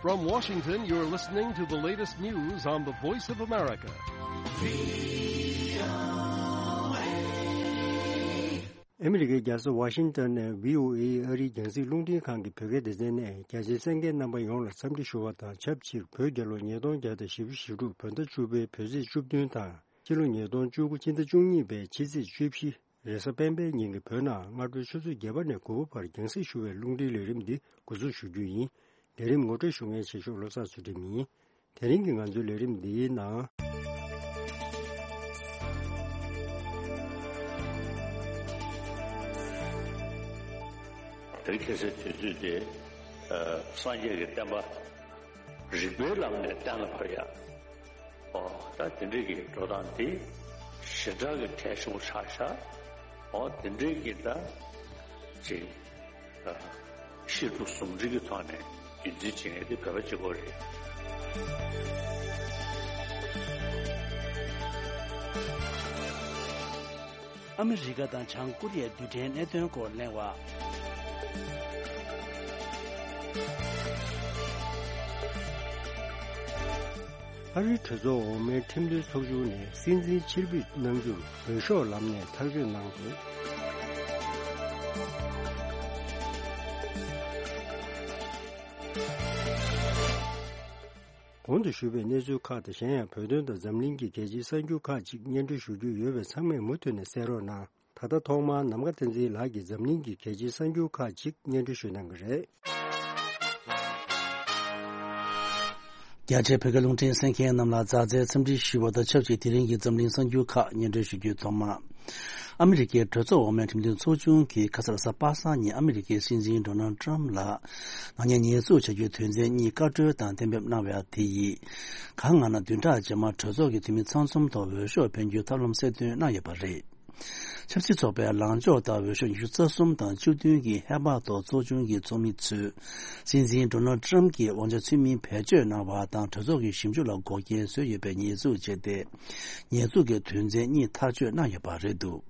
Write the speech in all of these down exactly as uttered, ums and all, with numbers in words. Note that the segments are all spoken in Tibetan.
From Washington, you're listening to the latest news on the Voice of America. ཨ་མི་རི་ཀའི་རྒྱལ་ས་ཝ་ཤིང་ཏོན་ནས་བྷི་ཨོ་ཨེ་ཨ་རིའི་རྒྱང་སྲིང་རླུང་འཕྲིན་ཁང་གི་བོད་སྐད་སྡེ་ཚན་ནས་རྒྱ་ཆེའི་གསན་མཁན་རྣམ་པ་ཡོངས་ལ་འཚམས་འདྲི་ཞུ་བ་དང་ཆབས་ཅིག་བོད་རྒྱལ་ལོ་ཉིས་སྟོང་བརྒྱ་དང་བཞི་བཅུ་ཞེ་དྲུག་བོད་ཟླ་བཅུ་པའི་བོད་ཚེས་བཅུ་བདུན་དང་ཕྱི་ལོ་ཉིས་སྟོང་བཅུ་དགུ་ཕྱི་ཟླ་བཅུ་གཉིས་པའི་ཕྱི་ཚེས་བཅུ་བཞི་རེས་གཟའ་སྤེན་པའི་ཉིན་གྱི་བོད་ནང་སྔ་དྲོའི་ཆུ་ཚོད་བརྒྱད་པ་ནས་དགུ་པ་བར་རྒྱང་སྲིང་ཞུ་བའི་རླུང་འཕྲིན་ལས་རིམ་འདི་འགོ་འཛུགས་ཞུ་རྒྱུ་ཡིན། ལས་རིམ་ངོ་སྤྲོད་ཞུ་མཁན་ཆེ་ཤོས་བློ་བཟང་ཚུལ་ཁྲིམས་ཡིན། དེ་རིང་གི་ང་ཚོའི་ལས་རིམ་འདིའི་ནང་། དེ་རིང་ཁ་སང་དུས་ཚོད་དེ། ཨ། སངས་རྒྱས་ཀྱི་བསྟན་པ་རིགས་པའི་ལམ་ནས་གཏན་ལ་ཕབ་ཡ། ཨོ། ད་དེ་འདྲའི་གི་འགྲོ་སྟངས་དེ་ཞེ་དྲག་གི་གལ་ཆེན་པོ་ཆགས་ཤག་ཨོ། དེ་འདྲའི་གི་ད་ཅིག་ཨ། བཤད་སྒྲུབ་ཟུང་འབྲེལ་གྱི་ཐོག་ནས་རྒྱུན་འཛིན་བྱེད་མཁན་དེ་བོད་པ་གཅིག་པོ་རེད། ཨ་མི་རི་ཀ་དང་བྱང་ཀོ་རི་ཡའི་རྡུལ་ཕྲན་གནད་དོན་སྐོར་གླེང་བ། ཨ་རིའི་གྲོས་ཚོགས་འོག་མའི་ཁྲིམས་མཐུན་ཚོགས་ཆུང་ནས་སྲིད་འཛིན་ཕྱིར་འབུད་གནང་རྒྱུར་འོས་ཤོག་ལམ་ནས་ཐག་གཅོད་གནང་འདུག་གོང་དུ་ཞུས་པའི་གནས་ཚུལ་ཁག་དང་གཞན་ཡང་བོད་དོན་དང་འཛམ་གླིང་གི་གལ་ཆེའི་གསར་འགྱུར་ཁག་ཅིག་སྙན་སྒྲོན་ཞུ་རྒྱུ་ཡོད་པས་ཚང་མས་མུ་མཐུད་ནས་གསན་རོགས་གནང་། ད་ལྟ་ཐོག་མར་ནམ་མཁའ་བསྟན་འཛིན་ལགས་ཀྱིས་འཛམ་གླིང་གི་གལ་ཆེའི་གསར་འགྱུར་ཁག་ཅིག་སྙན་སྒྲོན་ཞུ་གནང་གི་རེད། རྒྱ་ཆེའི་བོད་སྐད་རླུང་འཕྲིན་གསན་མཁན་རྣམས་ལ་མཛའ་བརྩེའི་འཚམས་འདྲི་ཞུ་བ་དང་ཆབས་ཅིག་དེ་རིང་གི་འཛམ་གླིང་གསར་འགྱུར་ཁག་སྙན་སྒྲོན་ཞུ་རྒྱུའི་ཐོག་མ། ཨ་མི་རི་ཀའི་གྲོས་ཚོགས་འོག་མའི་ཁྲིམས་མཐུན་ཚོགས་ཆུང་གིས་ཁ་སང་རེས་གཟའ་པ་སངས་ཉིན་ཨ་མི་རི་ཀའི་སྲིད་འཛིན་ཌོ་ནལ་ཌི་ཊརམ་ཕི་ལ་ནག་ཉེས་ཉེས་འཛུགས་བྱ་རྒྱུའི་དོན་ཚན་གཉིས་བཀའ་འཁྲོལ་དང་གཏན་འབེབས་གནང་བ་དེ་ཡིས། གང་ང་ན་བདུན་ཕྲག་རྗེས་མར་གྲོས་ཚོགས་ཀྱི་འཐུས་མི་ཚང་འཛོམས་ཐོག་འོས་ཤོག་འཕེན་རྒྱུའི་ཐབས་ལམ་གསལ་སྟོན་གནང་ཡོད་པ་རེད། ཆབ་སྲིད་ཚོགས་པའི་ལངས་ཕྱོགས་ལྟར་འོས་ཤོག་ཉི་ཤུ་རྩ་གསུམ་དང་བཅུ་བདུན་གྱི་ཧེ་བག་ཐོག་ཚོགས་ཆུང་གི་ཚོགས་མི་ཚོས། སྲིད་འཛིན་ཌོ་ནལ་ཌི་ཊརམ་ཕི་གྱིས་དབང་ཆ་ཚུལ་མིན་བེད་སྤྱོད་གནང་བ་དང་གྲོས་ཚོགས་ཀྱི་ཞིབ་འཇུག་ལ་འགོག་རྐྱེན་བཟོས་ཡོད་པའི་ཉེས་འཛུགས་བྱས་ཏེ། ཉེས་འཛུགས་ཀྱི་དོན་ཚན་གཉིས་ཐག་གཅོད་གནང་ཡོད་པ་རེད་འདུག་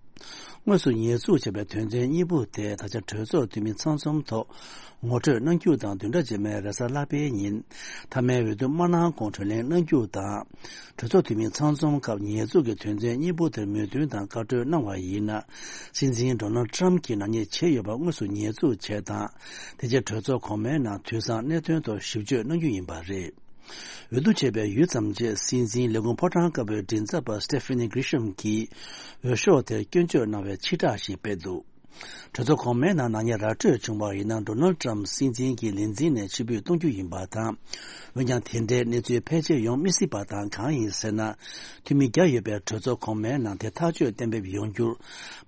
དངོས་སུ་ཉེས་འཛུགས་བྱས་པའི་དོན་ཚན་གཉིས་པོ་དེ་ད་ཆ་གྲོས་ཚོགས་འཐུས་མི་ཚང་འཛོམས་ཐོག་ངོ་སྤྲོད་གནང་རྒྱུ་དང་། བདུན་ཕྲག་རྗེས་མའི་རེས་གཟའ་ལྷག་པའི་ཉིན་མཐའ་མའི་འོས་བསྡུ་མ་གནང་གོང་གྲོས་གླེང་གནང་རྒྱུ་དང་། གྲོས་ཚོགས་འཐུས་མི་ཚང་འཛོམས་སྐབས་ཉེས་འཛུགས་ཀྱི་དོན་ཚན་གཉིས་པོ་དེར་མོས་མཐུན་དང་བཀའ་འཁྲོལ་གནང་བ་ཡིན་ན། སྲིད་འཛིན་ཌོ་ནལ་ཌི་ཊརམ་ཕི་གྱིས་ནག་ཉེས་བྱས་ཡོད་པ་དངོས་སུ་ཉེས་འཛུགས་བྱས་དང་། དེ་རྗེས་གྲོས་ཚོགས་གོང་མའི་ནང་དུས་སང་གནད་དོན་ཐོག་ཞིབ་དཔྱོད་གནང་རྒྱུ་ཡིན་པ་རེད། འོས་བསྡུ་བྱས་པའི་ཡུད་ཙམ་རྗེས་སྲིད་འཛིན་ལས་ཁུངས་ཕོ་བྲང་དཀར་པོའི་མགྲིན་ཚབ་པ་སི་ཏེ་ཕེ་ནི་གྷི་རི་ཤམ་གྱིས་འོས་ཤོག་དེར་སྐྱོན་བརྗོད་གནང་བའི་ཕྱིར་བསྒྲགས་ཤིག་སྤེལ་འདུག་གྲོས་ཚོགས་གོང་མའི་ནང་ནག་ཉེས་ར་སྤྲོད་བྱུང་བ་ཡིན་ན། ཌོ་ནལ་ཌི་ཊརམ་ཕི་སྲིད་འཛིན་གྱི་ལས་འཛིན་ནས་ཕྱིར་འབུད་གཏོང་རྒྱུ་ཡིན་པ་དང་། འོན་ཀྱང་དེ་འདྲའི་གནས་ཚུལ་ཕལ་ཆེར་ཡོང་མི་སྲིད་པ་དང་། གང་ཡིན་ཟེར་ན། འཐུས་མི་བརྒྱ་ཡོད་པའི་གྲོས་ཚོགས་གོང་མའི་ནང་དེ་ཐག་གཅོད་གཏན་འབེབས་ཡོང་རྒྱུར།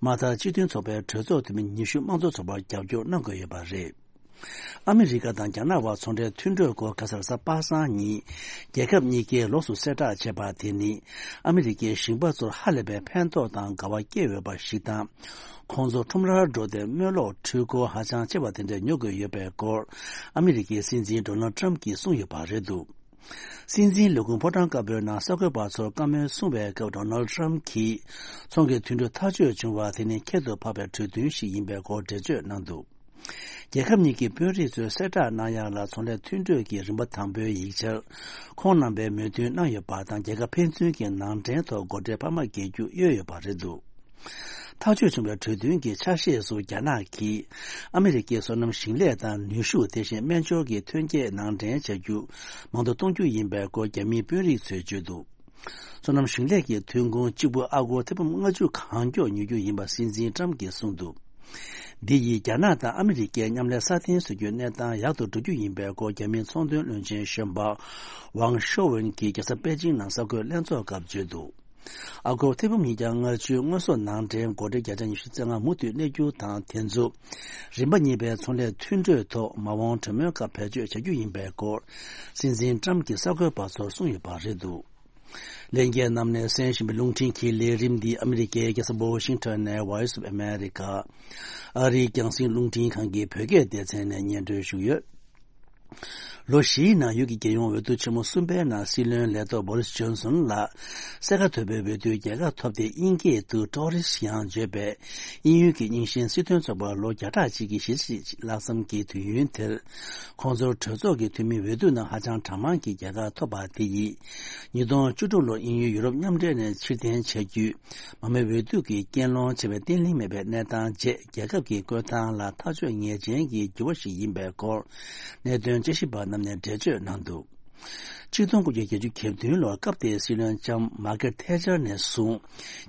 མ་མཐའ་སྤྱི་མཐུན་ཚོགས་པའི་གྲོས་ཚོགས་འཐུས་མི་ཉི་ཤུ་དམངས་གཙོ་ཚོགས་པར་རྒྱབ་སྐྱོར་གནང་དགོས་ཡོད་པ་རེད། ཨ་མི་རི་ཀ་དང་རྒྱ་ནག་དབར་ཚོང་འབྲེལ་མཐུན་གྲོས་སྐོར་ཁ་སང་རེས་གཟའ་པ་སངས་ཉིན་རྒྱལ་ཁབ་གཉིས་ཀས་ལོགས་སུ་གསལ་བསྒྲགས་བྱས་པ་དེ་ནི། ཨ་མི་རི་ཀའི་ཞིང་པ་ཚོར་ཧ་ལས་པའི་ཕན་ཐོགས་དང་དགའ་བ་སྐྱེས་ཡོད་པ་ཞིག་དང་། ཁོང་ཚོ་ཁྲོམ་རར་འགྲོ་སྟེ་སྨོན་ལོག་འཕྲུལ་འཁོར་ཧ་ཅང་ཆེ་བ་དེ་འདྲ་ཉོ་དགོས་ཡོད་པའི་སྐོར། ཨ་མི་རི་ཀའི་སྲིད་འཛིན་ཌོ་ནལ་ཌི་ཊརམ་ཕི་གིས་གསུངས་ཡོད་པ་རེད་འདུག་སྲིད་འཛིན་ལས་ཁུངས་ཕོ་བྲང་དཀར་པོའི་ནང་གསར་འགོད་པ་ཚོར་བཀའ་མོལ་གསུང་བའི་སྐབས། ཌོ་ནལ་ཌི་ཊརམ་ཕི་གིས། ཚོང་གི་མཐུན་གྲོས་ཐག་གཅོད་བྱུང་བ་དེ་ནི་ཁྱད་དུ་འཕགས་པའི་གྲོས་མཐུན་ཞིག་ཡིན་པའི་སྐོར་འགྲེལ་བརྗོད་གནང་འདུག་རྒྱལ་ཁབ་གཉིས་ཀྱི་དཔོན་རིགས་ཚོས་གསལ་བསྒྲགས་གནང་ཡག་ལ། ཚོང་ལས་མཐུན་གྲོས་ཀྱི་རིམ་པ་དང་པོའི་ཡིག་ཆར་ཁོང་རྣམ་པས་མོས་མཐུན་གནང་ཡོད་པ་དང་། རྒྱལ་ཁབ་ཕན་ཚུན་གྱི་ནང་འདྲེན་ཐོག་སྒོ་ཁྲལ་འཕར་མ་འགེལ་རྒྱུ་གཡོལ་ཡོད་པ་རེད་འདུག་ཐག་གཅོད་བྱུང་བའི་གྲོས་མཐུན་གྱི་ཆ་ཤས་སུ། རྒྱ་ནག་གིས་ཨ་མི་རི་ཀའི་སོ་ནམ་ཞིང་ལས་དང་ནུས་ཤུགས། དེ་བཞིན་སྨན་སྦྱོར་གྱི་ཐོན་སྐྱེད་ནང་འདྲེན་བྱ་རྒྱུ་མང་དུ་གཏོང་རྒྱུ་ཡིན་པའི་སྐོར་རྒྱ་མིའི་དཔོན་རིགས་ཚོས་བརྗོད་འདུག་སོ་ནམ་ཞིང་ལས་ཀྱི་ཐོན་ཁུངས་གཅིག་པུ་ཨ་སྒོར་ཐེར་འབུམ་ལྔ་བཅུ་གང་མགྱོགས་ཉོ་རྒྱུ་ཡིན་པ་སྲིད་འཛིན་ཊམ་གྱིས་གསུངས་འདུག་འདི་ཡིས་རྒྱ་ནག་དང་ཨ་མི་རི་ཀའི་མཉམ་ལས་སྲ་བརྟན་བཟོ་རྒྱུའི་གནས་སྟངས་ཡག་ཏུ་འགྲོ་རྒྱུ་ཡིན་པའི་སྐོར་རྒྱ་མིའི་ཚོང་དོན་བློན་ཆེན་གཞོན་པ་ཝང་ཤོ་ཝུན་གྱིས་རྒྱལ་ས་པེ་ཅིང་ནང་གསར་འགོད་ལྷན་ཚོགས་སྐབས་བརྗོད་འདུག་ཨ་སྒོར་ཐེར་འབུམ་ཉིས་བརྒྱ་ལྔ་བཅུའི་དངོས་ཟོག་ནང་འདྲེན་སྒོ་ཁྲལ་བརྒྱ་ཆ་ཉི་ཤུ་རྩ་ལྔ་མུ་མཐུད་གནས་རྒྱུ་དང་། དེ་ཚོ་རིམ་པ་གཉིས་པའི་ཚོང་ལས་མཐུན་གྲོས་ཐོག་མ་འོངས་གྲོས་མོལ་སྐབས་བེད་སྤྱོད་བྱ་རྒྱུ་ཡིན་པའི་སྐོར་སྲིད་འཛིན་ཊམ་གྱིས་གསར་འགོད་པ་ཚོར་གསུངས་ཡོད་པ་རེད་འདུག་ལྷན་རྒྱས་རྣམས་ནས་གསན་བཞིན་པའི་རླུང་འཕྲིན་གྱི་ལས་རིམ་འདི་ཨ་མི་རི་ཀའི་རྒྱལ་ས་ཝོ་ཤིང་ཊོན་ནས་Voice of America། ཨ་རིའི་རྒྱང་སྲིང་རླུང་འཕྲིན་ཁང་གི་བོད་སྐད་སྡེ་ཚན་ནས་སྙན་སྒྲོན་ཞུས་ཡོད། ལོ་བཞིའི་ནང་ཡུལ་གྱི་རྒྱལ་ཡོངས་འོས་བསྡུ་ཆེན་མོ་གསུམ་པའི་ནང་སྲིད་བློན་ལས་ཐོག་བོ་རིས་ཇོན་སོན་ལགས་ས་ག་ཐོད་པའི་འོས་བསྡུའི་རྒྱལ་ཁ་ཐོབ་སྟེ། དབྱིན་སྐད་དུ་Tories ཡང་བརྗོད་པའི་དབྱིན་ཡུལ་གྱི་རྙིང་ཞེན་སྲིད་དོན་ཚོགས་པ་ལོ་བརྒྱ་ཕྲག་གཅིག་གི་གཞིས་བྱེས་ལྷག་བསམ་གྱི་དུས་ཡུན་དེར། ཁོང་ཚོར་གྲོས་ཚོགས་ཀྱི་འཐུས་མི་འོས་བསྡུ་ནང་ཧ་ཅང་གྲངས་མང་གི་རྒྱལ་ཁ་ཐོབ་པ་དེ་ཡིས། ཉིས་སྟོང་བཅུ་དྲུག་ལོར་དབྱིན་ཡུལ་ཡུ་རོབ་མཉམ་འབྲེལ་ནས་ཕྱིར་འཐེན་བྱ་རྒྱུའི་མང་མོས་འོས་བསྡུ་གི་རྐྱེན་སློང་བྱས་པའི་བརྟན་ལྷིང་མེད་པའི་གནས་སྟངས་རྗེས། རྒྱལ་ཁབ་ཀྱི་བཀོད་སྟངས་ལ་ཐག་གཅོད་ངེས་ཅན་གྱི་འགྱུར་བ་ཞིག་ཡིན་པའི་སྐོར། གནད་དོན་དཔྱད་ཞིབ་པ་རྣམས་ནས་འགྲེལ་བརྗོད་གནང་འདུག་ཆིག་སྟོང་དགུ་བརྒྱ་བརྒྱད་ཅུ་གྱ་བདུན་ལོར་སྐབས་དེའི་སྲིད་བློན་ལྕམ་མར་ཀེར་ཐེ་ཆར་ནས་བཟུང་།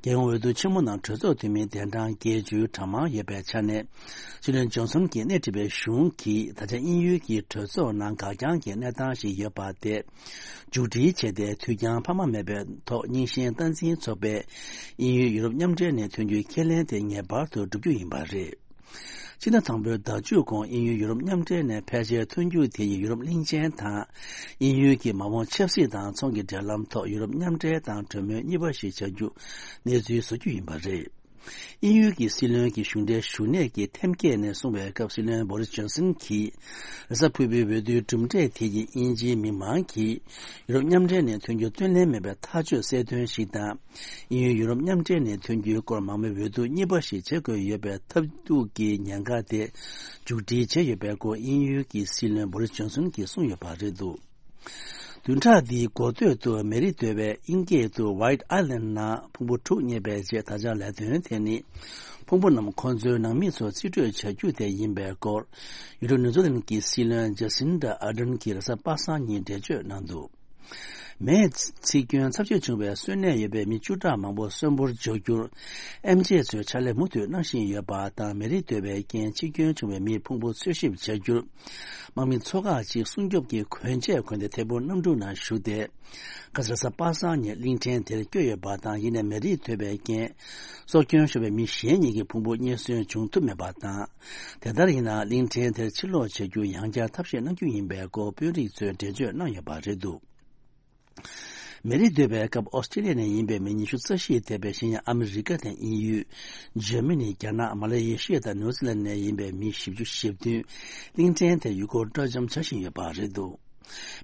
རྒྱལ་ཡོངས་འོས་བསྡུ་ཆེན་མོ་ནང་གྲོས་ཚོགས་འཐུས་མིའི་གདན་གྲངས་བརྒྱད་ཅུའི་གྲངས་མང་ཡོད་པའི་ཆ་ནས། སྲིད་བློན་ཇོན་སོན་གྱིས་སྣེ་ཁྲིད་པའི་གཞུང་གིས་ད་ཆ་དབྱིན་ཡུལ་གྱི་གྲོས་ཚོགས་ནང་འགག་རྐྱང་གི་གནས་སྟངས་ཤིག་ཡོད་པ་དེ། མཇུག་སྒྲིལ་བྱས་ཏེ། དུས་འགྱངས་འཕར་མ་མེད་པའི་ཐོག་རྙིང་ཞེན་སྟངས་འཛིན་ཚོགས་པས་དབྱིན་ཡུལ་ཡུ་རོབ་མཉམ་འབྲེལ་ནས་ཐོན་རྒྱུའི་ཁས་ལེན་དེ་ངེས་པར་དུ་བསྒྲུབ་རྒྱུ་ཡིན་པ་རེད། ཕྱི་ཟླ་དང་པོའི་ཟླ་མཇུག་གོང་དབྱིན་ཡུལ་ཡུ་རོབ་མཉམ་འབྲེལ་ནས་ཕལ་ཆེར་ཐོན་རྒྱུ་དེ་ཡིས་ཡུ་རོབ་གླིང་ཆེན་དང་། དབྱིན་ཡུལ་གྱི་མ་འོངས་ཆབ་སྲིད་དང་ཚོང་གི་འབྲེལ་ལམ་ཐོག་ཡུ་རོབ་མཉམ་འབྲེལ་དང་གྲོས་མོལ་གཉིས་པ་ཞིག་བྱ་རྒྱུ་གནས་ཚུལ་བཟོ་རྒྱུ་ཡིན་པ་རེད། དབྱིན་ཡུལ་གྱི་སྲིད་བློན་གྱི་གཞུང་འབྲེལ་ཞུ་གནས་ཀྱི་ཐེམ་སྐས་ནས་གསུངས་པའི་སྐབས། སྲིད་བློན་བོ་རིས་ཇོན་སན་གྱིས་རེས་གཟའ་ཕུར་བུའི་འོས་བསྡུའི་གྲུབ་འབྲས་དེ་ཡིས་དབྱིན་ཇིའི་མི་མང་གིས་ཡུ་རོབ་མཉམ་འབྲེལ་ནས་ཐོན་རྒྱུ་སྟོན་ལེན་མེད་པའི་ཐག་གཅོད་གསལ་སྟོན་ཞིག་དང་། དབྱིན་ཡུལ་ཡུ་རོབ་མཉམ་འབྲེལ་ནས་ཐོན་རྒྱུའི་སྐོར་མང་མོས་འོས་བསྡུ་གཉིས་པ་ཞིག་བྱེད་དགོས་ཡོད་པའི་ཐབས་སྡུག་གི་ཉེན་ཁ་དེ་མཇུག་སྒྲིལ་བྱས་ཡོད་པའི་སྐོར། དབྱིན་ཡུལ་གྱི་སྲིད་བློན་བོ་རིས་ཇོན་སན་གྱིས་གསུངས་ཡོད་པ་རེད་འདུག་བདུན་ཕྲག་འདིའི་འགོ་སྟོད་དུ་མེ་རི་བརྡོལ་བས་དབྱིན་སྐད་དུ་White Island ནང་ཕུང་པོ་དྲུག་རྙེད་པའི་རྗེས། ད་ཆ་ལས་དོན་དེ་ནི་ཕུང་པོ་རྣམས་ཁོང་ཚོའི་ནང་མི་ཚོ་རྩིས་སྤྲོད་བྱ་རྒྱུ་དེ་ཡིན་པའི་སྐོར། ཡུལ་གྲུ་ནིའུ་ཛི་ལན་གྱི་སྲིད་བློན་ཇ་སིན་ཌ་ཨར་ཌན་གྱིས་རེས་གཟའ་པ་སངས་ཉིན་འགྲེལ་བརྗོད་གནང་འདུག་མེའི་འཚིག་སྐྱོན་ཚབས་ཆེ་བྱུང་བའི་གསོན་གནས་ཡོད་པའི་མི་བཅུ་ཕྲག་མང་པོ་གསོན་པོར་འབྱོར་རྒྱུར། ཨེམ་ཆི་ཚོས་ཕྱག་ལས་མུ་མཐུད་གནང་བཞིན་ཡོད་པ་དང་། མེ་རི་བརྡོལ་བའི་རྐྱེན་འཆི་སྐྱོན་བྱུང་བའི་མིའི་ཕུང་པོ་འཚོལ་ཞིབ་བྱ་རྒྱུར། དམག་མི་ཚོ་ཁག་ཅིག་སྲུང་སྐྱོབ་ཀྱི་གོན་ཆས་གོན་ཏེ་ཐད་འཕུར་གནམ་གྲུ་ནང་ཞུགས་ཏེ། ཁ་སང་རེས་གཟའ་པ་སངས་ཉིན་གླིང་ཕྲན་དེར་བསྐྱོད་ཡོད་པ་དང་། ཡིན་ནའི་མེ་རི་བརྡོལ་བའི་རྐྱེན་སྲོག་སྐྱོན་ཤོར་བའི་མི་གཞན་གཉིས་ཀྱི་ཕུང་པོ་རྙེད་སོན་བྱུང་ཐུབ་མེད་པ་དང་། དེ་ལྟར་ཡིན་ན་གླིང་ཕྲན་དེར་ཕྱིར་ལོག་བྱ་རྒྱུར་ཡང་བསྐྱར་ཐབས་ཤེས་གནང་རྒྱུ་ཡིན་པའི་སྐོར་དཔོན་རིགས་ཚོས་འགྲེལ་བརྗོད་གནང་ཡོད་པ་རེད་འདུག་མེ་རི་བརྡོལ་བའི་སྐབས་ཨོ་སི་ཀྲི་ལི་ཡ་ནས་ཡིན་པའི་མི་ཉི་ཤུ་རྩ་བཞི་འདས་པའི་གཞན་ཡང་ཨ་མི་རི་ཀ་དང་དབྱིན་ཡུལ། འཇར་མ་ནི། རྒྱ་ནག། མ་ལེ་ཤི་ཡ་དང་ནིའུ་ཛི་ལན་ནས་ཡིན་པའི་མི་བཞི་བཅུ་ཞེ་བདུན་གླིང་ཕྲན་དེར་ཡུལ་སྐོར་སྤྲོ་འཆམ་བྱ་བཞིན་ཡོད་པ་རེད་འདུག་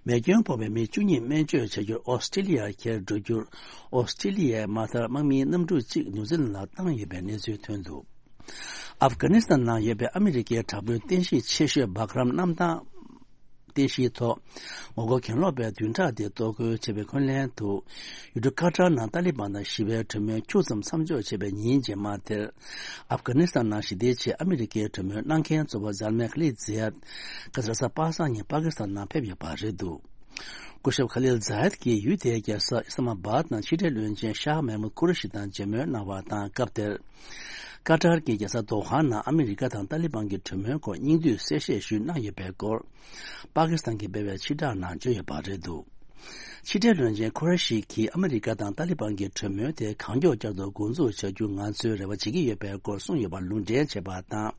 མེ་སྐྱོན་ཕོག་པའི་མི་བཅུ་གཉིས་སྨན་བཅོས་བྱ་རྒྱུར་ཨོ་སི་ཀྲི་ལི་ཡར་འཁྱེར་འགྲོ་རྒྱུར། ཨོ་སི་ཀྲི་ལི་ཡའི་དམག་དར་དམག་མིའི་གནམ་གྲུ་གཅིག་ནིའུ་ཛི་ལན་ལ་བཏང་ཡོད་པའི་གནས་ཚུལ་ཐོན་འདུག་ཨབ་གྷ་ནི་སི་ཐན་ནང་ཡོད་པའི་ཨ་མི་རི་ཀའི་དྲག་དཔོན་རྟེན་གཞི་ཆེ་ཤོས་སྦག་རམ་གནམ་ཐང་རྟེན་གཞིའི་ཐོག་ངོ་རྒོལ་གྱེན་ལོག་པས་བདུན་ཕྲག་འདིར་གཏོར་རྒོལ་བྱས་པའི་ཁུངས་ལན་དུ། ཡུལ་གྲུ་ཀ་ཏར་ནང་ཏཱ་ལི་བན་དང་ཞི་བའི་གྲོས་མོལ་ཁྱུག་ཙམ་མཚམས་འཇོག་བྱས་པའི་ཉིན་རྗེས་མ་དེར། ཨབ་གྷ་ནི་སི་ཐན་ནང་ཞི་བདེའི་ཆེད་ཨ་མི་རི་ཀའི་གྲོས་མོལ་གནང་མཁན་གཙོ་བོ་ཛལ་མེ་ཁ་ལིད་ཛི་ཡད། ཁ་སང་རེས་གཟའ་པ་སངས་ཉིན་པ་ཀི་སི་ཐན་ནང་ཕེབས་ཡོད་པ་རེད་འདུག་སྐུ་ཞབས་ཁ་ལིལ་ཛ་ཡད་ཀྱིས་ཡུལ་དེའི་རྒྱལ་ས་ཨི་སི་ལ་མ་བཱད་ནང་ཕྱི་འབྲེལ་བློན་ཆེན་ཤཱ་མེ་མུད་ཁུ་རེ་ཤི་དང་མཇལ་མོལ་གནང་བ་དང་། སྐབས་དེར། ཀ་ཏར་གྱི་རྒྱལ་ས་དོ་ཧ་ནང་ཨ་མི་རི་ཀ་དང་ཏཱ་ལི་བན་གྱི་གྲོས་མོལ་སྐོར་སྙིང་བསྡུས་གསལ་བཤད་ཞུས་གནང་ཡོད་པའི་སྐོར། པ་ཀི་སི་ཐན་གྱིས་སྤེལ་བའི་ཕྱིར་བསྒྲགས་ནང་བརྗོད་ཡོད་པ་རེད་འདུག་ཕྱི་འབྲེལ་བློན་ཆེན་ཁུ་རེ་ཤི་གྱིས་ཨ་མི་རི་ཀ་དང་ཏཱ་ལི་བན་གྱི་གྲོས་མོལ་དེ་གང་མགྱོགས་བསྐྱར་དུ་འགོ་འཛུགས་བྱ་རྒྱུ་ང་ཚོས་རེ་བ་བྱེད་ཀྱི་ཡོད་པའི་སྐོར་གསུངས་ཡོད་པར་ལུང་འདྲེན་བྱས་པ་དང་།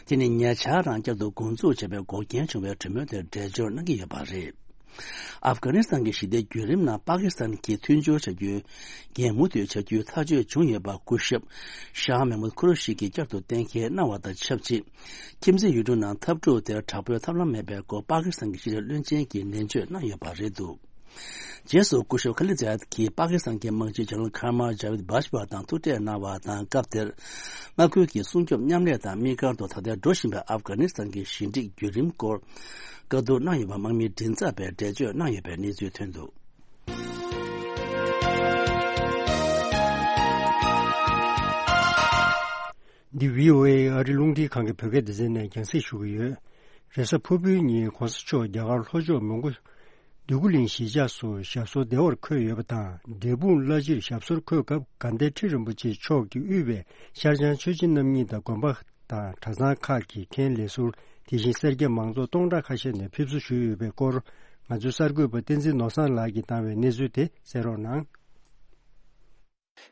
དེ་ནི་ཉེ་ཆར་རང་བསྐྱར་དུ་འགོ་འཛུགས་བྱས་པའི་འགོག་རྐྱེན་བྱུང་བའི་གྲོས་མོལ་དེར་འགྲེལ་བརྗོད་གནང་གི་ཡོད་པ་རེད། ཨབ་གྷ་ནི་སི་ཐན་གྱི་ཞི་བདེ་བརྒྱུད་རིམ་ནང་པ་ཀི་སི་ཐན་གྱིས་མཐུན་སྦྱོར་བྱ་རྒྱུའི་འགན་མུ་མཐུད་བྱ་རྒྱུའི་ཐག་གཅོད་བྱུང་ཡོད་པ་སྐུ་ཞབས་ཤཱ་མེ་མུད་ཁུ་རུ་ཤི་གིས་བསྐྱར་དུ་གཏན་འཁེལ་གནང་བ་དང་ཆབས་ཅིག་ཁྱིམ་མཚེས་ཡུལ་གྲུ་ནང་འཐབ་འཁྲུག་དེར་དྲག་པོའི་ཐབས་ལམ་མེད་པའི་སྐོར་པ་ཀི་སི་ཐན་གྱི་ཕྱི་འབྲེལ་བློན་ཆེན་གྱིས་ནན་བརྗོད་གནང་ཡོད་པ་རེད་འདུག་རྗེས་སུ་སྐུ་ཞབས་ཁ་ལི་ཛ་ཡད་ཀྱིས་པ་ཀི་སི་ཐན་གྱི་དམག་སྤྱི་ཇེ་ནེ་རལ་ཁར་མལ་ཇ་བིད་བྷ་ཇ་པ་དང་ཐུག་འཕྲད་གནང་བ་དང་། སྐབས་དེར་མངའ་ཁུལ་གྱི་སྲུང་སྐྱོབ་མཉམ་ལས་དང་དམིགས་བཀར་དུ་ད་ལྟའི་འགྲོ་བཞིན་པའི་ཨབ་གྷ་ནི་སི་ཐན་གྱི་ཞི་འགྲིག་བརྒྱུད་རིམ་སྐོར་བཀའ་བསྡུར་གནང་ཡོད་པ་དམག་མིའི་མགྲིན་ཚབ་པས་འགྲེལ་བརྗོད་གནང་ཡོད་པའི་གནས་ཚུལ་ཐོན་འདུག་འདི་བྷི་ཨོ་ཨེ་ཨ་རི་རླུང་འཕྲིན་ཁང་གི་བོད་སྐད་སྡེ་ཚན་ནས་རྒྱང་སྲིང་ཞུ་གི་ཡོད། རེས་གཟའ་ཕུར་བུའི་ཉིན་གོང་ས་མཆོག་རྒྱ་གར་ལྷོ་ཕྱོགས་མོན་གྷོ། འདོད་རྒུ་གླིང་གཞིས་ཆགས་སུ་ཞབས་སོར་བདེ་བར་འཁོད་ཡོད་པ་དང་། འབྲས་སྤུངས་བླ་སྤྱིར་ཞབས་སོར་འཁོད་སྐབས། དགའ་ལྡན་ཁྲི་རིན་པོ་ཆེ་མཆོག་གིས་དབུས་པའི་ཤར་བྱང་ཆོས་བྱེད་རྣམ་གཉིས་དང་དགོན་པ་དང་གྲྭ་ཚང་ཁག་གི་མཁན་ལས་ཟུར། དེ་བཞིན་སེར་སྐྱ་མང་ཚོགས་སྟོང་ཕྲག་ཁ་ཤས་ནས་ཕེབས་བསུ་ཞུས་ཡོད་པའི་སྐོར། ང་ཚོའི་གསར་འགོད་པ་བསྟན་འཛིན་ནོར་བཟང་ལགས་ཀྱིས་བཏང་བའི་གནས་ཚུལ་དེ་གསན་རོགས་གནང་།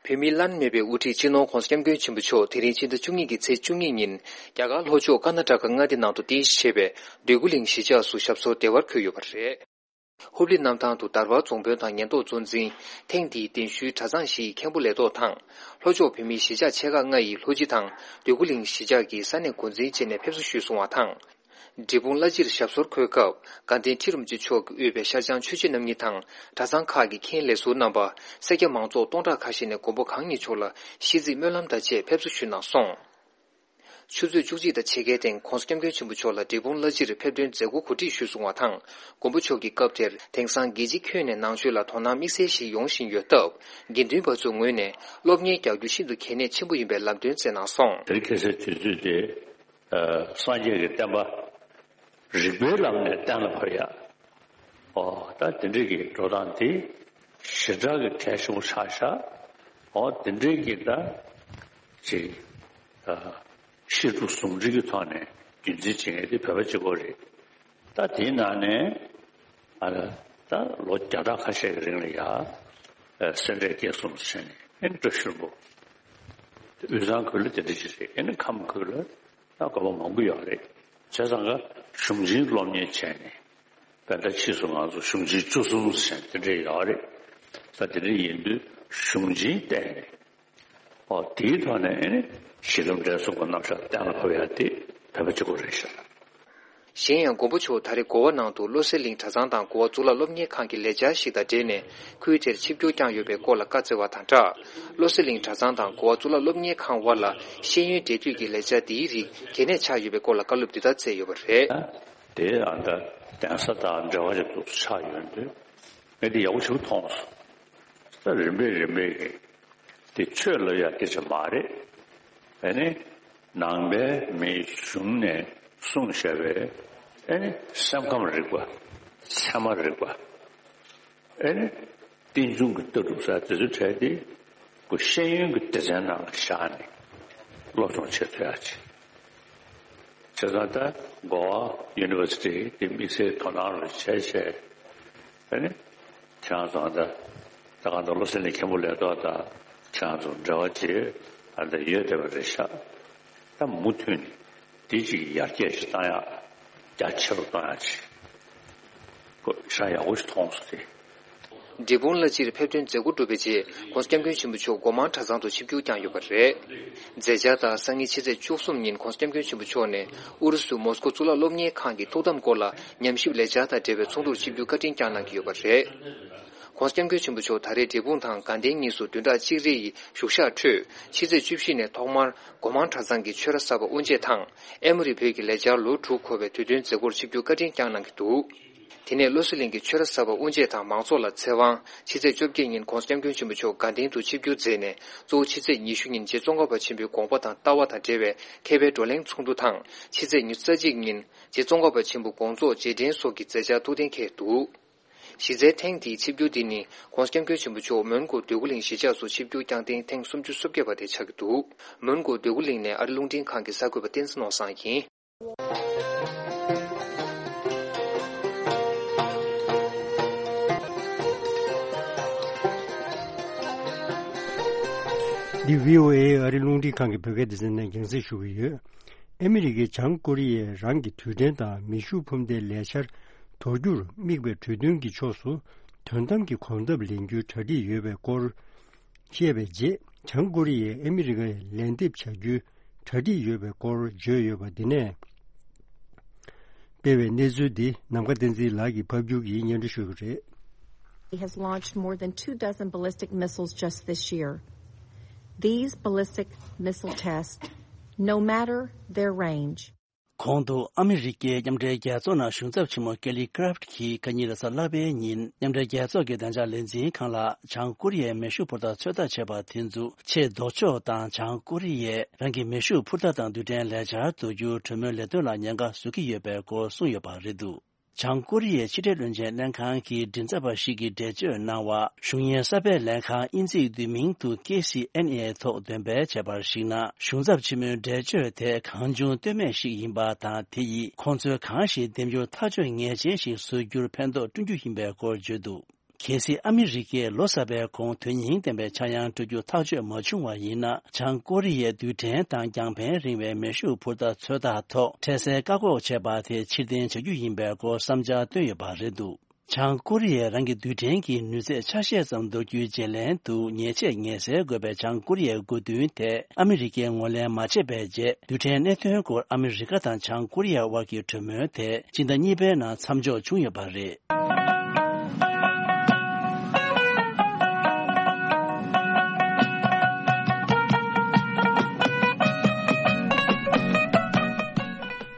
བོད་མིའི་བླ་ན་མེད་པའི་དབུ་ཁྲིད་སྤྱི་ནོར་༧གོང་ས་༧སྐྱབས་མགོན་ཆེན་པོ་མཆོག་དེ་རིང་ཕྱི་ཟླ་བཅུ་གཉིས་ཀྱི་ཚེས་བཅུ་གཉིས་ཉིན་རྒྱ་གར་ལྷོ་ཕྱོགས་ཀར་ན་ཊ་ཀ་མངའ་སྡེ་ནང་དུ་རྟེན་གཞི་བྱས་པའི་འདོད་རྒུ་གླིང་གཞིས་ཆགས་སུ་ཞབས་སོར་བདེ་བར་འཁོད་ཡོད་པ་རེད། ཧུབ་ལི་གནམ་ཐང་དུ་དར་བར་རྫོང་དཔོན་དང་ཉེན་རྟོག་གཙོ་འཛིན། ཐེངས་འདིའི་གདན་ཞུའི་གྲྭ་ཚང་བཞིའི་མཁན་པོ་ལས་ཐོག་དང་། ལྷོ་ཕྱོགས་བོད་མིའི་གཞིས་ཆགས་ཆེ་ཁག་ལྔ་ཡི་ལྷོ་སྤྱི་དང་འདོད་རྒུ་གླིང་གཞིས་ཆགས་ཀྱི་ས་གནས་འགོ་འཛིན་བཅས་ནས་ཕེབས་བསུ་ཞུས་སོང་བ་དང་། འབྲས་སྤུངས་བླ་སྤྱིར་ཞབས་སོར་འཁོད་སྐབས། དགའ་ལྡན་ཁྲི་རིན་པོ་ཆེ་མཆོག་གིས་དབུས་པའི་ཤར་བྱང་ཆོས་བྱེད་རྣམ་གཉིས་དང་གྲྭ་ཚང་ཁག་གི་མཁན་ལས་ཟུར་རྣམ་པ། སེར་སྐྱ་མང་ཚོགས་སྟོང་ཕྲག་ཁ་ཤས་ནས་མགོན་པོ་གང་ཉིད་མཆོག་ལ་ཤིས་ཚིག་སྨོན་ལམ་དང་བཅས་ཕེབས་བསུ་ཞུས་གནང་སོང་། ཆུ་ཚོད་བཅུ་གཅིག་དང་ཕྱེད་ཀའི་སྟེང་༸གོང་ས་༸སྐྱབས་མགོན་ཆེན་པོ་མཆོག་ལ་འབྲས་སྤུངས་བླ་སྤྱིར་ཕེབས་ཐོན་མཛད་སྒོ་གོ་སྒྲིག་ཞུས་སོང་བ་དང་། མགོན་པོ་མཆོག་གིས་སྐབས་དེར་དེང་སང་རྒྱལ་སྤྱིའི་ཁྱོན་ནས་ནང་ཆོས་ལ་དོ་སྣང་དམིགས་བསལ་ཞིག་ཡོང་བཞིན་ཡོད་སྟབས། དགེ་འདུན་པ་ཚོའི་ངོས་ནས་སློབ་གཉེར་རྒྱག་རྒྱུ་ཤིན་ཏུ་གལ་གནད་ཆེན་པོ་ཡིན་པའི་ལམ་སྟོན་བསྩལ་གནང་སོང་། དེ་རིང་ཁ་སང་དུས་ཚོད་དེ། ཨ། སངས་རྒྱས་ཀྱི་བསྟན་པ་རིགས་པའི་ལམ་ནས་གཏན་ལ་ཕབ་ཡ། ཨོ། ད་དེ་འདྲའི་གི་འགྲོ་སྟངས་དེ་ཞེ་དྲག་གི་གལ་ཆེན་པོ་ཆགས་ཤག་ཨོ། དེ་འདྲའི་གི་ད་ཅིག་ཨ། བཤད་སྒྲུབ་ཟུང་འབྲེལ་གྱི་ཐོག་ནས་རྒྱུན་འཛིན་བྱེད་མཁན་དེ་བོད་པ་གཅིག་པོ་རེད། ད་དེའི་ནང་ནས་ཨ། ད་ལོ་བརྒྱ་ཕྲག་ཁ་ཤས་ཀྱི་རིང་ལ་ཡ། ཨ། སེ་འབྲས་དགེ་གསུམ་ཟེར་ནས་ཨེ་ནི་བཀྲ་ཤིས་ལྷུན་པོ། དབུས་གཙང་ཁུལ་ལ་དེ་འདྲ་ཞིག་རེད། ཨེ་ནི་ཁམས་ཁུལ་ལ་ད་དགོན་པ་མང་པོ་ཡོད་རེད། བྱས་ཙང་ཀ་གཞུང་ཆེན་སློབ་གཉེར་བྱས་ནས་དཔེར་ན་ཕྱིས་སུ་ང་ཚོ་གཞུང་ཆེན་བཅུ་གསུམ་ཟེར་དེ་འདྲ་ཡོད་རེད། ད་དེ་འདྲ་ཡིན་དུས་གཞུང་ཆེན་བལྟས་ནས། ཨོ། དེའི་ཐོག་ནས་ཨེ་ནི་གཞི་ལམ་འབྲས་གསུམ་གྱི་རྣམ་གཞག་གཏན་ལ་ཕབ་ཡ་དེ་བོད་པ་གཅིག་པོ་རེད་ཤག་གཞན་ཡང་མགོན་པོ་མཆོག་ད་རེས་གོ་བ་ནང་དུ་བློ་གསལ་གླིང་གྲྭ་ཚང་དང་གོ་བ་གཙུག་ལག་སློབ་གཉེར་ཁང་གི་ལས་འཆར་ཞིག་དང་འབྲེལ་ནས་ཁུལ་དེར་ཆིབས་བསྒྱུར་བསྐྱངས་ཡོད་པའི་སྐོར་ལ་བཀའ་སྩལ་བ་དང་སྦྲགས། བློ་གསལ་གླིང་གྲྭ་ཚང་དང་གོ་བ་གཙུག་ལག་སློབ་གཉེར་ཁང་དབར་ལ་ཤེས་ཡོན་འབྲེལ་མཐུད་ཀྱི་ལས་འཆར་འདིའི་རིགས་གལ་གནད་ཆགས་ཡོད་པའི་སྐོར་ལ་བཀའ་སློབ་འདི་ལྟར་སྩལ་ཡོད་པ་རེད། དེ་ཨ་ད་གདན་ས་དང་འབྲེལ་བ་ཅིག་ཏུ་ཆགས་ཡོད་འདུག་ངས་འདི་ཡག་པོ་ཞིག་མཐོང་སོང་། ད་རིམ་པས་རིམ་པས་ཀྱི་དེ་ཆོས་ལབ་ཡ་སྐད་ཆ་མ་རེད། ཨ་ནི་ནང་པའི་མིའི་གཞུང་ནས་གསུངས་བཞག་པའི་ཨ་ནི་སེམས་ཁམས་རིག་པ། ཚད་མ་རིག་པ། ཨ་ནི་རྟེན་འབྱུང་གི་ལྟ་གྲུབ་ཟེར་དེ་ཚོའི་གྲས་དེ་ཁོ་ཤེས་ཡོན་གྱི་སྡེ་ཚན་ནང་ལ་བཞག་ནས་སློབ་སྦྱོང་བྱེད་ཐུབ་ཡ་ཆེད། བྱས་ཙང་ད་གོ་བ་ཡུ་ནི་ཝར་སི་ཊི་དེ་དམིགས་བསལ་དོ་སྣང་རུ་བྱས་བྱས། ཨ་ནི་ཁྱེད་རང་ཚོ་ད་ད་ག་ད་བློ་གསལ་གླིང་མཁན་པོ་ལས་ཐོག་དང་ཁྱེད་རང་ཚོ་འབྲེལ་བ་བྱེད་ཨ་ད་ཡོད་བསྡད་པ་རེད་ཤག་ད་མུ་མཐུད་ནས་དེ་ཅིག་ཡར་རྒྱས་ཤིག་བཏང་ཡག་རྒྱ་ཆེ་རུ་གཏོང་ཡག་ཅིག་ཁོ་ཤ་ཡག་པོ་ཞིག་མཐོང་སོང་སྟེ། འབྲས་སྤུངས་བླ་སྤྱིར་ཕེབས་ཐོན་མཛད་སྒོ་གྲུབ་པའི་རྗེས་༸གོང་ས་༸སྐྱབས་མགོན་ཆེན་པོ་མཆོག་སྒོ་མང་གྲྭ་ཚང་དུ་ཆིབས་བསྒྱུར་བསྐྱངས་ཡོད་པ་རེད། མཛད་འཆར་ལྟར་སང་ཉིན་ཕྱི་ཚེས་བཅུ་གསུམ་ཉིན་༸གོང་ས་༸སྐྱབས་མགོན་ཆེན་པོ་མཆོག་ནས་ཨུ་རུ་སུ་མོ་སྐོ་གཙུག་ལག་སློབ་གཉེར་ཁང་གི་ཐུགས་དམ་སྐོར་ལ་ཉམས་ཞིབ་ལས་འཆར་དང་འབྲེལ་བའི་ཚོགས་འདུར་ཆིབས་བསྒྱུར་བཀའ་དྲིན་བསྐྱངས་གནང་གི་ཡོད་པ་རེད། ༸གོང་ས་༸སྐྱབས་མགོན་ཆེན་པོ་མཆོག་ད་རེས་འབྲས་སྤུངས་དང་དགའ་ལྡན་གཉིས་སུ་བདུན་ཕྲག་གཅིག་རེ་ཡི་བཞུགས་ཞག་ཁྲོད། ཕྱི་ཚེས་བཅུ་བཞི་ནས་ཐོག་མར་སྒོ་མང་གྲྭ་ཚང་གི་ཆོས་ར་གསར་པ་དབུ་འབྱེད་དང་། ཨེ་མོ་རི་བོད་ཀྱི་ལས་འཆར་ལོ་དྲུག་འཁོར་བའི་དུས་སྟོན་མཛད་སྒོར་ཆིབས་བསྒྱུར་བཀའ་དྲིན་བསྐྱངས་གནང་གི་འདུག་དེ་ནས་བློ་གསལ་གླིང་གི་ཆོས་ར་གསར་པ་དབུ་འབྱེད་དང་མང་ཚོགས་ལ་ཚེ་དབང་། ཕྱི་ཚེས་བཅོ་བརྒྱད་ཉིན་༸གོང་ས་༸སྐྱབས་མགོན་ཆེན་པོ་མཆོག་དགའ་ལྡན་དུ་ཆིབས་བསྒྱུར་མཛད་ནས་གཙོ་བོ་ཕྱི་ཚེས་ཉི་ཤུ་ཉིན་རྗེ་ཙོང་ཁ་པ་ཆེན་པོའི་དགོངས་པ་དང་ལྟ་བ་དང་འབྲེལ་བའི་མཁས་པའི་བགྲོ་གླེང་ཚོགས་འདུ་དང་ཕྱི་ཚེས་ཉི་ཤུ་རྩ་གཅིག་ཉིན་རྗེ་ཙོང་ཁ་པ་ཆེན་པོ་དགོངས་རྫོགས་རྗེས་དྲན་སོགས་ཀྱི་མཛད་འཆར་ཐུགས་གཏན་འཁེལ་འདུག་གཞི་རྩའི་ཐེངས་འདིའི་ཆིབས་བསྒྱུར་འདི་ནི་༸གོང་ས་༸སྐྱབས་མགོན་ཆེན་པོ་མཆོག་མོན་གྷོ་འདོད་རྒུ་གླིང་གཞིས་ཆགས་སུ་ཆིབས་བསྒྱུར་བསྐྱངས་ཐེངས་ཐེངས་སུམ་ཅུ་སོ་བརྒྱད་པ་དེ་ཆགས་ཀྱི་འདུག་མོན་གྷོ་འདོད་རྒུ་གླིང་ནས་ཨ་རི་རླུང་འཕྲིན་ཁང་གི་གསར་འགོད་པ་བསྟན་འཛིན་ནོར་བཟང་ཡིན། འདི་བྷི་ཨོ་ཨེ་ཨ་རི་རླུང་འཕྲིན་ཁང་གི་བོད་སྐད་སྡེ་ཚན་ནས་རྒྱང་སྲིང་ཞུ་གི་ཡོད། ཨ་མི་རི་ཀས་བྱང་ཀོ་རི་ཡས་རང་གི་རྡུལ་ཕྲན་དང་མེ་ཤུགས་འཕུར་མདའི་ལས་འཆར་དོར་རྒྱུར་དམིགས་པའི་གྲོས་མཐུན་གྱི་ཕྱོགས་སུ་དོན་དམ་གྱི་གོམ་སྟབས་ལེན་རྒྱུའི་གྲ་སྒྲིག་ཡོད་པའི་སྐོར་བཤད་པའི་རྗེས། བྱང་ཀོ་རི་ཡས་ཨ་མི་རི་ཀར་ལན་འདེབས་བྱ་རྒྱུའི་གྲ་སྒྲིག་ཡོད་པའི་སྐོར་བརྗོད་ཡོད་པ་འདི་ནས་སྤེལ་བའི་གནས་ཚུལ་འདི་ནམ་མཁའ་བསྟན་འཛིན་ལགས་ཀྱིས་ཕབ་སྒྱུར་གྱིས་སྙན་སྒྲོན་ཞུ་གི་རེད། He has launched more than two dozen ballistic missiles just this year. These ballistic missile tests, no matter their range, གོང་དུ་ཨ་མི་རི་ཀའི་མཉམ་འབྲེལ་རྒྱལ་ཚོགས་ནང་གཞུང་ཚབ་ཆེན་མོ་ཀེ་ལི་ཀ་རབ་ཀྱིས་ཁ་ཉིན་རེས་གཟའ་ལྷག་པའི་ཉིན་མཉམ་འབྲེལ་རྒྱལ་ཚོགས་ཀྱི་བདེ་འཇགས་ལས་འཛིན་ཁང་ལ་བྱང་ཀོ་རི་ཡའི་མེ་ཤུགས་འཕུར་མདའ་ཚོད་ལྟ་བྱས་པ་དེ་ཚོ་ཆེས་ལྡོག་ཕྱོགས་དང་། བྱང་ཀོ་རི་ཡས་རང་གི་མེ་ཤུགས་འཕུར་མདའ་དང་རྡུལ་ཕྲན་ལས་འཆར་དོར་རྒྱུའི་གྲོས་མོལ་ལས་དོན་ལ་ཉེན་ཁ་བཟོ་གི་ཡོད་པའི་སྐོར་གསུངས་ཡོད་པ་རེད་འདུག་བྱང་ཀོ་རི་ཡའི་ཕྱི་འབྲེལ་བློན་ཆེན་ལྷན་ཁང་གི་མགྲིན་ཚབ་པ་ཞིག་གིས་འགྲེལ་བརྗོད་གནང་བར། གཞུང་གཉེར་གསར་པའི་ལྷན་ཁང་དབྱིན་ཚིག་བསྡུས་མིང་དུ་ཀེ་སི་ཨེན་ཨེ་ཐོག་འདོན་སྤེལ་བྱས་པར་གཞིགས་ན། གཞུང་ཚབ་ཆེན་མོའི་འགྲེལ་བརྗོད་དེ་གང་བྱུང་བཏོན་མེད་ཞིག་ཡིན་པ་དང་། དེ་ཡིས་ཁོང་ཚོས་གང་ཞིག་འདེམས་རྒྱུར་ཐག་གཅོད་ངེས་ཅན་ཞིག་བཟོ་རྒྱུར་ཕན་ཐོགས་བསྐྲུན་རྒྱུ་ཡིན་པའི་སྐོར་བརྗོད་འདུག་གལ་སྲིད་ཨ་མི་རི་ཀས་ལོ་གསར་པའི་གོང་དོན་སྙིང་ལྡན་པའི་ཆག་ཡང་སྤྲོད་རྒྱུ་ཐག་གཅོད་མ་བྱུང་བ་ཡིན་ན། བྱང་ཀོ་རི་ཡའི་རྡུལ་ཕྲན་དང་རྒྱང་ཕན་རིང་བའི་མེ་ཤུགས་འཕུར་མདའ་ཚོད་ལྟ་ཐོག་འཕྲལ་སེལ་བཀག་འགོག་བྱས་པ་དེ་ཕྱིར་འཐེན་བྱ་རྒྱུ་ཡིན་པའི་སྐོར་བསམ་འཆར་བཏོན་ཡོད་པ་རེད་འདུག་བྱང་ཀོ་རི་ཡས་རང་གི་རྡུལ་ཕྲན་གྱི་ནུས་ཚད་ཆ་ཤས་ཙམ་འདོར་རྒྱུའི་བརྗེ་ལེན་དུ་ཉེས་ཆད་ངེས་སེལ་དགོས་པའི་བྱང་ཀོ་རི་ཡའི་དགོས་འདུན་ཐད་ཨ་མི་རི་ཀས་ངོས་ལེན་མ་བྱས་པའི་རྗེས། རྡུལ་ཕྲན་གནད་དོན་སྐོར་ཨ་མི་རི་ཀ་དང་བྱང་ཀོ་རི་ཡ་དབར་གྱི་གྲོས་མོལ་དེ་སྤྱི་ཟླ་གཉིས་པའི་ནང་མཚམས་འཇོག་བྱུང་ཡོད་པ་རེད།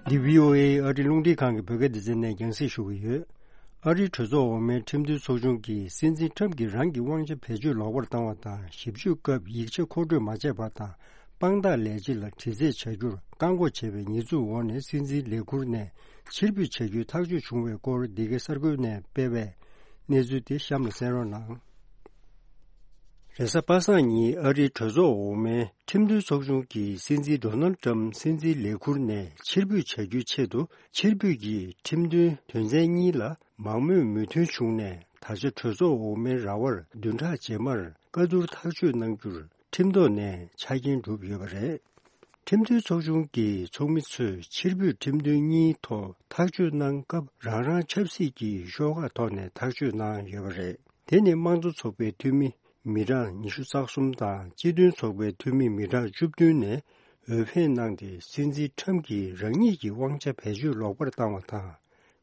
འདི་བྷི་ཨོ་ཨེ་ཨ་རི་རླུང་འཕྲིན་ཁང་གི་བོད་སྐད་སྡེ་ཚན་ནས་རྒྱང་སྲིང་ཞུ་གི་ཡོད། ཨ་རིའི་གྲོས་ཚོགས་འོག་མའི་ཁྲིམས་མཐུན་ཚོགས་ཆུང་གིས་སྲིད་འཛིན་ཁྲམ་གྱིས་རང་གི་དབང་ཆ་བེད་སྤྱོད་ལོག་པར་བཏང་བ་དང་། ཞིབ་འཇུག་སྐབས་ཡིག་ཆ་མཁོ་སྤྲོད་མ་བྱས་པ་དང་། དཔང་རྟགས་ལས་བྱེད་ལ་དྲི་རྩད་བྱ་རྒྱུར་བཀག་འགོག་བྱས་པའི་ཉེས་འཛུགས་འོག་ནས་སྲིད་འཛིན་ལས་ཁུར་ནས་ཕྱིར་འབུད་བྱ་རྒྱུའི་ཐག་གཅོད་བྱུང་བའི་སྐོར། འདི་གའི་གསར་འགོད་ནས་སྤེལ་བའི་གནས་ཚུལ་དེ་གཤམ་ལ་གསན་རོགས་གནང་། རེས་གཟའ་པ་སངས་ཉིན་ཨ་རིའི་གྲོས་ཚོགས་འོག་མའི་ཁྲིམས་མཐུན་ཚོགས་ཆུང་གིས་སྲིད་འཛིན་ཌོ་ནལ་ཏྲམ་སྲིད་འཛིན་ལས་ཁུར་ནས་ཕྱིར་འབུད་བྱ་རྒྱུའི་ཆེད་དུ། ཕྱིར་འབུད་ཀྱི་ཁྲིམས་མཐུན་དོན་ཚན་གཉིས་ལ་མང་མོས་མོས་མཐུན་བྱུང་ནས། ད་ཆ་གྲོས་ཚོགས་འོག་མའི་ར་བར་བདུན་ཕྲག་རྗེས་མར་བཀའ་བསྡུར་ཐག་གཅོད་གནང་རྒྱུར་ཁྲིམས་ཐོག་ནས་ཆ་རྐྱེན་གྲུབ་ཡོད་པ་རེད། ཁྲིམས་མཐུན་ཚོགས་ཆུང་གི་ཚོགས་མི་ཚོས་ཕྱིར་འབུད་ཁྲིམས་མཐུན་གཉིས་ཐོག་ཐག་གཅོད་གནང་སྐབས། རང་རང་ཆབ་སྲིད་ཀྱི་ཤོག་ཁག་ཐོག་ནས་ཐག་གཅོད་གནང་ཡོད་པ་རེད། དེ་ནི་དམངས་གཙོ་ཚོགས་པའི་འཐུས་མི་མི་གྲངས་ཉི་ཤུ་རྩ་གསུམ་དང་སྤྱི་མཐུན་ཚོགས་པའི་འཐུས་མི་མི་གྲངས་བཅུ་བདུན་ནས་འོས་འཕེན་གནང་སྟེ། སྲིད་འཛིན་ཁྲམ་གྱིས་རང་ཉིད་ཀྱི་དབང་ཆ་བེད་སྤྱོད་ལོག་པར་བཏང་བ་དང་།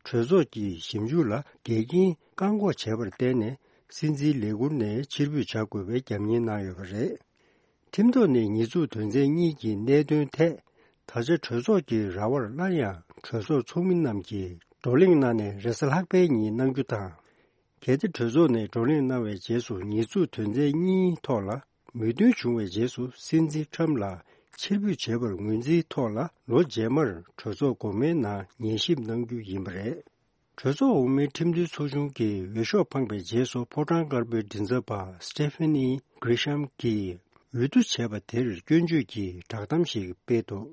གྲོས་ཚོགས་ཀྱི་ཞིབ་འཇུག་ལ་འགལ་རྐྱེན་བཀག་འགོག་བྱས་པར་བརྟེན་ནས། སྲིད་འཛིན་ལས་ཁུར་ནས་ཕྱིར་འབུད་བྱ་དགོས་པའི་རྒྱབ་གཉེར་གནང་ཡོད་པ་རེད། ཁྲིམས་ཐོག་ནས་ཉེས་འཛུགས་དོན་ཚན་གཉིས་ཀྱི་གནད་དོན་ཐད། ད་ཆ་གྲོས་ཚོགས་ཀྱི་ར་བར་སླར་ཡང་གྲོས་ཚོགས་ཚོགས་མི་རྣམས་ཀྱིས་བགྲོ་གླེང་གནང་ནས། རེས་གཟའ་ལྷག་པའི་ཉིན་གནང་རྒྱུ་དང་། གལ་ཏེ་གྲོས་ཚོགས་ནས་བགྲོ་གླེང་གནང་བའི་རྗེས་སུ་ཉེས་འཛུགས་དོན་ཚན་གཉིས་ཐོག་ལ་མོས་མཐུན་བྱུང་བའི་རྗེས་སུ། སྲིད་འཛིན་ཁྲམ་ལ་ཕྱིར་འབུད་བྱས་པར་ངོས་འཛིན་ཐོག་ལ། ལོ་རྗེས་མར་གྲོས་ཚོགས་འགོ་མའི་ནང་ཉན་ཞིབ་གནང་རྒྱུ་ཡིན་པ་རེད། གྲོས་ཚོགས་འོག་མའི་ཁྲིམས་མཐུན་ཚོགས་ཆུང་གི་འོས་ཤོག་འཕངས་པའི་རྗེས་སུ། ཕོ་བྲང་དཀར་པོའི་མགྲིན་ཚབ་པ་སི་ཊེ་ཕེ་ནི་གྷི་རི་ཤམ་གྱིས་འོས་བསྡུ་བྱས་པ་དེར་སྐྱོན་བརྗོད་ཀྱི་བསྒྲགས་གཏམ་ཞིག་སྤེལ་འདུག་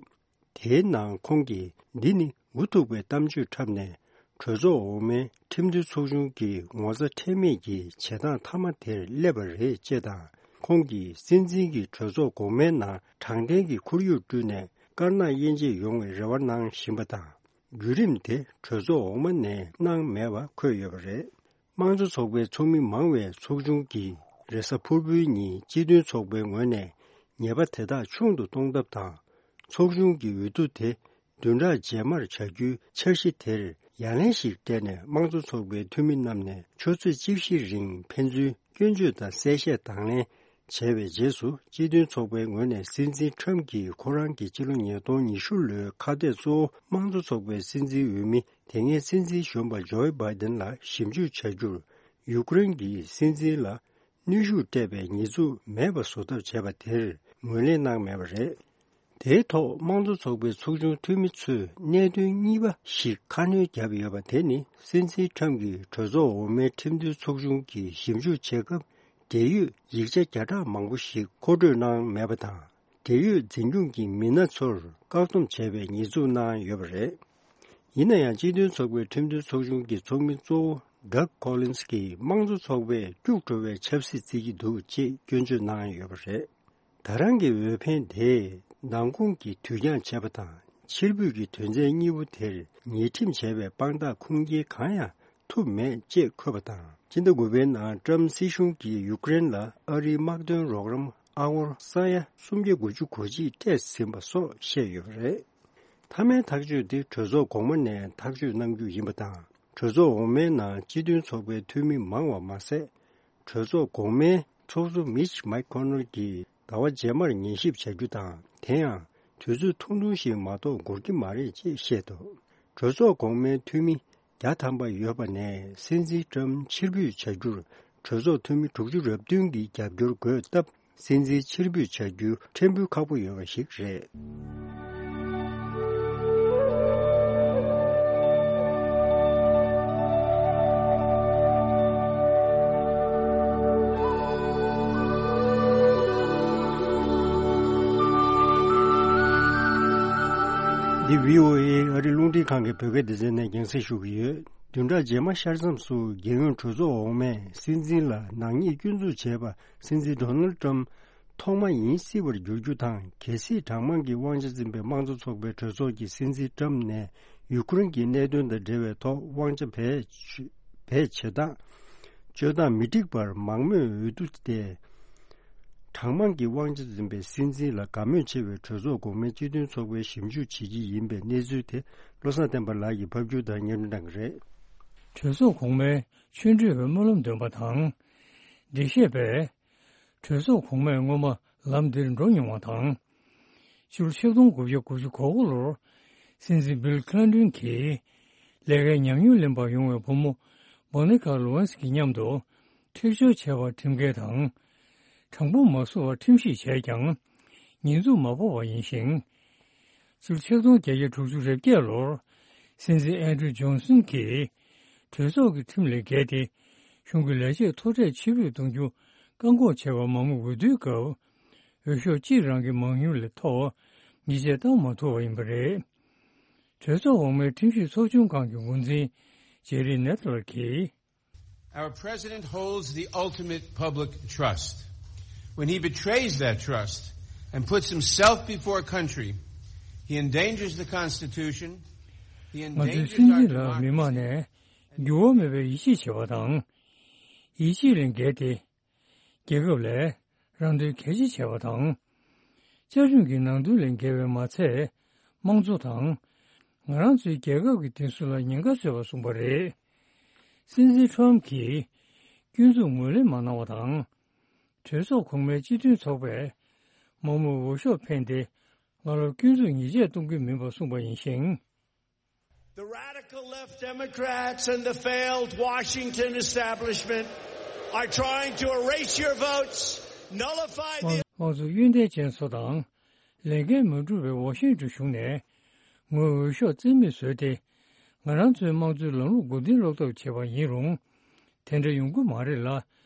དེའི་ནང་ཁོང་གིས། འདི་ནི་མགོ་ཐུག་པའི་གཏམ་བརྗོད་འཁྲབ་ནས། གྲོས་ཚོགས་འོག་མའི་ཁྲིམས་མཐུན་ཚོགས་ཆུང་གི་ངོ་ཚ་ཁྲེལ་མེད་ཀྱི་བྱེད་སྟངས་མཐའ་མ་དེར་སླེབས་པ་རེད་ཅེས་དང་། ཁོང་གིས་སྲིད་འཛིན་གྱིས་གྲོས་ཚོགས་འགོ་མའི་ནང་དྲང་བདེན་གྱི་ཁོར་ཡུག་བསྐྲུན་ནས། དཀར་ནག་དབྱེ་འབྱེད་ཡོང་བའི་རེ་བ་གནང་བཞིན་པ་དང་། བརྒྱུད་རིམ་དེ་གྲོས་ཚོགས་འོག་མ་ནས་གནང་མེད་པ་འཁོད་ཡོད་པ་རེད། དམངས་གཙོ་ཚོགས་པའི་ཚོགས་མི་མང་བའི་ཚོགས་ཆུང་གིས་རེས་གཟའ་ཕུར་བུའི་ཉིན་སྤྱི་མཐུན་ཚོགས་པའི་ངོས་ནས་ཉེས་པ་དེ་དག་ཆུང་དུ་གཏོང་ཐབས་དང་། ཚོགས་ཆུང་གི་འོས་བསྡུ་དེ་བདུན་ཕྲག་རྗེས་མར་བྱ་རྒྱུའི་འཆར་གཞི་དེར་ཡ་ལན་ཞིག་སྤྲད་ནས། དམངས་གཙོ་ཚོགས་པའི་འཐུས་མི་རྣམས་ནས་ཆུ་ཚོད་བཅུ་བཞི་རིང་ཕན་ཚུན་སྐྱོན་བརྗོད་དང་གསལ་བཤད་དང་ལེན་བྱས་པའི་རྗེས་སུ། སྤྱི་མཐུན་ཚོགས་པའི་ངོས་ནས་སྲིད་འཛིན་ཁྲམ་གྱིས་ཁོ་རང་གི་སྤྱི་ལོ་ཉིས་སྟོང་ཉི་ཤུ་ལོའི་ཁ་གཏད་གཙོ་བོ་དམངས་གཙོ་ཚོགས་པའི་སྲིད་འཛིན་འོས་མི། དེ་སྔའི་སྲིད་འཛིན་གཞོན་པ་ཇོ་བྷའི་ཌེན་ལ་ཞིབ་འཇུག་བྱ་རྒྱུར། ཡུཀ་རེན་གྱི་སྲིད་འཛིན་ལ་གནོན་ཤུགས་སྤྲད་པའི་ཉེས་འཛུགས་མེད་པ་བཟོ་ཐབས་བྱས་པ་དེར་ངོས་ལེན་གནང་མེད་པ་རེད། དེའི་ཐོག་དམངས་གཙོ་ཚོགས་པའི་ཚོགས་ཆུང་འཐུས་མི་ཚོས་གནད་དོན་གཉིས་པ་ཞིག་ཁ་སྣོན་བརྒྱབ་ཡོད་པ། དེ་ནི་སྲིད་འཛིན་ཁྲམ་གྱིས་གྲོས་ཚོགས་འོག་མའི་ཁྲིམས་མཐུན་ཚོགས་ཆུང་གིས་ཞིབ་འཇུག་བྱེད་སྐབས། འབྲེལ་ཡོད་ཡིག་ཆ་བརྒྱ་ཕྲག་མང་པོ་ཞིག་མཁོ་སྤྲོད་གནང་མེད་པ་དང་། འབྲེལ་ཡོད་འཛིན་སྐྱོང་གི་མི་སྣ་ཚོར་བཀག་སྡོམ་བྱས་པའི་ཉེས་འཛུགས་གནང་ཡོད་པ་རེད། ཡིན་ན་ཡང་། སྤྱི་མཐུན་ཚོགས་པའི་ཁྲིམས་མཐུན་ཚོགས་ཆུང་གི་ཚོགས་མི་གཙོ་བོ་Doug Collins གྱིས། དམངས་གཙོ་ཚོགས་པས་སྐྱུག་བྲོ་བའི་ཆབ་སྲིད་བརྩི་གི་འདུག་ཅེས་སྐྱོན་བརྗོད་གནང་ཡོད་པ་རེད། ད་རང་གི་འོས་འཕེན་དེས་ནང་ཁོངས་ཀྱི་དུས་འགྱངས་བྱས་པ་དང་། ཕྱིར་འབུད་ཀྱི་དོན་ཚན་གཉིས་པོ་དེར་ཉེས་ཁྲིམས་བྱས་པའི་དཔང་རྟགས་ཁུངས་སྐྱེལ་གང་ཡང་ཐུབ་མེད་ཅེས་འཁོད་པ་དང་། སྤྱི་ཟླ་དགུ་པའི་ནང་ཀྲམ་སྲིད་གཞུང་གིས་ཡུཀ་རེན་ལ་ཨ་རིའི་དམག་དོན་རོགས་རམ་ཨ་སྒོར་ས་ཡ་སུམ་བརྒྱ་དགུ་བཅུ་གོ་གཅིག་སྤྲད་ཟིན་པ་སོགས་བཤད་ཡོད་པ་རེད། མཐའ་མའི་ཐག་གཅོད་དེ་གྲོས་ཚོགས་གོང་མ་ནས་ཐག་གཅོད་གནང་རྒྱུ་ཡིན་པ་དང་། གྲོས་ཚོགས་འོག་མའི་ནང་སྤྱི་མཐུན་ཚོགས་པའི་འཐུས་མི་མང་བ་མ་ཟད། གྲོས་ཚོགས་གོང་མའི་ཚོགས་གཙོ་མིཆ་མེག་ཁོ་ནལ་གྱིས་ཟླ་བ་རྗེས་མར་ཉན་ཞིབ་བྱ་རྒྱུ་དང་། དེ་ཡང་དུས་ཚོད་ཐུང་ཐུང་ཞིག་མ་གཏོགས་འགོར་གྱི་མ་རེད་ཅེས་བཤད་འདུག་གྲོས་ཚོགས་གོང་མའི་འཐུས་མི་བརྒྱ་ཐམ་པ་ཡོད་པ་ནས། སྲིད་འཛིན་ཀྲམ་ཕྱིར་འབུད་བྱ་རྒྱུར་གྲོས་ཚོགས་འཐུས་མི་དྲུག་ཅུ་རེ་བདུན་གྱིས་རྒྱབ་སྐྱོར་དགོས་སྟབས། སྲིད་འཛིན་ཕྱིར་འབུད་བྱ་རྒྱུ་ཕྲན་བུ་ཁག་པོ་ཡོད་པ་ཞིག་རེད། འདི་བྷི་ཨོ་ཨེ་ཨ་རི་རླུང་འཕྲིན་ཁང་གི་བོད་སྐད་སྡེ་ཚན་ནས་རྒྱང་སྲིང་ཞུ་གི་ཡོད། བདུན་ཕྲག་རྗེས་མ་ཤར་མཚམས་སུ་རྒྱལ་ཡོངས་གྲོས་ཚོགས་འོག་མས་སྲིད་འཛིན་ལ་ནག་ཉེས་སྐྱོན་འཛུགས་བྱས་པ། སྲིད་འཛིན་ཌོ་ནལ་ཏྲམ་ཐོག་མ་ཡིན་སྲིད་པར་འགྱུར་རྒྱུ་དང་། གལ་སྲིད་གྲངས་མང་གི་དབང་ཆ་འཛིན་པའི་དམངས་གཙོ་ཚོགས་པའི་གྲོས་ཚོགས་ཀྱིས་སྲིད་འཛིན་ཏྲམ་ནས་ཡུ་ཀེ་རེན་གྱི་གནད་དོན་དང་འབྲེལ་བའི་ཐོག་དབང་ཆ་བེད་སྤྱོད་ བེད་སྤྱོད་སྟངས། སྤྱོད་སྟངས་མི་འགྲིག་པར་མང་མོས་འོས་བསྡུ་སྟེ། གྲངས་མང་གི་དབང་ཆ་འཛིན་པའི་སྲིད་འཛིན་ལ་དགའ་མོས་ཆེ་བའི་གྲོས་ཚོགས་གོང་མའི་སྤྱི་མཐུན་ཚོགས་པས་ཞིབ་འཇུག་བྱེད་ཀྱི་ཡིན་པའི་གནས་ཚུལ་དེ་བློ་བཟང་བསྟན་པ་ལགས་ཀྱིས་ཕབ་སྒྱུར་དང་སྙན་སྒྲོན་གནང་གི་རེད། གྲོས་ཚོགས་གོང་མའི་ཆོས་འབྲེལ་བའི་སྨོན་ལམ་འདོན་པ་དང་། འགྲེལ་བཤད་པས། གྲོས་ཚོགས་གོང་མས་སྔོན་མ་ལམ་འདིར་འགྲོ་མྱོང་བ་དང་། ཕྱི་ལོ་ཆིག་སྟོང་དགུ་བརྒྱ་དགུ་བཅུ་གོ་དགུ་ལོར་སྲིད་འཛིན་བྷིལ་ཁི་ལིན་ཏོན་གྱིས་ལས་ཀའི་ཉམས་མྱོང་ལེན་པར་ཡོང་བའི་བུ་མོ་མོ་ནི་ཀ་ལུ་ཝན་སི་ཀྱི་མཉམ་དུ་འཁྲིག་སྦྱོར་བྱས་པར་ཁྲིམས་འགལ་དང་། གྲངས་འབོར་མ་བཟོ་བར་ཁྲིམས་ཞིབ་བྱས་ཀྱང་ཉེས་འཛུགས་མ་ཕོག་པ་ཡིན་ཞིང་། ཕྱི་ལོ་ཆིག་སྟོང་བརྒྱད་བརྒྱ་དྲུག་ཅུ་རེ་བརྒྱད་ལོར་སྲིད་འཛིན་ཨན་ཌྲུ་ཇོན་སན་གྱིས་གྲོས་ཚོགས་ཀྱི་ཁྲིམས་ལས་འགལ་ཏེ་གཞུང་གི་ལས་བྱེད་མཐོ་གྲས་ཕྱིར་འབུད་གཏོང་རྒྱུ་བཀག་འགོག་བྱས་པར་མང་མོས་འོས་བསྡུའི་སྐབས་འོས་ཤོག་གཅིག་རང་གི་མང་ཉུང་ལས་མཐོ་བ་ཉེས་ཆད་བཏང་མ་ཐུབ་པ་ཡིན་པ་རེད། གྲོས་ཚོགས་འོག་མའི་ཁྲིམས་ཞིབ་ཚོགས་ཆུང་ཁང་གི་འགོ་འཛིན་ཇེ་རི་ནེ་ཐ་ལར་གྱིས། Our president holds the ultimate public trust. When he betrays that trust and puts himself before a country, he endangers the Constitution, he ང་ཚོའི་endangers སྲིད་our འཛིན་ལ་མི་མང་democracy, ནས་འགྱུར་བ་མེད་པའི་ཡིད་ཆེས་བྱེད་པ་དང་། ཡིད་ཆེས་ལས་འགལ་ཏེ། རྒྱལ་ཁབ་ལས་རང་དོན་གལ་ཆེ་བྱས་པ་དང་། བཅའ་ཁྲིམས་ཀྱི་ནང་དོན་ལས་འགལ་བའི་མ་ཚད། དམངས་གཙོ་དང་། ང་རང་ཚོའི་རྒྱལ་ཁབ་ཀྱི་བདེན་འཚོལ་ལ་ཉེན་ཁ་བཟོས་པ་གསུངས་པ་རེད། སྲིད་འཛིན་ཁྲོམ་གྱིས་སྐྱོན་འཛུགས་ངོས་ལེན་མ་གནང་བ་དང་། གྲོས་ཚོགས་གོང་མའི་སྤྱི་མཐུན་ཚོགས་པས་མང་མོས་འོས་ཤོག་འཕེན་ཏེ། སྔ་ལོར་སྐྱོན་འཛུགས་ཉེས་ཆད་གཏོང་གི་མིན་པ་གསུངས་པ་ཡིན་ཞིང་། The radical left Democrats and the failed Washington establishment are trying to erase your votes, nullify the དམངས་གཙོ་གཡོན་ཐལ་ཅན་ཚོ་དང་ལས་འགན་མ་འཁྲུལ་བའི་ཝ་ཤིང་ཏོན་གཞུང་ནས་ངོས་འོས་ཤོག་རྩིས་མེད་བཟོས་ཏེ། ང་རང་ཚོའི་དམངས་གཙོའི་ལམ་ལུགས་མགོ་རྟིང་སློག་ཐབས་བྱས་པ་ཡིན་རུང་། དེ་འདྲ་ཡོང་གི་མ་རེད་ལ།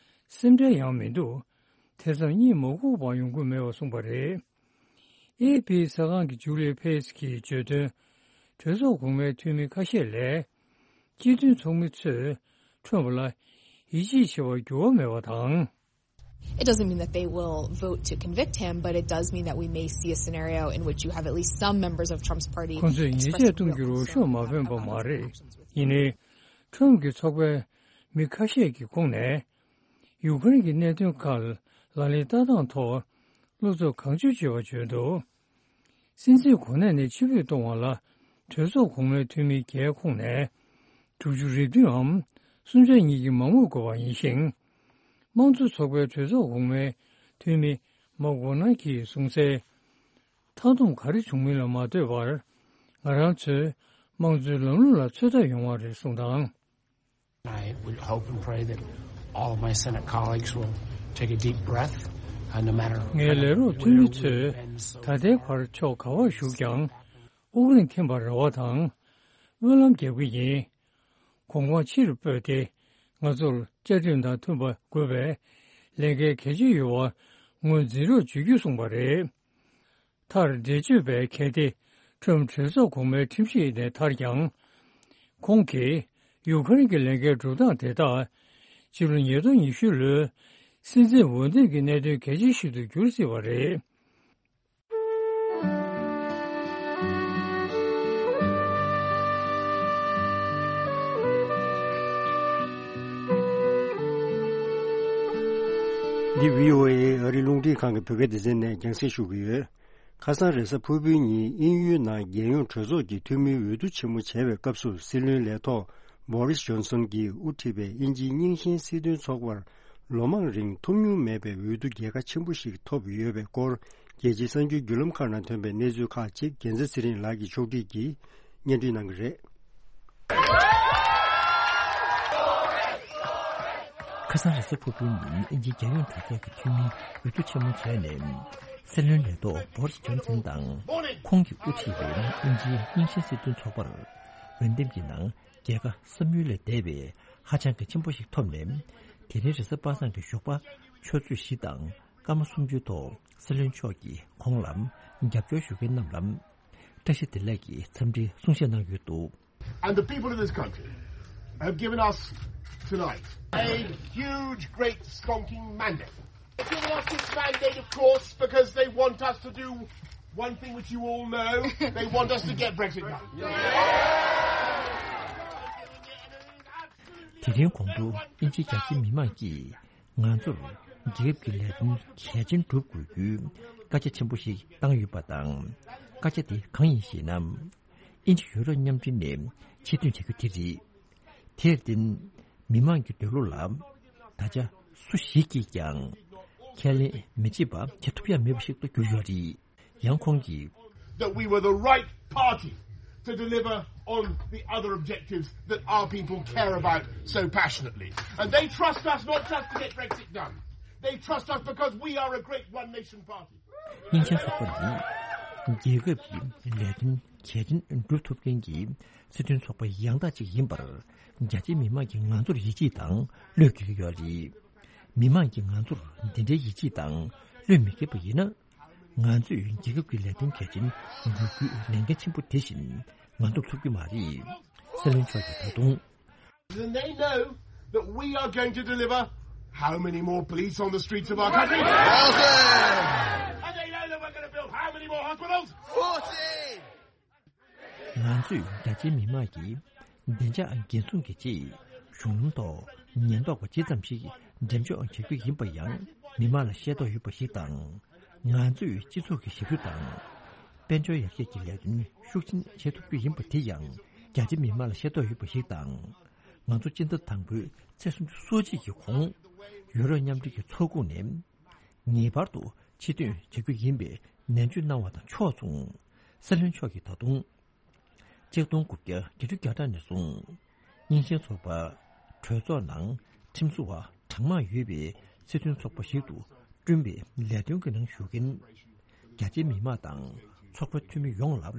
སེམས་ཁྲལ་ཡང་མི་འདུག་དེ་ཙམ་གཉིད་མ་ཁུག་པ་ཡོང་གི་མེད་པ་གསུངས་པ་རེད། ཨེ་ཕི་གསར་ཁང་གི་ཇུ་ལི་ཕེ་སི་གིས་བརྗོད་དོན། གྲོས་ཚོགས་གོང་མའི་འཐུས་མི་ཁ་ཤས་ལས། སྤྱི་མཐུན་ཚོགས་མི་ཚོས་ཁྲོམ་ལ་ཡིད་ཆེས་བྱེད་པར་འགྱུར་བ་མེད་པ་དང་། It doesn't mean that they will vote to convict him, but it does mean that we may see a scenario in which you have at least some members of Trump's party ཁོང་ཚོས་ཉེས་ཆད་གཏོང་རྒྱུར་འོས་ཤོག་མ་འཕེན་པ་མ་རེད། ཡིན་ནའི། ཁྲོམ་གྱི་ཚོགས་པའི་མི་ཁ་ཤས་ཀྱི་ཁོངས་ནས། ཡུ་ཀེ་རེན་གྱི་གནད་དོན་ཁག་ལག་ལེན་བསྟར་སྟངས་ཐོག་བློ་འཚབ་གང་བྱུང་བྱེད་པ་བརྗོད་འདུག་སྲིད་འཛིན་གོ་གནས་ནས་ཕྱིར་འབུད་གཏོང་བ་ལ་གྲོས་ཚོགས་གོང་མའི་འཐུས་མི་བརྒྱད་ཁོངས་ནས་དྲུག་ཅུ་རེ་བདུན་འམ་སུམ་ཆ་གཉིས་ཀྱིས་མང་མོས་དགོས་པ་ཡིན་ཞིང་། དམངས་གཙོ་ཚོགས་པའི་གྲོས་ཚོགས་གོང་མའི་འཐུས་མི་མཱག་ཝོ་ནར་གྱིས་གསུངས་གསལ། མཐའ་སྡོམ་ག་རེ་བྱུང་མིན་ལ་མ་ལྟོས་པར་ང་རང་ཚོའི་དམངས་གཙོའི་ལམ་ལུགས་ལ་ཚོད་ལྟ་ཡོང་བ་རེད་གསུངས་དང་། I would hope and pray that all of my Senate colleagues will take a deep breath, uh, no matter ངའི་ལས་རོགས་འཐུས་མི་ཚོས་ད་ལྟའི་བར་ཕྱོགས་ག་བར་བཞུགས་ཀྱང་དབུགས་རིང་འཐེན་པར་རེ་བ་དང་སྨོན་ལམ་རྒྱབ་ཀྱི་ཡིན། གོང་འཕང་ཕྱིར་སྤོས་ཏེ་ང་ཚོར་བཅའ་ཁྲིམས་དང་མཐུན་པ་དགོས་པའི་ལས་འགན་གལ་ཆེ་ཡོད་པ་ངོས་འཛིན་རོགས་བྱེད་རྒྱུ་གསུངས་པ་རེད། མཐར་འགྲེལ་བརྗོད་པས་གལ་ཏེ་ཁྲོམ་གྲོས་ཚོགས་གོང་མའི་ཁྲིམས་ཞིབ་ནས་ཐར་ཀྱང་། ཁོང་གིས་ཡུ་ཁ་རེན་གྱི་ལས་འགན་སྒྲུབ་སྟངས་དེ་དག་ཕྱི་ལོ་ཉིས་སྟོང་ཉི་ཤུ་ལོའི་སྲིད་འཛིན་འོས་འདེམས་ཀྱི་གནད་དོན་གལ་ཆེ་ཞིག་ཏུ་འགྱུར་སྲིད་པ་རེད། འདི་བྷི་ཨོ་ཨེ་ཨ་རིའི་རླུང་འཕྲིན་ཁང་གི་བོད་སྐད་སྡེ་ཚན་ནས་རྒྱང་སྲིང་ཞུ་གི་ཡོད། ཁ་སང་རེས་གཟའ་ཕུར་བུའི་ཉིན་དབྱིན་ཡུལ་ནང་རྒྱལ་ཡོངས་གྲོས་ཚོགས་ཀྱི་འཐུས་མིའི་འོས་བསྡུ་ཆེན་མོ་བྱས་པའི་སྐབས་སུ་སྲིད་བློན་ལས་ཐོག་བྷོ་རིས་ཇོན་སོན་གྱིས་དབུ་ཁྲིད་པའི་དབྱིན་ཇིའི་རྙིང་ཞེན་སྲིད་དོན་ཚོགས་པར་ལོ་མང་རིང་ཐོབ་མྱོང་མེད་པའི་འོས་བསྡུ་རྒྱལ་ཁ་ཆེན་པོ་ཞིག་ཐོབ་ཡོད་པའི་སྐོར། རྒྱལ་སྤྱིའི་གསར་འགྱུར་བརྒྱུད་ལམ་ཁག་ནང་ཐོན་པའི་གནས་ཚུལ་ཁག་ཅིག་རྒྱལ་མཚན་ཚེ་རིང་ལགས་ཀྱིས་ཕྱོགས་སྒྲིག་གིས་སྙན་སྒྲོན་གནང་གི་རེད། ཁ་སང་རེས་གཟའ་ཕུར་བུའི་ཉིན་དབྱིན་ཇིའི་རྒྱལ་ཡོངས་གྲོས་ཚོགས་ཀྱི་འཐུས་མིའི་འོས་བསྡུ་ཆེན་མོ་བྱས་ནས། སྲིད་བློན་ལས་ཐོག་བྷོ་རིས་ཇོན་སན་དང་། ཁོང་གིས་དབུ་ཁྲིད་པའི་དབྱིན་ཇིའི་རྙིང་ཞེན་སྲིད་དོན་ཚོགས་པར། འོས་འདེམས་ཀྱི་ནང་རྒྱལ་ཁ་བསམ་ཡུལ་ལས་འདས་པའི་ཧ་ཅང་གི་ཆེན་པོ་ཞིག་ཐོབ་ནས། དེ་རིང་རེས་གཟའ་པ་སངས་ཀྱི་ཞོགས་པ་ཆུ་ཚོད་བཞི་དང་སྐར་མ་སུམ་ཅུའི་ཐོག་སྲིད་བློན་མཆོག་གིས་ཁོང་ལ་རྒྱབ་སྐྱོར་ཞུ་མཁན་རྣམས་ལ་བཀྲ་ཤིས་བདེ་ལེགས་ཀྱི་འཚམས་འདྲིའི་གསུང་བཤད་གནང་ཡོད་འདུག And the people of this country have given us tonight a huge, great, stonking mandate. They've given us this mandate, of course, because they want us to do one thing which you all know. They want us to get Brexit done. དེ་རིང་གོང་དུ་དབྱིན་ཇིའི་རྒྱ་ཆེའི་མི་མང་གིས་ང་ཚོར་རྒྱལ་ཁབ་ཀྱི་ལས་དོན་གལ་ཆེན་སྒྲུབ་དགོས་རྒྱུའི་བཀའ་རྒྱ་ཆེན་པོ་ཞིག་བཏང་ཡོད་པ་དང་། བཀའ་རྒྱ་དེ་གང་ཡིན་ཞེ་ན། དབྱིན་ཇི་ཡུ་རོབ་མཉམ་འབྲེལ་ནས་ཕྱིར་ཐོན་བྱ་རྒྱུ་དེ་རེད། དེར་བརྟེན། མི་མང་གི་འདོད་བློ་ལ་ད་ཆ་སུ་ཞིག་གིས་ཀྱང་ཁས་ལེན་མི་བྱེད་པ་བྱེད་ཐུབ་ཡ་མེད་པ་ཞིག་ཏུ་གྱུར་ཡོད་རེད། ཡང་ཁོང་གིས། That we were the right party to deliver on the other objectives that our people care about so passionately. And they trust us not just to get Brexit done. They trust us because we are a great one nation party. སྙིང་ཆེན་ཚོགས་པ་ནི་རྒྱལ་ཁབ་ཀྱི་ལས་དོན་གལ་ཆེན་སྒྲུབ་ཐུབ་མཁན་གྱི་སྲིད་དོན་ཚོགས་པ་ཡང་དག་ཅིག་ཡིན་པར། རྒྱ་ཆེའི་མི་མང་གིས་ང་ཚོར་ཡིད་ཆེས་དང་བློས་འགེལ་གྱི་ཡོད་རེད། མི་མང་གིས་ང་ཚོར་འདི་འདྲའི་ཡིད་ཆེས་དང་བློས་མི་འགེལ་བ་ཡིན་ན། ང་ཚོས་རྒྱལ་ཁབ་ཀྱི་ལས་དོན་གལ་ཆེན་སྒྲུབ་རྒྱུའི་ལས་འགན་ཆེན་པོ་དེ་བཞིན་ང་ཚོར་ཐོབ་ཀྱི་མ་རེད། སྲིད་བློན་མཆོག་གིས་ད་དུང་། Then they know that we are going to deliver how many more police on the streets of our country? Awesome! And they know that we're going to build how many more hospitals? Forty! ང་ཚོས་རྒྱ་ཆེའི་མི་མང་གི་བདེ་འཇགས་འགན་སྲུང་གི་ཆེད་གཞུང་ལམ་ཐོག་ཉེན་རྟོག་པ་ཇི་ཙམ་ཞིག་འགྲེམས་འཇོག་བྱ་རྒྱུ་ཡིན་པ་ཡང་མི་མང་ལ་ཤེས་རྟོགས་ཡོད་པ་ཞིག་དང་། ང་ཚོས་སྤྱི་ཚོགས་ཀྱི་ཞབས་ཞུ་དང་། དཔལ་འབྱོར་ཡར་རྒྱས་ཀྱི་ལས་དོན་ཤུགས་ཆེན་བྱེད་ཐུབ་རྒྱུ་ཡིན་པ་དེ་ཡང་རྒྱ་ཆེ་མི་མང་ལ་ཤེས་རྟོགས་ཡོད་པ་ཞིག་དང་། ང་ཚོ་སྤྱི་ཟླ་དང་པོའི་ཚེས་སུམ་ཅུ་སོ་གཅིག་གི་གོང་ཡུ་རོབ་མཉམ་འབྲེལ་གྱི་ཚོགས་ཁོངས་ནས་ངེས་པར་དུ་ཕྱིར་ཐོན་བྱ་རྒྱུ་ཡིན་པའི་ནན་བརྗོད་གནང་བ་དང་ཕྱོགས་མཚུངས། སྲིད་བློན་མཆོག་གིས་ད་དུང་། ཆིག་སྟོང་དགུ་བརྒྱ་བརྒྱད་ཅུ་གྱ་གྲངས་ནས་བཟུང་། རྙིང་ཞེན་ཚོགས་པ་གྲོས་ཚོགས་ནང་ཁྲིམས་བཟོ་བ་གྲངས་མང་ཡོད་པའི་སྲིད་དོན་ཚོགས་པ་ཞིག་ཏུ་བསྐྲུན་པའི་ལས་དོན་གྱི་ནང་ཞུགས་མཁན་རྒྱ་ཆེའི་མི་མང་དང་ཚོགས་པའི་འཐུས་མི་ཡོངས་ལ་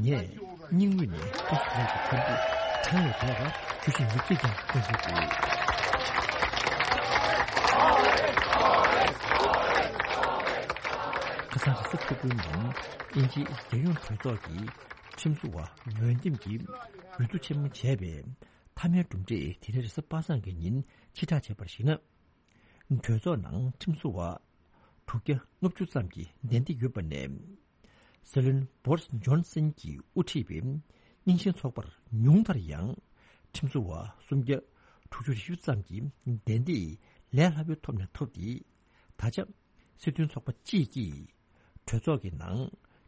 ངས་སྙིང་དབུས་ནས་བཀྲ་ཤིས་བདེ་ལེགས་ཀྱི་འཚམས་འདྲི་གྲངས་ལས་འདས་པ་ཞུ་བཞིན་ཡོད་ཅེས་ཀྱང་བཀའ་འཁྲོལ་འདུག་ཁ་སང་རེས་གཟའ་ཕུར་བུའི་ཉིན་དབྱིན་ཇིའི་རྒྱལ་ཡོངས་གྲོས་ཚོགས་ཀྱི་ཁྲིམས་བཟོ་བ་འོས་འདེམས་ཀྱི་འོས་བསྡུ་ཆེན་མོ་བྱས་པའི་མཐའ་མའི་གྲུབ་འབྲས་དེ་རིང་རེས་གཟའ་པ་སངས་ཀྱི་ཉིན་ཕྱིར་བསྒྲགས་བྱས་པར་གཞིགས་ན། གྲོས་ཚོགས་ནང་ཁྲིམས་བཟོ་བ་དྲུག་བརྒྱ་ལྔ་བཅུ་ཙམ་གྱིས་གདན་འདྲེན་ཡོད་པ་ནས། སྲིད་བློན་བོ་རིས་ཇོན་སན་གྱིས་དབུ་ཁྲིད་པའི་རྙིང་ཞེན་ཚོགས་པར་ཉུང་མཐར་ཡང་ཁྲིམས་བཟོ་བ་སུམ་བརྒྱ་དྲུག་ཅུ་རེ་བཞི་ཙམ་གྱི་གདན་འདྲེན་ལས་སླ་པོའི་ཐོག་ནས་ཐོབ་སྟེ། ད་ཆ། སྲིད་དོན་ཚོགས་པ་གཅིག་གིས་གྲོས་ཚོགས་ཀྱི་ནང་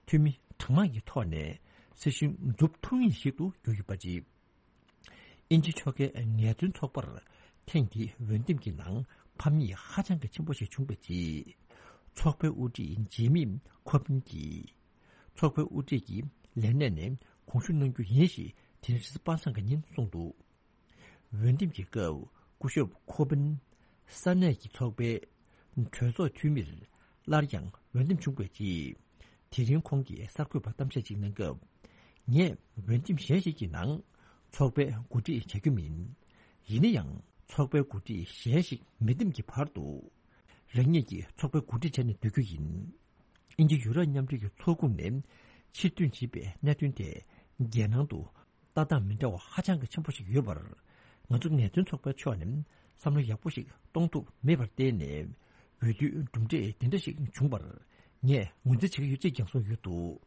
འཐུས་མི་གྲངས་མང་གི་ཐོག་ནས་སྲིད་གཞུང་འཛུགས་ཐུབ་ངེས་ཤིག་ཏུ་གྱུར་ཡོད་པ་རེད། དབྱིན་ཇི་ཕྱོགས་ཁའི་ངལ་རྩོལ་ཚོགས་པར་ཐེངས་འདིའི་འོས་འདེམས་ཀྱི་ནང་ཕམ་ཉེས་ཧ་ཅང་གི་ཆེན་པོ་ཞིག་བྱུང་བའི་རྗེས། ཚོགས་པའི་དབུ་ཁྲིད་ཇེ་མི་ཁོ་བིན་གྱིས། ཚོགས་པའི་དབུ་ཁྲིད་ཀྱི་ལས་གནས་ནས་དགོངས་ཞུ་གནང་རྒྱུ་ཡིན་ཞེས་དེ་རིང་རེས་གཟའ་པ་སངས་ཀྱི་ཉིན་གསུངས་འདུག་འོས་འདེམས་ཀྱི་སྐབས་སྐུ་ཞབས་ཁོ་བིན་ས་གནས་ཀྱི་ཚོགས་པའི་གྲོས་ཚོགས་འཐུས་མིར་སླར་ཡང་འོས་འདེམས་བྱུང་བའི་རྗེས། དེ་རིང་ཁོང་གིས་གསར་འགོད་པར་གཏམ་བཤད་ཅིག་གནང་སྐབས། ངས་འོས་འདེམས་གཞན་ཞིག་གི་ནང་ཚོགས་པའི་འགོ་ཁྲིད་བྱ་རྒྱུ་མིན། ཡིན་ན་ཡང་ཚོགས་པའི་འགོ་ཁྲིད་གཞན་ཞིག་མི་འདེམས་ཀྱི་བར་དུ། རང་ཉིད་ཀྱིས་ཚོགས་པའི་འགོ་ཁྲིད་བྱས་ནས་སྡོད་རྒྱུ་ཡིན། དབྱིན་ཇི་ཡུ་རོབ་མཉམ་འབྲེལ་གྱི་ཚོགས་ཁོངས་ནས་ཕྱིར་ཐོན་བྱས་པའི་གནད་དོན་དེ་རྒྱལ་ནང་དུ་ལྟ་སྟངས་མི་འདྲ་བ་ཧ་ཅང་གི་ཆེན་པོ་ཞིག་ཡོད་པར། ང་ཚོ་ངལ་རྩོལ་ཚོགས་པའི་ཕྱོགས་ནས་བསམ་བློ་ཡག་པོ་ཞིག་གཏོང་ཐུབ་མེད་པར་བརྟེན་ནས། འོས་བསྡུའི་གྲུབ་འབྲས་དེ་འདྲ་ཞིག་བྱུང་བར་ངས་ངོས་འཛིན་བྱེད་ཀྱི་ཡོད་ཅེས་ཀྱང་གསུངས་ཡོད་འདུག་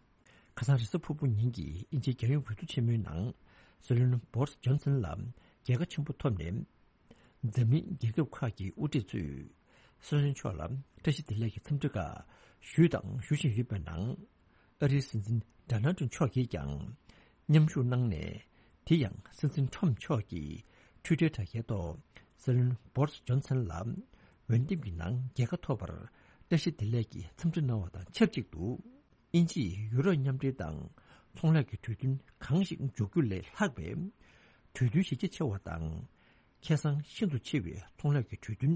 ཁ་སང་རེས་གཟའ་ཕུར་བུ་ཉིན་གྱི་དབྱིན་ཇིའི་རྒྱལ་ཡོངས་འོས་བསྡུ་ཆེན་མོའི་ནང་སྲིད་བློན་བོ་རིས་ཇོན་སན་ལ་རྒྱལ་ཁ་ཆེན་པོ་ཐོབ་ནས། འཛམ་གླིང་རྒྱལ་ཁབ་ཁག་གི་དབུ་ཁྲིད་ཚོས་སྲིད་བློན་མཆོག་ལ་བཀྲ་ཤིས་བདེ་ལེགས་ཀྱི་འཚམས་འདྲི་ཁག་ཞུས་དང་ཞུ་བཞིན་ཡོད་པའི་ནང་། ཨ་རིའི་སྲིད་འཛིན་ཌོ་ནལ་ཊམ་མཆོག་གིས་ཀྱང་མཉམ་ཞུགས་གནང་ནས། དེ་ཡང་སྲིད་འཛིན་ཊམ་མཆོག་གིས་ཊུའི་ཊར་དྲ་རྒྱའི་ཐོག་སྲིད་བློན་བོ་རིས་ཇོན་སན་ལ་འོས་འདེམས་ཀྱི་ནང་རྒྱལ་ཁ་ཐོབ་པར་བཀྲ་ཤིས་བདེ་ལེགས་ཀྱི་འཚམས་འདྲི་གནང་བ་དང་ཆབས་ཅིག་ཏུ། དབྱིན་ཇིས་ཡུ་རོབ་མཉམ་འབྲེལ་དང་ཚོང་ལས་ཀྱི་གྲོས་མཐུན་གང་ཞིག་འཇོག་རྒྱུ་ལས་ལྷག་པའི་གྲོས་མཐུན་གཞི་རྒྱ་ཆེ་བ་དང་། ཁེ་བཟང་ཤིན་ཏུ་ཆེ་བའི་ཚོང་ལས་ཀྱི་གྲོས་མཐུན་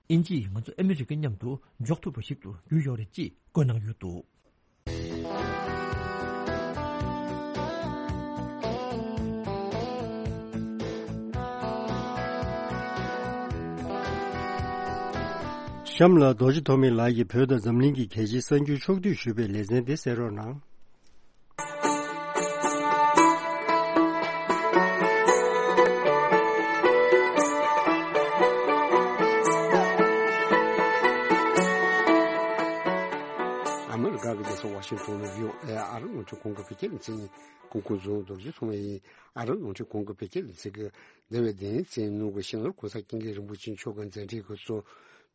དབྱིན་ཇིས་ང་ཚོ་ཨ་མི་རི་ཀ་མཉམ་དུ་འཇོག་ཐུབ་པ་ཞིག་ཏུ་གྱུར་ཡོད་རེད་ཅེས་བཀོད་གནང་ཡོད་འདུག་གཤམ་ལ་རྡོ་རྗེ་ཐོགས་མེད་ལགས་ཀྱིས་བོད་དང་འཛམ་གླིང་གི་གལ་ཆེའི་གསར་འགྱུར་ཕྱོགས་བསྡུས་ཞུས་པའི་ལེ་ཚན་དེ་གསན་རོགས་གནང་། ཨ་མི་རི་ཀ་གི་རྒྱལ་ས་ཝ་ ཤིང་གྲོང་ནས་ཡོད་ཨེ་ཨ་རི་རླུང་འཕྲིན་ཁང་གི་བོད་སྐད་ལ་འཛིན་ཀུན་མཁྱེན་རྫོང་རྡོ་རྗེ་ཚང་མ་ཡིན། ཨ་རི་རླུང་འཕྲིན་ཁང་གི་བོད་སྐད་ལ་འཛིན་གི་འདས་པའི་བདུན་ཚེས་ནང་གི་ཤིང་ལོར་གོང་ས་སྐྱབས་མགོན་རིན་པོ་ཆེ་མཆོག་གི་མཛད་འཕྲིན་གྱི་གཙོ་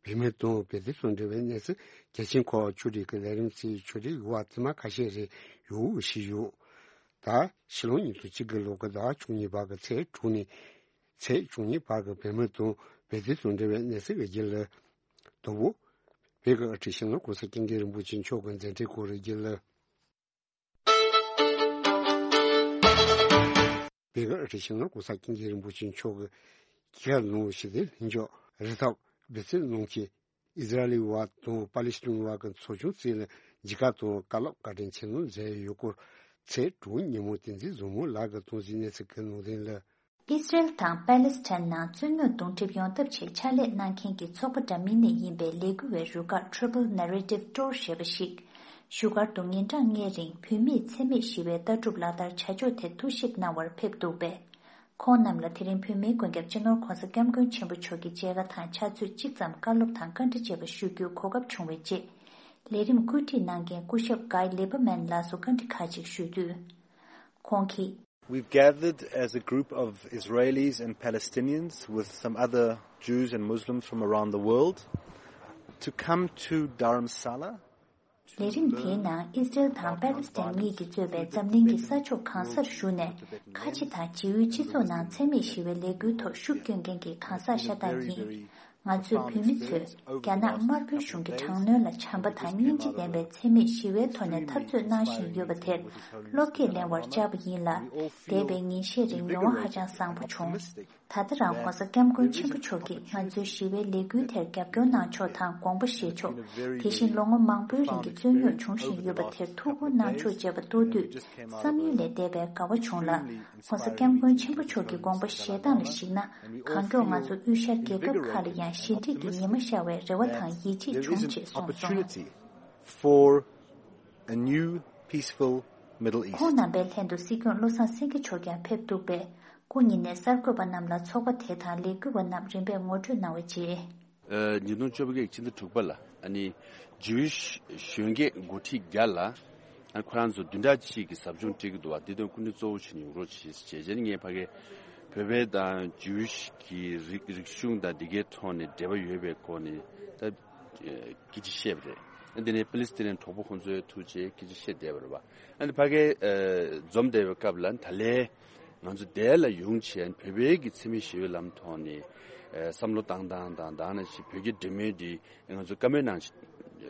བོད་མི་དང་བོད་དོན་དང་འབྲེལ་བའི་གནས་ཚུལ་གལ་ཆེན་ཁག་ཕྱོགས་སྒྲིག་གི་ལས་རིམ་གཙོ་བོ་ཕྱོགས་སྒྲིག་ཡོད་པ་དེ་མ་ཁ་ཤས་རེ་ཡོད་ཞུས་ཡོད། ད་ཕྱི་ལོ་ཉིས་སྟོང་གཅིག་གི་ལོ་གི་ཟླ་བ་བཅུ་གཉིས་པ་གི་ཚེས་དྲུག་ནས་ཚེས་བཅུ་གཉིས་བར་གྱི་བོད་མི་དང་བོད་དོན་དང་འབྲེལ་བའི་གནས་ཚུལ་གྱི་རྒྱུན་ལས། དང་པོ། བོད་ཀྱི་དབུ་ཁྲིད་ཤིང་ལོར་གོང་ས་སྐྱབས་མགོན་རིན་པོ་ཆེ་མཆོག་གི་མཛད་འཕྲིན་སྐོར་རྒྱུན་ལས། བོད་ཀྱི་དབུ་ཁྲིད་ཤིང་ལོར་གོང་ས་སྐྱབས་མགོན་རིན་པོ་ཆེ་མཆོག་གི་སྐྱེས་སྐར་ལུང་ཞིག་སྟེ་ལྷན་འཇོག་རི་ཐོག་སྦི་སི་ནང་གི་ཨི་ཟི་ར་ཨེལ་བ་དང་པ་ལི་སི་ཐན་བ་གི་ཚོགས་ཆུང་བཅས་ལ་མཇལ་ཁ་དང་བཀའ་སློབ་བཀའ་དྲིན་ཆེ་གནང་མཛད་ཡོད་སྐོར་ཚེས་དྲུག་ཉིན་མོ་བསྟན་འཛིན་བཟང་མོ་ལགས་ཀྱིས་གཏོང་ཟིན་གནས་ཚུལ་གྱི་ནང་དོན་ལ། ཨི་སི་རེལ་དང་པ་ལེ་སི་ཐན་ནང་རྩོད་རྙོག་གདོང་འགྲིབ་ཡོང་ཐབས་ཆེད་ཕྱག་ལས་གནང་མཁན་གྱི་ཚོགས་པ་འདྲ་མིན་ནས་ཡིན་པའི་ལས་འགུལ་བའི་རུ་ཁག་Triple Narrative Tour ཞེས་པ་ཞིག་བཞུགས་སྒར་དུ་ཉིན་གྲངས་ལྔའི་རིང་བོད་མིས་འཚེ་མེད་ཞི་བའི་ལྟ་གྲུབ་ལག་བསྟར་བྱ་ཕྱོགས་ཐད་ཐུགས་ཞིབ་གནང་བར་ཕེབས་འདུག་པས། ཁོང་རྣམས་ལ་དེ་རིང་བོད་མིའི་མགོན་སྐྱབས་སྤྱི་ནོར་༧གོང་ས་༧སྐྱབས་མགོན་ཆེན་པོ་མཆོག་གི་མཇལ་ཁ་དང་ཕྱག་ཚོད་གཅིག་ཙམ་བཀའ་སློབ་དང་བཀའ་འདྲི་བཅས་པ་ཞུ་རྒྱུའི་གོ་སྐབས་བྱུང་བའི་རྗེས། ལས་རིམ་བཀོད་སྒྲིག་གནང་མཁན་སྐུ་ཞབས་Guy Lieberman ལགས་སུ་བཀའ་འདྲི་ཁག་ཅིག་ཞུས་དུས། ཁོང་གིས། We've gathered as a group of Israelis and Palestinians with some other Jews and Muslims from around the world to come to Dharamsala. ལས་རིམ་དེའི་ནང་ཨི་སི་རེལ་དང་པ་ལེ་སི་ཐན་གཉིས་ཀྱིས་གཙོས་པའི་འཛམ་གླིང་གི་ས་ཕྱོགས་གང་སར་བཞུགས་ནས་ཁ་ཆེ་དང་རྗེས་ཡུལ་སྤྱི་ཚོགས་ནང་འཚེ་མེད་ཞི་བའི་ལས་འགུལ་ཐོག་ཤུགས་བསྐྱོན་མཁན་གྱི་གང་ཟག་ཤ་སྟག་ཡིན། ང་ཚོས་བོད་མི་ཚོས་རྒྱ་ནག་དམར་པོའི་གཞུང་གི་དྲག་གནོན་ལ་བྱམས་པ་དང་སྙིང་རྗེ་ལྡན་པའི་འཚེ་མེད་ཞི་བའི་ཐོག་ནས་འཐབ་རྩོད་གནང་བཞིན་ཡོད་པ་དེར་བློ་བསྐྱེད་ལེན་པར་བཅར་བ་ཡིན་ལ། འདས་པའི་ཉིན་ཤས་རིང་མྱོང་བ་ཧ་ཅང་བཟང་པོ་བྱུང་། ད་ལྟ་རང་༧གོང་ས་༧སྐྱབས་མགོན་ཆེན་པོ་མཆོག་གིས་ང་ཚོའི་ཞི་བའི་ལས་འགུལ་དེར་རྒྱབ་སྐྱོར་གནང་ཕྱོགས་དང་དགོངས་པ་བཞེས་ཕྱོགས། དེ་བཞིན་ལོ་ངོ་མང་པོའི་རིང་གི་རྩོད་རྙོག་འབྱུང་བཞིན་ཡོད་པ་དེར་ཐུགས་ཁུར་གནང་ཕྱོགས་བཅས་པ་མཐོང་དུས་བསམ་ཡུལ་ལས་འདས་པའི་དགའ་བ་བྱུང་ལ། ༧གོང་ས་༧སྐྱབས་མགོན་ཆེན་པོ་མཆོག་གི་དགོངས་པ་བཞེས་སྟངས་ལ་གཞིགས་ན། གང་མགྱོགས་ང་ཚོ་དབུས་ཤར་རྒྱལ་ཁབ་ཁག་ལ་ཡང་ཞི་འགྲིག་གི་ཉི་མ་ཤར་བའི་རེ་བ་དང་ཡིད་ཆེས་བྱུང་ཅེས་གསུངས་སོང་། For a new peaceful Middle East. ཁོང་རྣམ་པའི་ལྷན་དུ་སྲིད་སྐྱོང་བློ་བཟང་སེང་གེ་མཆོག་ཀྱང་ཕེབས་འདུག་པས། སྐུ་ཉིད་ནས་གསར་འགོད་པ་རྣམས་ལ་ཚོགས་པ་དེ་དང་ལས་འགུལ་བ་རྣམས་རིམ་པས་ངོ་སྤྲོད་གནང་བའི་རྗེས། ཉིས་སྟོང་བཅོ་བརྒྱད་ཕྱི་ཟླ་དྲུག་པ་ལ་ཨ་ནི་ཇིའུ་ཤི་གཞོན་སྐྱེས་འགོ་ཁྲིད་བརྒྱ་ལ་ཨ་ཁོ་རང་ཚོ་བདུན་ཕྲག་གཅིག་གི་ཟབ་སྦྱོང་སྤྲད་ཀྱི་འདུག་བ། འདི་དོན་སྐུ་མགྲོན་གཙོ་བོ་བྱས་ནས་ཡོང་རོགས་བྱེད་ཅེས། རྗེས་ནས་ངས་ཕ་གི་བོད་པའི་དང་ཇིའུ་ཤི་གི་རིག་རིག་གཞུང་དང་འདི་གའི་ཐོག་ནས་འབྲེལ་བ་ཡོད་པའི་སྐོར་ནས་ད་སྐད་ཆ་བཤད་པ་རེད། འདི་ནས་པ་ལི་སི་ཐན་གྲོགས་པོ་ཁོང་ཚོའི་ཐུགས་རྗེ་སྐད་ཆ་བཤད་བསྡད་པ་རེད་བ། ཨ་ནི་ཕ་གི་འཛོམས་བསྡད་པའི་སྐབས་ལ་ད་ལན་ང་ཚོ་འདི་ལ་ཡོང་བྱས་བོད་པའི་གི་འཚེ་མེད་ཞི་བའི་ལམ་ཐོག་ནས་བསམ་བློ་བཏང་སྟངས་དང་དེ་ནང་བཞིན་བོད་ཀྱི་འབྲེལ་མོལ་འདི་ང་ཚོ་བཀའ་མོལ་གནང་བྱས་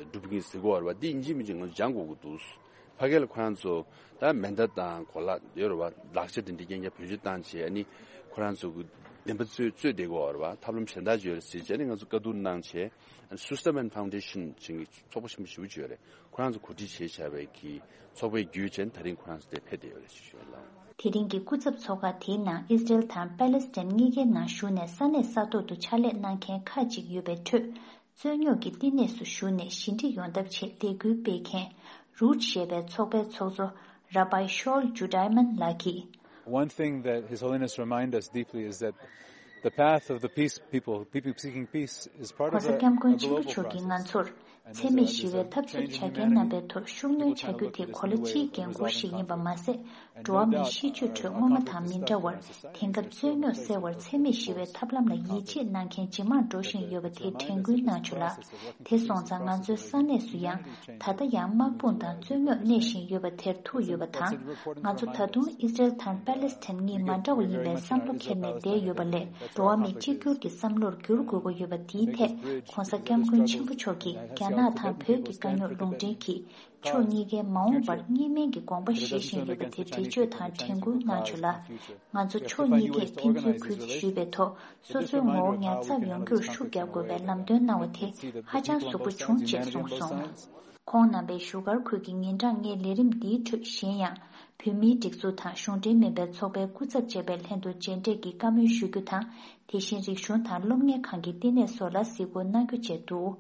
སྒྲུབ་ཀྱི་ཡིན་ཟེར་གོ་བ་རེད་བ། འདི་ཡིན་གཅིག་མིན་གཅིག་ང་ཚོ་སྦྱང་དགོས་ཀྱི་འདུག་ཕ་གི་ལ་ཁོ་རང་ཚོ་ད་མེ་མདའ་དང་གོ་ལག་ཡོད་རེད་བ། ལག་ཆ་དེ་འདྲ་རྐྱང་རྐྱང་བེད་སྤྱོད་བཏང་བྱས་ཨ་ནི་ཁོ་རང་ཚོ་གི་བདེན་པ་རྩོད་རྩོད་བསྡད་ཀྱི་ཡོད་རེད་བ། ཐབས་ལམ་གཞན་དག་ཅིག་ཡོད་རེད་ཟེར་བྱས་ཨ་ནི་ང་ཚོ་བཀའ་བསྡུར་གནང་བྱས་ཨ་ནི་Susterman Foundation ཅིག་གི་ཚོགས་པ་ཆེན་པོ་ཞེ་པོ་ཅིག་ཡོད་རེད། ཁོ་རང་ཚོ་གོ་སྒྲིག་བྱས་བྱས་པའི་གི་ཚོགས་པའི་བརྒྱུད་བྱས་ཨ་ནི་ད་རིང་ཁོ་རང་ཚོ་དེ་ཕེབས་བསྡད་ཡོད་རེད་ཞུ་ཞུ་ལ། དེ་རིང་གི་སྐུ་ཚབ་ཚོགས་ཁག་དེའི་ནང་ཨི་སི་རེལ་དང་པ་ལེ་སི་ཐན་གཉིས་ཀའི་ནང་བཞུགས་ནས་ས་གནས་ས་ཐོག་ཏུ་ཕྱག་ལས་གནང་མཁན་ཁག་ཅིག་ཡོད་པའི་ཁྲོད། རྩོད་རྙོག་གི་བསྟི་གནས་སུ་བཞུགས་ནས་ཞི་འགྲིག་ཡོང་ཐབས་ཆེད་ལས་འགུལ་སྤེལ་མཁན་རུཊ་ཞེས་པའི་ཚོགས་པའི་ཚོགས་གཙོ་Rabbi Shaul Judiman ལགས་ཀྱིས། One thing that His Holiness remind us deeply is that the path of the peace people, people seeking peace, is part of a, a global process. ༸གོང་ས་སྐྱབས་མགོན་ཆེན་པོ་མཆོག་གིས་ང་ཚོར་འཚེ་མེད་ཞི་བའི་འཐབ་རྩོད་བྱ་མཁན་རྣམ་པའི་ཐོག་ཤུགས་སྣོན་བྱ་རྒྱུ་དེ་གོ་ལ་སྤྱིའི་འགན་ཁུར་ཞིག་ཡིན་པ་མ་ཟད། འགྲོ་བ་མིའི་ཤེས་སྤྱོད་ཁྲོད་སྔོན་མ་དང་མི་འདྲ་བར་དེང་སྐབས་རྩོད་རྙོག་སེལ་བར་འཚེ་མེད་ཞི་བའི་ཐབས་ལམ་ལ་ཡིད་ཆེས་གནང་མཁན་ཇེ་མང་འགྲོ་བཞིན་ཡོད་པ་དེ་དྲན་སྐུལ་གནང་བྱུང་ལ། དེ་སོང་ཙང་ང་ཚོའི་ས་གནས་སུ་ཡང་ད་ལྟ་ཡང་དམག་དཔུང་དང་རྩོད་རྙོག་གནས་བཞིན་ཡོད་པ་དེར་ཐུག་ཡོད་པ་དང་། ང་ཚོ་ད་དུང་ཨི་སི་རེལ་དང་པ་ལེ་སི་ཐན་གཉིས་མ་འདྲ་བ་ཡིན་པའི་བསམ་བློ་འཁྱེར་ནས་བསྡད་ཡོད་པ་ལས་འགྲོ་བ་མི་གཅིག་གྱུར་གྱི་བསམ་བློར་འགྱུར་དགོས་ཀྱི་ཡོད་པ་དེའི་ཐད་༸གོང་ས་༸སྐྱབས་མགོན་ཆེན་པོ་མཆོག་གིས་རྒྱ་ནག་དང་བོད་ཀྱི་དཀའ་རྙོག་ལུང་འདྲེན་གྱིས། ཕྱོགས་གཉིས་ཀའི་མ་འོངས་པར་གཉིས་སྨན་གྱི་དགོངས་པ་བཞེས་བཞིན་ཡོད་པ་དེ་འགྲེལ་བརྗོད་དང་དྲན་སྐུལ་གནང་བྱུང་ལ། ང་ཚོ་ཕྱོགས་གཉིས་ཀས་ཕན་ཚུན་གུས་བརྩི་ཞུས་པའི་ཐོག་སོ་སོའི་ངོ་བོ་ཉར་ཚགས་ཡོང་རྒྱུར་ཤུགས་རྒྱག་དགོས་པའི་ལམ་སྟོན་གནང་བ་དེ་ཧ་ཅང་གཟུགས་པོ་བྱུང་ཅེས་གསུངས་སོང་། ཁོང་རྣམ་པས་བཞུགས་སྒར་ཁུལ་གྱི་ཉིན་གྲངས་ལྔའི་ལས་རིམ་འདིའི་ཁྲོད་གཞན་ཡང་བོད་མིའི་སྒྲིག་འཛུགས་དང་གཞུང་འབྲེལ་མིན་པའི་ཚོགས་པའི་སྐུ་ཚབ་བཅས་པའི་ལྷན་དུ་མཇལ་འཕྲད་ཀྱིས་བཀའ་མོལ་ཞུ་རྒྱུ་དང་། དེ་བཞིན་རིག་གཞུང་དང་སློབ་གཉེར་ཁང་གི་བསྟི་གནས་སོགས་ལ་གཟིགས་སྐོར་གནང་རྒྱུ་བཅས་འདུག་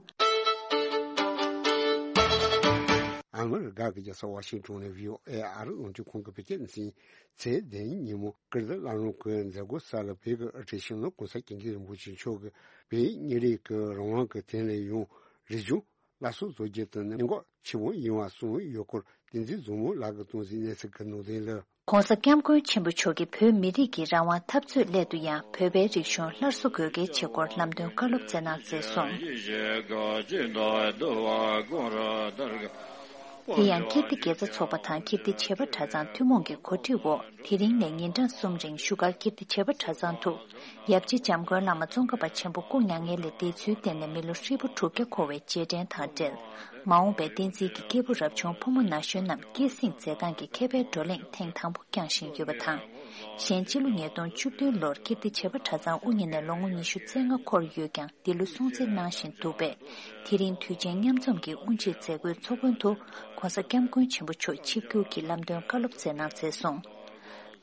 ཨ་མི་རི་ཀ་གི་རྒྱལ་ས་ཝ་ཤིང་ཊོན་ནས་བྷི་ཨོ་ཨེ་ཨ་རི་རླུང་འཕྲིན་ཁང་གི་བོད་སྐད་སྡེ་ཚན་ཚེས་བདུན་ཉིན་མོ་ཀིརྟི་བླ་སློབ་ཀྱི་མཛད་སྒོ་གསར་ལ་བོད་ཀྱི་དབུ་ཁྲིད་སྤྱི་ནོར་༸གོང་ས་༸སྐྱབས་མགོན་རིན་པོ་ཆེ་མཆོག་གིས་བོད་མི་རིགས་ཀྱི་རང་དབང་གི་དོན་ལ་ཡང་རིག་གཞུང་ སླར་གསོ་བཟོ་རྒྱུ་དེ་ནི་གནད་འགག་ཆེན་པོ་ཡིན་པ་གསུངས་ཡོད་སྐོར། བསྟན་འཛིན་བཟང་མོ་ལགས་ཀྱིས་གཏོང་གཟིགས་གནས་ཚུལ་གྱི་ནང་དོན་ལ། ྋགོང་ས་ྋསྐྱབས་མགོན་ཆེན་པོ་མཆོག་གིས་བོད་མི་རིགས་ཀྱི་རང་དབང་འཐབ་རྩོད་སླད་དུ་ཡང་བོད་པའི་རིག་གཞུང་སླར་གསོ་དགོས་གལ་ཆེ་སྐོར་ལམ་སྟོན་བཀའ་སློབ་སྩལ་གནང་མཛད་སོང་། དེ་ཡང་ཀིརྟི་དགེ་རྩ་ཚོགས་པ་དང་ཀིརྟི་བྱེས་པ་གྲྭ་ཚང་ཐུན་མོང་གི་གོ་སྒྲིག་འོག་དེ་རིང་ནས་ཉིན་གྲངས་གསུམ་རིང་བཞུགས་སྒར་ཀིརྟི་བྱེས་པ་གྲྭ་ཚང་དུ། ཡབ་རྗེ་འཇམ་མགོན་བླ་མ་ཙོང་ཁ་པ་ཆེན་པོ་སྐུ་མྱ་ངན་ལས་འདས་ཚུལ་བརྟེན་ནས་མི་ལོ་ཧྲིལ་པོ་དྲུག་བརྒྱ་འཁོར་བའི་རྗེས་དྲན་དང་འབྲེལ། མ་འོངས་པའི་བསྟན་འཛིན་གྱི་སྐྱེས་བུ་རབ་བྱུང་ཕོ་མོ་ན་གཞོན་རྣམས་སྐྱེད་སྲིང་མཛད་སྟངས་ཀྱི་མཁས་པའི་བགྲོ་གླེང་ཐེངས་དང་པོ་བསྐྱངས་བཞིན་ཡོད་པ་དང་། གཞན་སྤྱི་ལོ་ཉིས་སྟོང་བཅུ་བདུན་ལོར་ཀིརྟི་བྱེས་པ་གྲྭ་ཚང་དབུ་བརྙེས་ནས་ལོ་ངོ་ཉི་ཤུ་རྩ་ལྔ་འཁོར་ཡོད་ཀྱང་། འདི་ལོ་སྲུང་བརྩི་གནང་བཞིན་འདུག་པས། དེ་རིང་དུས་ཆེན་མཉམ་འཛོམས་ཀྱི་དབུ་འབྱེད་མཛད་སྒོའི་ཚོགས་མགོན་དུ་ྋགོང་ས་ྋསྐྱབས་མགོན་ཆེན་པོ་མཆོག་ཆིབས་བསྒྱུར་གྱིས་ལམ་སྟོན་བཀའ་སློབ་སྩལ་གནང་མཛད་སོང་།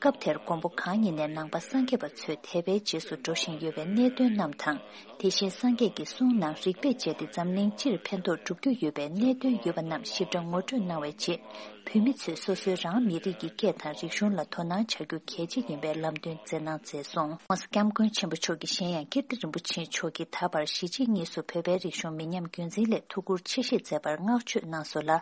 སྐབས་དེར་མགོན་པོ་གང་ཉིད་ནས་ནང་པ་སངས་རྒྱས་པ་ཚོས་དད་པའི་རྗེས་སུ་འགྲོ་བཞིན་ཡོད་པའི་གནད་དོན་རྣམས་དང་། དེ་བཞིན་སངས་རྒྱས་ཀྱི་གསུང་ནང་རིགས་པས་དཔྱད་དེ་འཛམ་གླིང་སྤྱིར་ཕན་ཐོགས་སྒྲུབ་རྒྱུ་ཡོད་པའི་གནད་དོན་ཡོད་པ་རྣམས་ཞིབ་ཕྲ་ངོ་སྤྲོད་གནང་བའི་རྗེས། བོད་མི་ཚོས་སོ་སོའི་རང་མི་རིགས་ཀྱི་སྐད་དང་རིག་གཞུང་ལ་དོ་སྣང་བྱ་རྒྱུ་གལ་ཆེ་ཡིན་པའི་ལམ་སྟོན་མཛད་གནང་མཛད་སོང་། ྋགོང་ས་ྋསྐྱབས་མགོན་ཆེན་པོ་མཆོག་གིས་གཞན་ཡང་ཀིརྟི་རིན་པོ་ཆེ་མཆོག་གིས་ད་བར་གཞིས་བྱེས་གཉིས་སུ་བོད་པའི་རིག་གཞུང་མི་ཉམས་རྒྱུན་འཛིན་སླད་ཐུགས་ཁུར་ཆེ་བཞེས་མཛད་པར་བསྔགས་བརྗོད་གནང་སོང་ལ།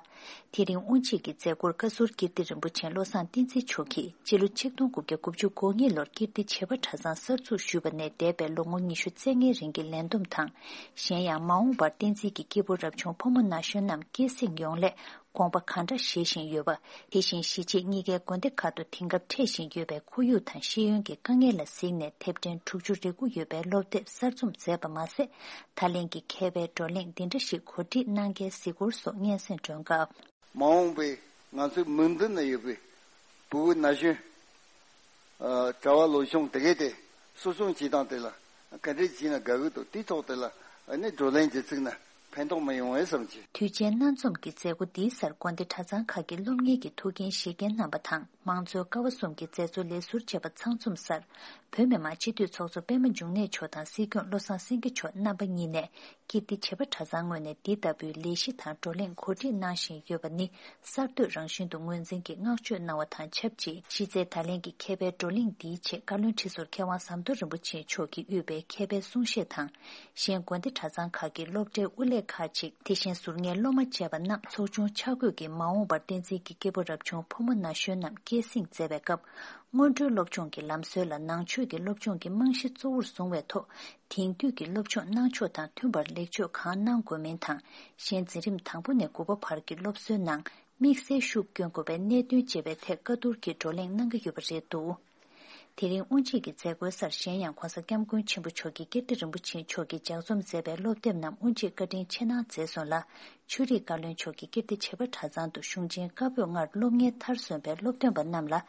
དེ་རིང་དབུ་འབྱེད་ཀྱི་མཛད་སྒོར་བཀའ་ཟུར་ཀིརྟི་རིན་པོ་ཆེ་བློ་བཟང་བསྟན་འཛིན་མཆོག་གིས་སྤྱི་ལོ་ཆིག་སྟོང་དགུ་བརྒྱ་དགུ་བཅུ་གོ་གཉིས་ལོར་ཀིརྟི་བྱེས་པ་གྲྭ་ཚང་གསར་འཛུགས་ཞུས་པ་ནས་འདས་པའི་ལོ་ངོ་ཉི་ཤུ་རྩ་ལྔའི་རིང་གི་ལས་བསྡོམས་དང་། གཞན་ཡང་མ་འོངས་པར་བསྟན་འཛིན་གྱི་སྐྱེས་བུ་རབ་བྱུང་ཕོ་མོ་ན་གཞོན་རྣམས་སྐྱེད་སྲིང་ཡོང་སླད་དགོངས་པ་གང་དྲག་བཞེས་བཞིན་ཡོད་པ། དེ་བཞིན་གཞིས་བྱེས་གཉིས་ཀའི་དགོན་སྡེ་ཁག་ཏུ་དེང་སྐབས་འཕྲད་བཞིན་ཡོད་པའི་ཁོར་ཡུག་དང་ཤེས་ཡོན་གྱི་དཀའ་ངལ་ལ་གཟིགས་ནས་དེབ་ཕྲེང་དྲུག་ཅུ་རེ་དགུ་ཡོད་པའི་སློབ་དེབ་གསར་རྩོམ་མཛད་པ་མ་ཟད། ད་ལན་གྱི་མཁས་པའི་བགྲོ་གླེང་འདི་འདྲ་ཞིག་གོ་སྒྲིག་གནང་མཁན་གཟིགས་སྐོར་སོགས་སྙན་སེང་སྒྲོན་སྐབས། མ་འོངས་པའི་ང་ཚོའི་མིག་མདུན་ན་ཡོད་པའི་བུ་བུ་ན་གཞོན། ཨ། གྲྭ་བ་ལོ་ཆུང་དེ་གས་དེ་གསོ་སྐྱོང་བྱེད་སྟངས་དེ་ལ་ག་འདྲས་བྱས་ན་དགའ་གི་འདུག་དེའི་ཐོག་དེ་ལ་ཨ་ནི་བགྲོ་གླེང་བྱེད་ཚུགས་ན་ཕན་ཐོགས་མ་ཡོང་བས་བསམ་གྱི། དུས་ཆེན་སྣ་འཛོམས་ཀྱི་མཛད་སྒོ་འདིའི་སར་དགོན་སྡེ་གྲྭ་ཚང་ཁག་གི་སློབ་གཉེར་གྱི་ཐུགས་འགན་བཞེས་མཁན་རྣམ་པ་དང་། མང་གཙོའི་ཀ་བ་གསུམ་གྱི་མཛད་གཙོ་ལས་ཟུར་བཅས་པ་ཚང་འཛོམས་སར། བོད་མི་མང་སྤྱི་འཐུས་ཚོགས་གཙོ་པད་མ་འབྱུང་གནས་མཆོག་དང་སྲིད་སྐྱོང་བློ་བཟང་སེང་གེ་མཆོག་རྣམ་པ་གཉིས་ནས། ཀིརྟི་བྱེས་པ་གྲྭ་ཚང་ངོས་ནས་འདི་ལྟ་བུའི་ལས་གཞི་དང་བགྲོ་གླེང་གོ་སྒྲིག་གནང་བཞིན་ཡོད་པ་ནི་གསར་གཏོད་རང་བཞིན་དུ་ངོས་འཛིན་གྱིས་བསྔགས་བརྗོད་གནང་བ་དང་ཆབས་ཅིག་གཞི་རྩའི་ད་ལན་གྱི་མཁས་པའི་བགྲོ་གླེང་འདིའི་ཆེད་བཀའ་བློན་ཁྲི་ཟུར་མཁས་དབང་ཟམ་གདོང་རིན་པོ་ཆེ་མཆོག་གིས་དབུས་པའི་མཁས་པའི་གསུང་བཤད་དང་། གཞན་དགོན་སྡེ་གྲྭ་ཚང་ཁག་གི་སློབ་གྲྭའི་དབུ་ལས་ཁག་ཅིག་དེ་བཞིན་ཟུར་ཉན་སློབ་མ་བཅས་པ་རྣམས་ཚོགས་ཆུང་ཆ་བགོས་ཀྱིས་མ་འོངས་པར་བསྟན་འཛིན་གྱི་སྐྱེས་བུ་རབ་བྱུང་ཕོ་མོ་ན་གཞོན་རྣམས་སྐྱེད་སྲིང་མཛད་པའི་སྐབས། སྔོན་འགྲོའི་སློབ་སྦྱོང་གི་ལམ་སྲོལ་ལ་ནང་ཆོས་ཀྱི་སློབ་སྦྱོང་གི་རྨང་གཞི་གཙོ་བོར་བཟུང་བའི་ཐོག་དེང་དུས་ཀྱི་སློབ་སྦྱོང་གནང་ཕྱོགས་དང་མཐུན་པར་ལེགས་བཅོས་གང་གནང་དགོས་མིན་དང་། གཞན་འཛིན་རིམ་དང་པོ་ནས་དགུ་པ་བར་གྱི་སློབ་གསོའི་ནང་དམིགས་བསལ་ཤུགས་སྐྱོན་དགོས་པའི་གནད་དོན་བཅས་པའི་ཐད་བཀའ་བསྡུར་གྱི་བགྲོ་གླེང་གནང་གི་ཡོད་པ་རེད་འདུག་དེ་རིང་དབུ་འབྱེད་ཀྱི་མཛད་སྒོའི་སར་གཞན་ཡང་༸གོང་ས་༸སྐྱབས་མགོན་ཆེན་པོ་མཆོག་གིས་ཀིརྟི་རིན་པོ་ཆེ་མཆོག་གིས་ལྗགས་རྩོམ་མཛད་པའི་སློབ་དེབ་རྣམས་དབུ་འབྱེད་བཀའ་དྲིན་ཆེ་གནང་མཛད་སོང་ལ། ཆོས་རིག་བཀའ་བློན་མཆོག་གིས་ཀིརྟི་བྱེས་པ་གྲྭ་ཚང་དུ་གཞུང་ཆེན་བཀའ་པོད་ལྔར་སློབ་གཉེར་མཐར་སོན་པའི་སློབ་སྟོན་པ་རྣམས་ལ་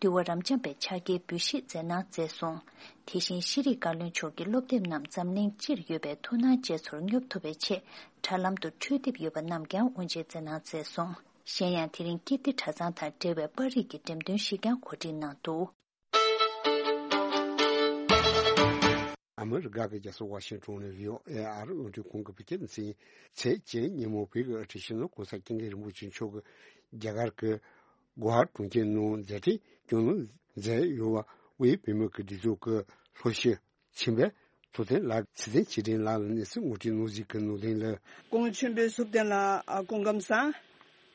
འདུལ་བ་རབ་འབྱམས་པའི་ཕྱག་འཁྱེར་འབུལ་བཞེས་མཛད་གནང་མཛད་སོང་། དེ་བཞིན་ཤེས་རིག་བཀའ་བློན་མཆོག་གིས་སློབ་དེབ་རྣམས་འཛམ་གླིང་སྤྱིར་ཡོད་པའི་ཐུགས་སྣང་ཅན་ཚོར་སྙོབ་ཐུབ་པའི་ཆེད་དྲ་ལམ་དུ་འཕྲུལ་དེབ་ཡོད་པ་རྣམས་ཀྱང་དབུ་འབྱེད་མཛད་གནང་མཛད་སོང་། གཞན་ཡང་དེ་རིང་ཀིརྟི་གྲྭ་ཚང་དང་འབྲེལ་བའི་པར་རིས་ཀྱི་འགྲེམས་སྟོན་ཞིག་ཀྱང་གོ་སྒྲིག་གནང་འདུག་ཨ་མི་རི་ཀ་གི་རྒྱལ་ས་ཝ་ཤིང་ཊོན་ནས་ཝི་ཨོ་ཨེ་ཨ་རི་རླུང་འཕྲིན་ཁང་གི་བོད་སྐད་སྡེ་ཚན་ཚེས་བརྒྱད་ཉིན་མོ་བོད་ཀྱི་དབུ་ཁྲིད་སྤྱི་ནོར་༸གོང་ས་༸སྐྱབས་མགོན་རིན་པོ་ཆེ་མཆོག་གིས་རྒྱ་གར་གྱི་གོ་ཝ་གྲོང་ཁྱེར་ནང་མཛད་འཕྲིན་སྐྱོང་གནང་མཛད་ཡོད་པ། དབུས་བོད་མིའི་སྒྲིག་འཛུགས་ཀྱི་ལྷོ་ཕྱོགས་ཆེན་པོའི་ཐུབ་བསྟན་ལགས། ཚེ་བརྟན་ཆོས་སྒྲོན་ལགས་ལ་གནས་ཚུལ་ངོ་སྤྲོད་གནང་གཟིགས་ཀྱི་ནང་དོན་ལ། སྐུ་ངོ་ཆོས་འཕེལ་ཐུབ་བསྟན་ལགས། ཨ། སྐུ་ཁམས་བཟང་།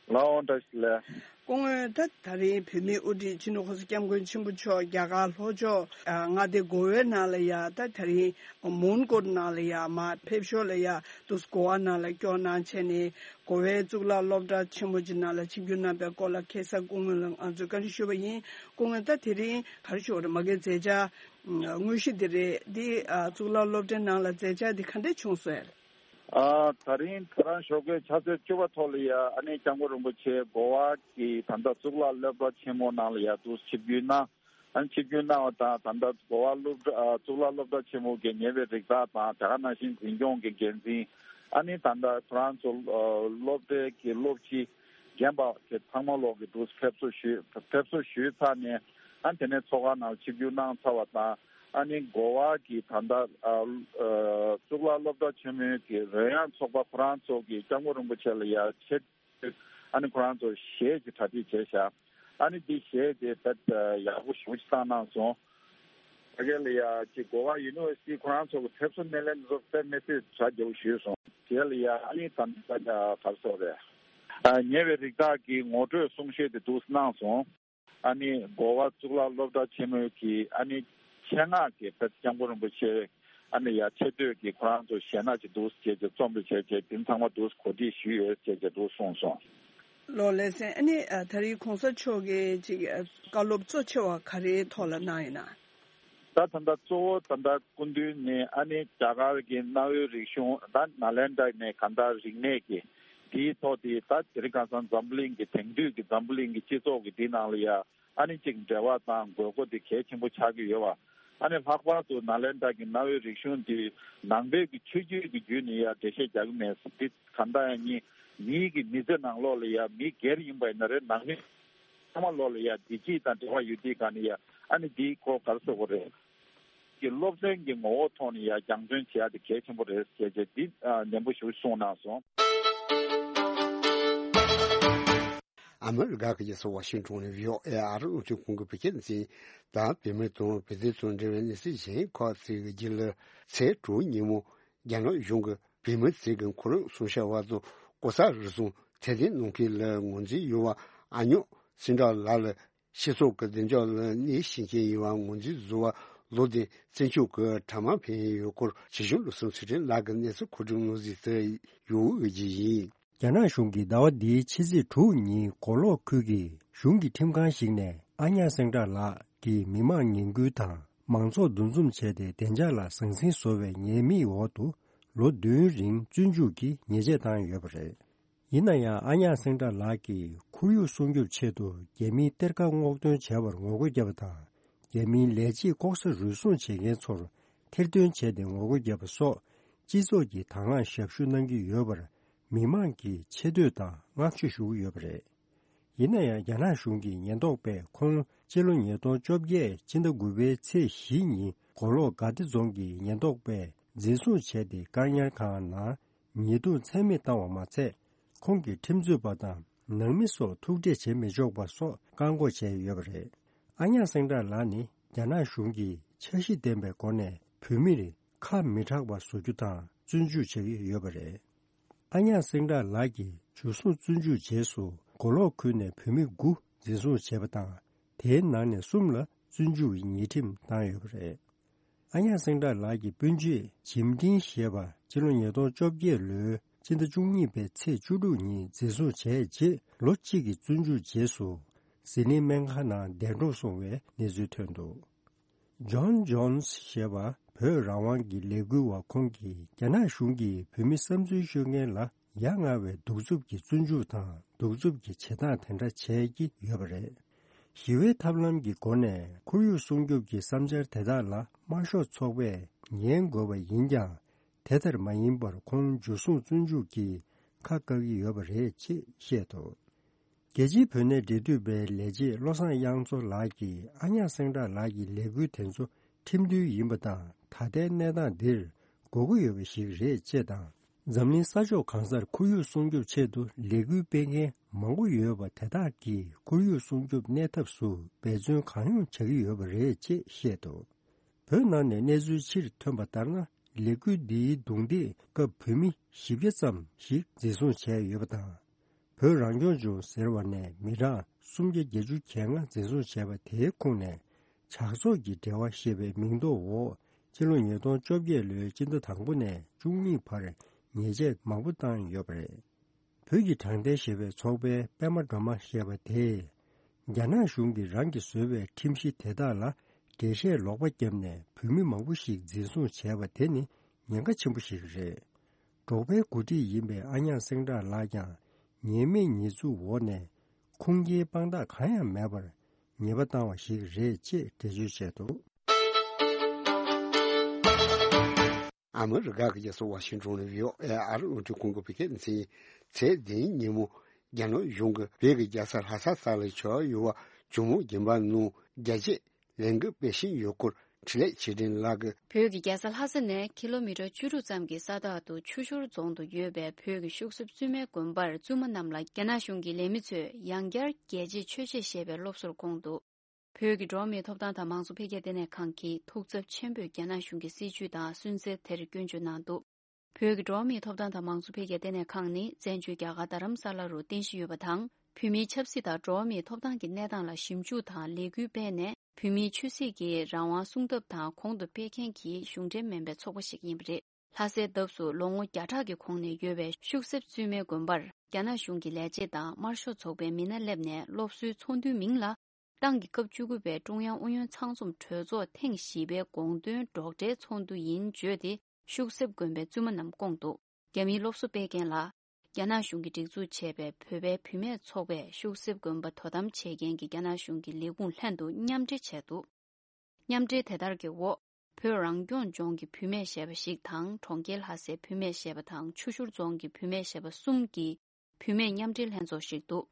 ལགས་འོང་། བཀྲ་ཤིས་བདེ་ལེགས། སྐུ་ངོ། ད་ད་རིང་བོད་མིའི་དབུ་ཁྲིད་སྤྱི་ནོར་༸གོང་ས་༸སྐྱབས་མགོན་ཆེན་པོ་མཆོག་རྒྱ་གར་ལྷོ་ཕྱོགས་མངའ་སྡེ་གོ་ཝའི་ནང་ལ་ཡ། ད་ད་རིང་མོན་གྷོ་ནང་ལ་ཡ་མར་ཕེབས་ཞོར་ལ་ཡ་དུས་གོ་ཝ་ནང་ལ་སྐྱོད་གནང་བྱས་ནས། གོ་ཝའི་གཙུག་ལག་སློབ་གྲྭ་ཆེན་མོ་ཅིག་ནང་ལ་ཆིབས་བསྒྱུར་གནང་པའི་སྐོར་ལ་ཁ་སང་སྐུ་ངོ་ལ་ང་ཚོས་བཀའ་འདྲི་ཞུས་པ་ཡིན། སྐུ་ངོ། ད་དེ་རིང་ག་རེ་ཞུ་དགོས་རེད། མ་གི་མཛད་འཆར་དངོས་གཞི་འདི་རེད། འདི་ཨ་གཙུག་ལག་སློབ་གྲྭའི་ནང་ལ་མཛད་འཆར་འདི་ག་འདྲས་བྱུང་སོང་ཡ། ཨ། ད་རིང་ཁོ་རང་ཞོགས་ཀའི་ཕྱག་ཚོད་བཅུ་པ་ཐོག་ལ་ཡ་ཨ་ནི་སྐྱབས་མགོན་རིན་པོ་ཆེ་གོ་ཝ་གི་ད་ལྟ་གཙུག་ལག་སློབ་གྲྭ་ཆེན་མོ་ནང་ལ་ཡ་དུ་ཆིབས་བསྒྱུར་གནང་། ཨ་ནི་ཆིབས་བསྒྱུར་གནང་བ་དང་། ད་ལྟ་གོ་ཝ་སློབ་གྲྭ། ཨ། གཙུག་ལག་སློབ་གྲྭ་ཆེན་མོ་གི་ཉེ་བའི་རིགས་བདག་དང་། དེ་ག་ནང་བཞིན་འཛིན་སྐྱོང་གི་འགན་འཛིན། ཨ་ནི་ད་ལྟ་ཁོ་རང་ཚོ་སློབ་གྲྭའི་གི་སློབ་སྤྱི་རྒན་པ་གི་ཚང་མ་ལོག་གི་འདུག་ཕེབས་བསུ་ཞུས། ཕེབས་བསུ་ཞུས་ཚར་ནས། ཨ་ནི་དེ་ནས་ཚོགས་ཁང་ནང་ཆིབས་བསྒྱུར་གནང་ཚར་བ་དང་། ཨ་ནི་གོ་ཝ་གི་ད་ལྟ་ཨ་ཨ་གཙུག་ལག་སློབ་གྲྭ་ཆེན་མོའི་གི་རོལ་དབྱངས་ཚོགས་པ་ཁོ་རང་ཚོ་གི་སྐྱབས་མགོན་རིན་པོ་ཆེ་ལ་ཡ་ཆེད། ཨ་ནི་ཁོ་རང་ཚོ་གཞས་ཀྱི་གྲ་སྒྲིག་བྱས་ཤག་ཨ་ནི་འདི་གཞས་དེ་དཔེ་ཡག་པོ་ཞེ་པོ་ཅིག་བཏང་གནང་སོང་། ད་ག་ལ་ཡ་ཅིག་གོ་ཝ་ཡུ་ནི་ཝར་སི་ཊི་ཁོ་རང་ཚོ་གི་ཕེབས་བསུ་སྣེ་ལེན་ཚོ་དཔེ་མི་སྲིད་གྲ་རྒྱས་པོ་ཞིག་སོང་། དེ་ལ་ཡ་ཨ་ནི་ད་ལྟ་ག་རེ་ཟེར་དགོས་རེད། ཨ་ཉེ་བའི་རིགས་བདག་གི་ངོ་སྤྲོད་གསུང་བཤད་དེ་འདུག་གནང་སོང་། ཨ་ནི་གོ་བ་གཙུག་ལག་སློབ་གྲྭ་ཆེན་མོའི་གི་ཨ་ནི་ཆེད་མངགས་ཀྱི་དཔེ་སྐྱབས་མགོན་རིན་པོ་ཆེ་ཨ་ནི་ཡ་ཆེ་བསྟོད་ཀྱི་ཁོ་རང་ཚོ་གཞས་སྣ་ཅིག་འདུག་བྱས་བྱས་རྩོམ་རེ་བྱས་བྱས་དེ་ཚང་མ་འདུག་གོ་སྒྲིག་ཞུས་ཡོད་བྱས་བྱས་འདུག་གསུངས་སོང་། ལགས་ལགས་སེ། ཨ་ནི་ཨ་ད་རེས་གོང་ས་མཆོག་གིས་ཅིག་ཨ་བཀའ་སློབ་གཙོ་ཆེ་བ་ག་རེའི་ཐོག་ལ་གནང་ཡོད་ན། ད་ད་ལྟ་གཙོ་བོ་ད་ལྟ་སྐུ་མདུན་ནས་ཨ་ནི་རྒྱ་གར་གྱི་གནའ་བོའི་རིག་གཞུང་ད་ནཱ་ལེནྡྲ་ནས་གང་ལྟར་རིག་གནས་ཀྱི་དེའི་ཐོག་དེ་ད་དེ་རིང་ཁ་སང་འཛམ་བུ་གླིང་གི་དེང་དུས་ཀྱི་འཛམ་བུ་གླིང་གི་སྤྱི་ཚོགས་ཀྱི་འདི་ནང་ལ་ཡ་ཨ་ནི་ཅིག་འབྲེལ་བ་དང་དགོས་མཁོ་དེ་གལ་ཆེན་པོ་ཆགས་ཀྱི་ཡོད་པ། ཨ་ནི་ལྷག་པར་དུ་ནཱ་ལེནྡྲ་གི་གནའ་བོའི་རིག་གཞུང་དེ་ནང་པའི་གི་ཆོས་བརྒྱུད་ཀྱི་བརྒྱུད་ནས་ཡ་འགྲེལ་བཤད་རྒྱག་གི་མེད་འདི་གང་ལྟར་ཡང་ཉིད་མིའི་གི་མི་ཚེ་ནང་ལོགས་ལ་ཡ་མི་སྒེར་ཡིན་པ་ཡིན་ན་རེད་ནང་མི་ཚང་མ་ལོགས་ལ་ཡ་བདེ་སྐྱིད་དང་འབྲེལ་བ་ཡོད་དུས་ག་ནས་ཡ་ཨ་ནི་འདིའི་སྐོར་ག་རེ་ཟེར་དགོས་རེད། ཀྱི་སློབ་ཚན་གྱི་ངོ་བོ་ཐོག་ནས་ཡ་སྦྱང་བརྩོན་བྱེད་ཡ་དེ་གལ་ཆེན་པོ་རེད་ཟེར་བྱས་འདི་ཨ་ནན་པོ་ཞིག་གསུངས་གནང་སོང་། ཨ་མི་རི་ཀ་གི་རྒྱལ་ས་ཝ་ཤིང་ཏོན་ནས་བྷི་ཨོ་ཨེ་ཨ་རི་རླུང་འཕྲིན་ཁང་གི་བོད་སྐད་འཛིན་དང་བོད་མི་དང་བོད་དོན་དང་འབྲེལ་བའི་གནས་ཚུལ་གཞན་ཁག་ཅིག་གི་རྒྱུད་ལ། ཚེས་དྲུག་ཉིན་མོ་རྒྱ་ནག་གཞུང་གིས་བོད་མི་ཚོ་གི་ཁོར་ཡུག་སྲུང་སྐྱོབ་དང་ལྐོག་ཟ་རུལ་སུངས་ཚད་ལྡན་གནང་མཁན་ལ་ངོས་འཛིན་ཡོད་པ་ཨ་ཉོག་སེང་བྲག་ལགས་ལ། སྤྱི་ཚོགས་ཀྱི་བདེ་འཇགས་ལ་གནོད་སྐྱེལ་མཁན་ཡིན་པ་ངོས་འཛིན་བཟོ་བ་ལོ་ལྡན་བཙན་སྐྱོབ་ཀྱི་གྲྭ་མང་ཕེབས་ཡོད་སྐོར་ཇི་བཞིན་བློ་བཟང་ཚུལ་ཁྲིམས་ལགས་ཀྱིས་གནས་ཚུལ་མཁོ་སྒྲུབ་གནང་གཟིགས་བྱས་ཡོད་པ་ཞིག་ཡིན། རྒྱ་ནག་གཞུང་གིས་ཟླ་བ་འདིའི་ཕྱི་ཚེས་དྲུག་ཉིན་མགོ་ལོག་ཁུལ་གྱི་གཞུང་གི་ཁྲིམས་ཁང་ཞིག་ནས་ཨ་ཉག་སེང་བྲག་ལགས་ཀྱི་མི་མང་ངན་སྐུལ་དང་མང་ཚོགས་འདུ་འཛོམས་བྱས་ཏེ་བདེ་འཇགས་ལ་ཟང་ཟིང་བཟོ་བའི་ཉེས་དམིགས་འོག་ཏུ་ལོ་བདུན་རིང་བཙོན་འཇུག་གི་ཉེས་ཆད་བཏང་ཡོད་པ་རེད། ཡིན་ན་ཡང་ཨ་ཉག་སེང་བྲག་ལགས་ཀྱིས་ཁོར་ཡུག་སྲུང་སྐྱོབ་ཆེད་དུ་རྒྱ་མིའི་གཏེར་ཁ་སྔོག་འདོན་བྱས་པར་ངོ་རྒོལ་བརྒྱབ་པ་དང་། རྒྱ་མིའི་ལས་བྱེད་ལྐོག་ཟ་རུལ་སུངས་བྱེད་མཁན་ཚོར་ཐེར་འདོན་བྱས་ཏེ་ངོ་རྒོལ་བརྒྱབ་པ་སོགས་སྤྱི་ཚོགས་ཀྱི་དང་བླངས་ཞབས་ཞུ་གནང་གི་ཡོད་པར་མི་མང་གིས་ཆེ་བསྟོད་དང་བསྔགས་བརྗོད་ཞུ་གི་ཡོད་པ་རེད། ཡིན་ན་ཡང་རྒྱ་ནག་གཞུང་གི་ཉེན་རྟོག་པས་ཁོང་སྤྱི་ལོ་ཉིས་སྟོང་བཅོ་བརྒྱད་ཕྱི་ཟླ་དགུ་པའི་ཚེས་བཞི་ཉིན་མགོ་ལོག་དགའ་བདེ་རྫོང་གི་ཉེན་རྟོག་པས་འཛིན་བཟུང་བྱས་ཏེ་བཀག་ཉར་ཁང་ནང་ཉེས་རྡུང་ཚད་མེད་བཏང་བ་མ་ཚད། ཁོང་གི་ཁྲིམས་རྩོད་པ་དང་ནང་མི་སོགས་ཐུག་འཕྲད་བྱེད་མི་ཆོག་པ་སོགས་བཀག་འགོག་བྱས་ཡོད་པ་རེད། ཨ་ཉག་སེང་བྲག་ལགས་ནི་རྒྱ་ནག་གཞུང་གིས་འཆར་གཞི་ལྡན་པའི་སྒོ་ནས་བོད་མིར་ཁ་མི་གྲག་པ་བཟོ་རྒྱུ་དང་བཙོན་འཇུག་བྱེད་ཀྱི་ཡོད་པ་རེད། ཨ་ཉག་སེང་བྲག་ལགས་ཀྱིས་འཇུ་བཟུང་བཙོན་འཇུག་རྗེས་སུ་མགོ་ལོག་ཁུལ་ནས་བོད་མི་དགུ་འཛིན་བཟུང་བྱས་པ་དང་། དེའི་ནང་ནས་གསུམ་ལ་བཙོན་འཇུག་གི་ཉེས་ཁྲིམས་བཏང་ཡོད་པ་རེད། ཨ་ཉག་སེང་བྲག་ལགས་ཀྱི་སྤུན་མཆེད་ཇིམ་ཏིང་ཞེས་པ་ཕྱི་ལོ་ཉིས་སྟོང་བཅོ་བརྒྱད་ལོའི་སྤྱི་ཟླ་བཅུ་གཉིས་པའི་ཚེས་བཅུ་དྲུག་ཉིན་འཛིན་བཟུང་བྱས་རྗེས་ལོ་གཅིག་གི་བཙོན་འཇུག་རྗེས་སུ་ཟི་ལིང་སྨན་ཁང་ནང་འདས་གྲོངས་སོང་བའི་གནས་ཚུལ་ཐོན་འདུག་ཇོན་ཇོན་སི་ཞེས་པ་བོད་རང་དབང་གི་ལས་འགུལ་བ་ཁོང་གིས་རྒྱ་ནག་གཞུང་གིས་བོད་མི་བསམ་ཚུལ་ཤོད་མཁན་ལ་ཡ་ང་བའི་གདུག་རྩུབ་ཀྱི་བཙོན་འཇུག་དང་གདུག་རྩུབ་ཀྱི་བྱེད་སྟངས་དེ་འདྲ་བྱས་ཀྱི་ཡོད་པ་རེད། ཞི་བའི་ཐབས་ལམ་གྱི་སྒོ་ནས་ཁོར་ཡུག་སྲུང་སྐྱོབ་ཀྱི་བསམ་འཆར་དེ་དག་ལ་དམར་ཤོག་ཚོགས་པས་ཉན་དགོས་པ་ཡིན་ཀྱང་། དེ་ལྟར་མ་ཡིན་པར་ཁོང་འཇུ་བཟུང་བཙོན་འཇུག་གིས་ཁ་བཀག་གི་ཡོད་པ་རེད་ཅེས་བཤད་འདུག་རྒྱལ་སྤྱིའི་བོད་གནས་འབྲེལ་མཐུད་པའི་ལས་བྱེད་བློ་བཟང་དབྱངས་མཚོ་ལགས་ཀྱིས་ཨ་ཉག་སེང་བྲག་ལགས་ཀྱི་ལས་འགུལ་དེ་ཚོ་ཁྲིམས་མཐུན་ཡིན་པ་དང་། ད་ལྟའི་གནས་སྟངས་འདིར་དགོས་མཁོ་ཡོད་པ་ཞིག་རེད་ཅེས་དང་། འཛམ་གླིང་ས་ཕྱོགས་གང་སར་ཁོར་ཡུག་སྲུང་སྐྱོབ་ཆེད་དུ་ལས་འགུལ་སྤེལ་མཁན་མང་པོ་ཡོད་པ་དེ་དག་གིས་ཁོར་ཡུག་སྲུང་སྐྱོབ་གནས་ཐབས་སུ་འབད་བརྩོན་གང་ཡོང་བྱ་གི་ཡོད་པ་རེད་ཅེས་བཤད་འདུག་བོད་ནང་ནས་གནས་ཚུལ་ཕྱིར་ཐོན་པ་ལྟར་ན། ལས་འགུལ་འདིའི་རྡུང་རྡེག་སྐབས་བོད་མི་བཞི་བརྒྱ་ཙམ་ཞིག་འཛིན་བཟུང་བྱས་ཡོད་པ་དང་། བོད་རང་སྐྱོང་ལྗོངས་ཟེར་བ་ནས་མི་གྲངས་སུམ་བརྒྱ་བརྒྱད་ཅུ་གྱ་ལྔ་འཛིན་བཟུང་བྱས་པ་དེའི་ཁོངས་ནས་ཇག་ཚོགས་ཀྱི་འབྲེལ་བ་ཞེས་པའི་མིང་འདོགས་འོག་ཕྱི་ལོ་ཉིས་སྟོང་བཅོ་བརྒྱད་ལོའི་སྤྱི་ཟླ་དང་པོ་ནས་བཅུ་གཉིས་བར་ཉེས་ཆད་མང་པོ་བཏང་ཡོད་པ་རེད། བོད་ཀྱི་དྲང་བདེན་ཞེས་པའི་ཚོགས་པའི་པད་མ་སྒྲོལ་མ་ཞེས་པ་དེས། རྒྱ་ནག་གཞུང་གིས་རང་གིས་བཟོས་པའི་ཁྲིམས་གཞི་དེ་དག་ལ་འགྲེལ་བཤད་ལོག་པ་བརྒྱབ་ནས་བོད་མི་མང་པོ་ཞིག་འཛིན་བཟུང་བྱས་པ་དེ་ནི་ཉེན་ཁ་ཆེན་པོ་ཞིག་རེད། འབྲོག་པའི་འགོ་ཁྲིད་ཡིན་པའི་ཨ་ཉག་སེང་བྲག་ལགས་ཀྱང་ཉེས་མེད་ཉེས་འཛུགས་འོག་ནས་ཁུངས་སྐྱེལ་དཔང་རྟགས་གང་ཡང་མེད་པར་ཉེས་པ་བཏང་བ་ཞིག་རེད་ཅེས་འགྲེལ་བརྗོད་བྱས་འདུག་ཨ་མི་རི་ཀ་གི་རྒྱལ་ས་ཝ་ཤིང་ཏོན་ནས་བྷི་ཨོ་ཨེ་ཨ་རི་རླུང་འཕྲིན་ཁང་གི་བོད་སྐད་སྡེ་ཚན། ཚེས་བདུན་ཉིན་མོ་རྒྱ་ནག་གཞུང་གིས་བོད་ཀྱི་རྒྱལ་ས་ལྷ་ས་ས་ལ་བྱས་ཡོད་པ་ཇོ་མོ་དགོན་པ་ནང་རྒྱ་ཆེ་ལས་འགུལ་སྤེལ་བཞིན་ཡོད་སྐོར་འཕྲིན་ལས་ཆོས་སྒྲོན་ལགས་ཀྱིས། བོད་ཀྱི་རྒྱལ་ས་ལྷ་ས་ནས་ཀི་ལོ་མི་ཊར་བཅུ་དྲུག་ཙམ་གྱི་ས་ཐག་ཏུ་ཆུ་ཤུར་རྫོང་དུ་ཡོད་པའི་བོད་ཀྱི་ཤུག་གསེབ་བཙུན་མའི་དགོན་པར་བཙུན་མ་རྣམས་ལ་རྒྱ་ནག་གཞུང་གི་ལས་མི་ཚོས་ཡང་བསྐྱར་རྒྱལ་གཅེས་ཆོས་གཅེས་ཞེས་པའི་སློབ་གསོར་བསྐོངས་འདུག་བོད་ཀྱི་འགྲོ་བ་མིའི་ཐོབ་ཐང་དང་མང་གཙོ་འཕེལ་རྒྱས་ལྟེ་གནས་ཁང་གིས་ཐུགས་འཚབ་ཆེན་པོས་རྒྱ་ནག་གཞུང་གི་སྲིད་བྱུས་དང་སུན་གཙེར་དེར་སྐྱོན་བརྗོད་གནང་འདུག་བོད་ཀྱི་འགྲོ་བ་མིའི་ཐོབ་ཐང་དང་མང་གཙོ་འཕེལ་རྒྱས་ལྟེ་གནས་ཁང་ནི་བཙན་བྱོལ་རྒྱ་གར་རྡ་རམ་ས་ལ་རུ་རྟེན་གཞི་ཡོད་པ་དང་། བོད་མིའི་ཆབ་སྲིད་དང་འགྲོ་བ་མིའི་ཐོབ་ཐང་གི་གནས་སྟངས་ལ་ཞིབ་འཇུག་དང་ལས་འགུལ་སྤེལ་ནས། བོད་མིའི་ཆོས་སྲིད་ཀྱི་རང་དབང་སྲུང་ཐབས་དང་གོང་དུ་སྤེལ་མཁན་གྱི་གཞུང་འབྲེལ་མིན་པའི་ཚོགས་པ་ཞིག་ཡིན་པ་རེད། ལྷ་སའི་འདབས་སུ་ལོ་ངོ་བརྒྱ་ཕྲག་གི་གོང་ནས་ཡོད་པའི་ཤུག་གསེབ་བཙུན་མའི་དགོན་པར། རྒྱ་ནག་གཞུང་གི་ལས་བྱེད་དང་དམར་ཤོག་ཚོགས་པའི་མི་སྣ་སླེབས་ནས་སློབ་གསོའི་ཚོགས་འདུའི་མིང་ལ། ཏང་གི་སྐབས་བཅུ་དགུ་པའི་ཀྲུང་དབྱང་ཨུ་ཡོན་ཚང་འཛོམས་གྲོས་ཚོགས་ཐེངས་བཞི་པའི་དགོངས་དོན་སྒྲོག་འགྲེལ་ཚོགས་འདུ་ཡིན་བརྗོད་དེ། ཤུག་གསེབ་དགོན་པའི་བཙུན་མ་རྣམས་བསྐོངས་འདུག་རྒྱ་མིའི་སློབ་གསོ་སྤེལ་མཁན་ལ། རྒྱ་ནག་གཞུང་གིས་སྒྲིག་འཛུགས་བྱས་པའི་བོད་པའི་བུད་མེད་ཚོགས་པས་ཤུག་གསེབ་དགོན་པ་དོ་དམ་བྱེད་མཁན་གྱི་རྒྱ་ནག་གཞུང་གི་ལས་ཁུངས་ལྷན་དུ་མཉམ་འབྲེལ་བྱས་འདུག་མཉམ་འབྲེལ་དེ་ལྟར་གྱི་འོག་བོད་རང་སྐྱོང་ལྗོངས་ཀྱི་བུད་མེད་ཞེས་པ་ཞིག་དང་། གྲོང་ཁྱེར་ལྷ་སའི་བུད་མེད་ཞེས་པ་དང་། ཆུ་ཤུར་རྫོང་གི་བུད་མེད་ཞེས་པ་གསུམ་གྱི་བུད་མེད་མཉམ་འབྲེལ་ལྷན་ཚོགས་ཤིག་འདུག་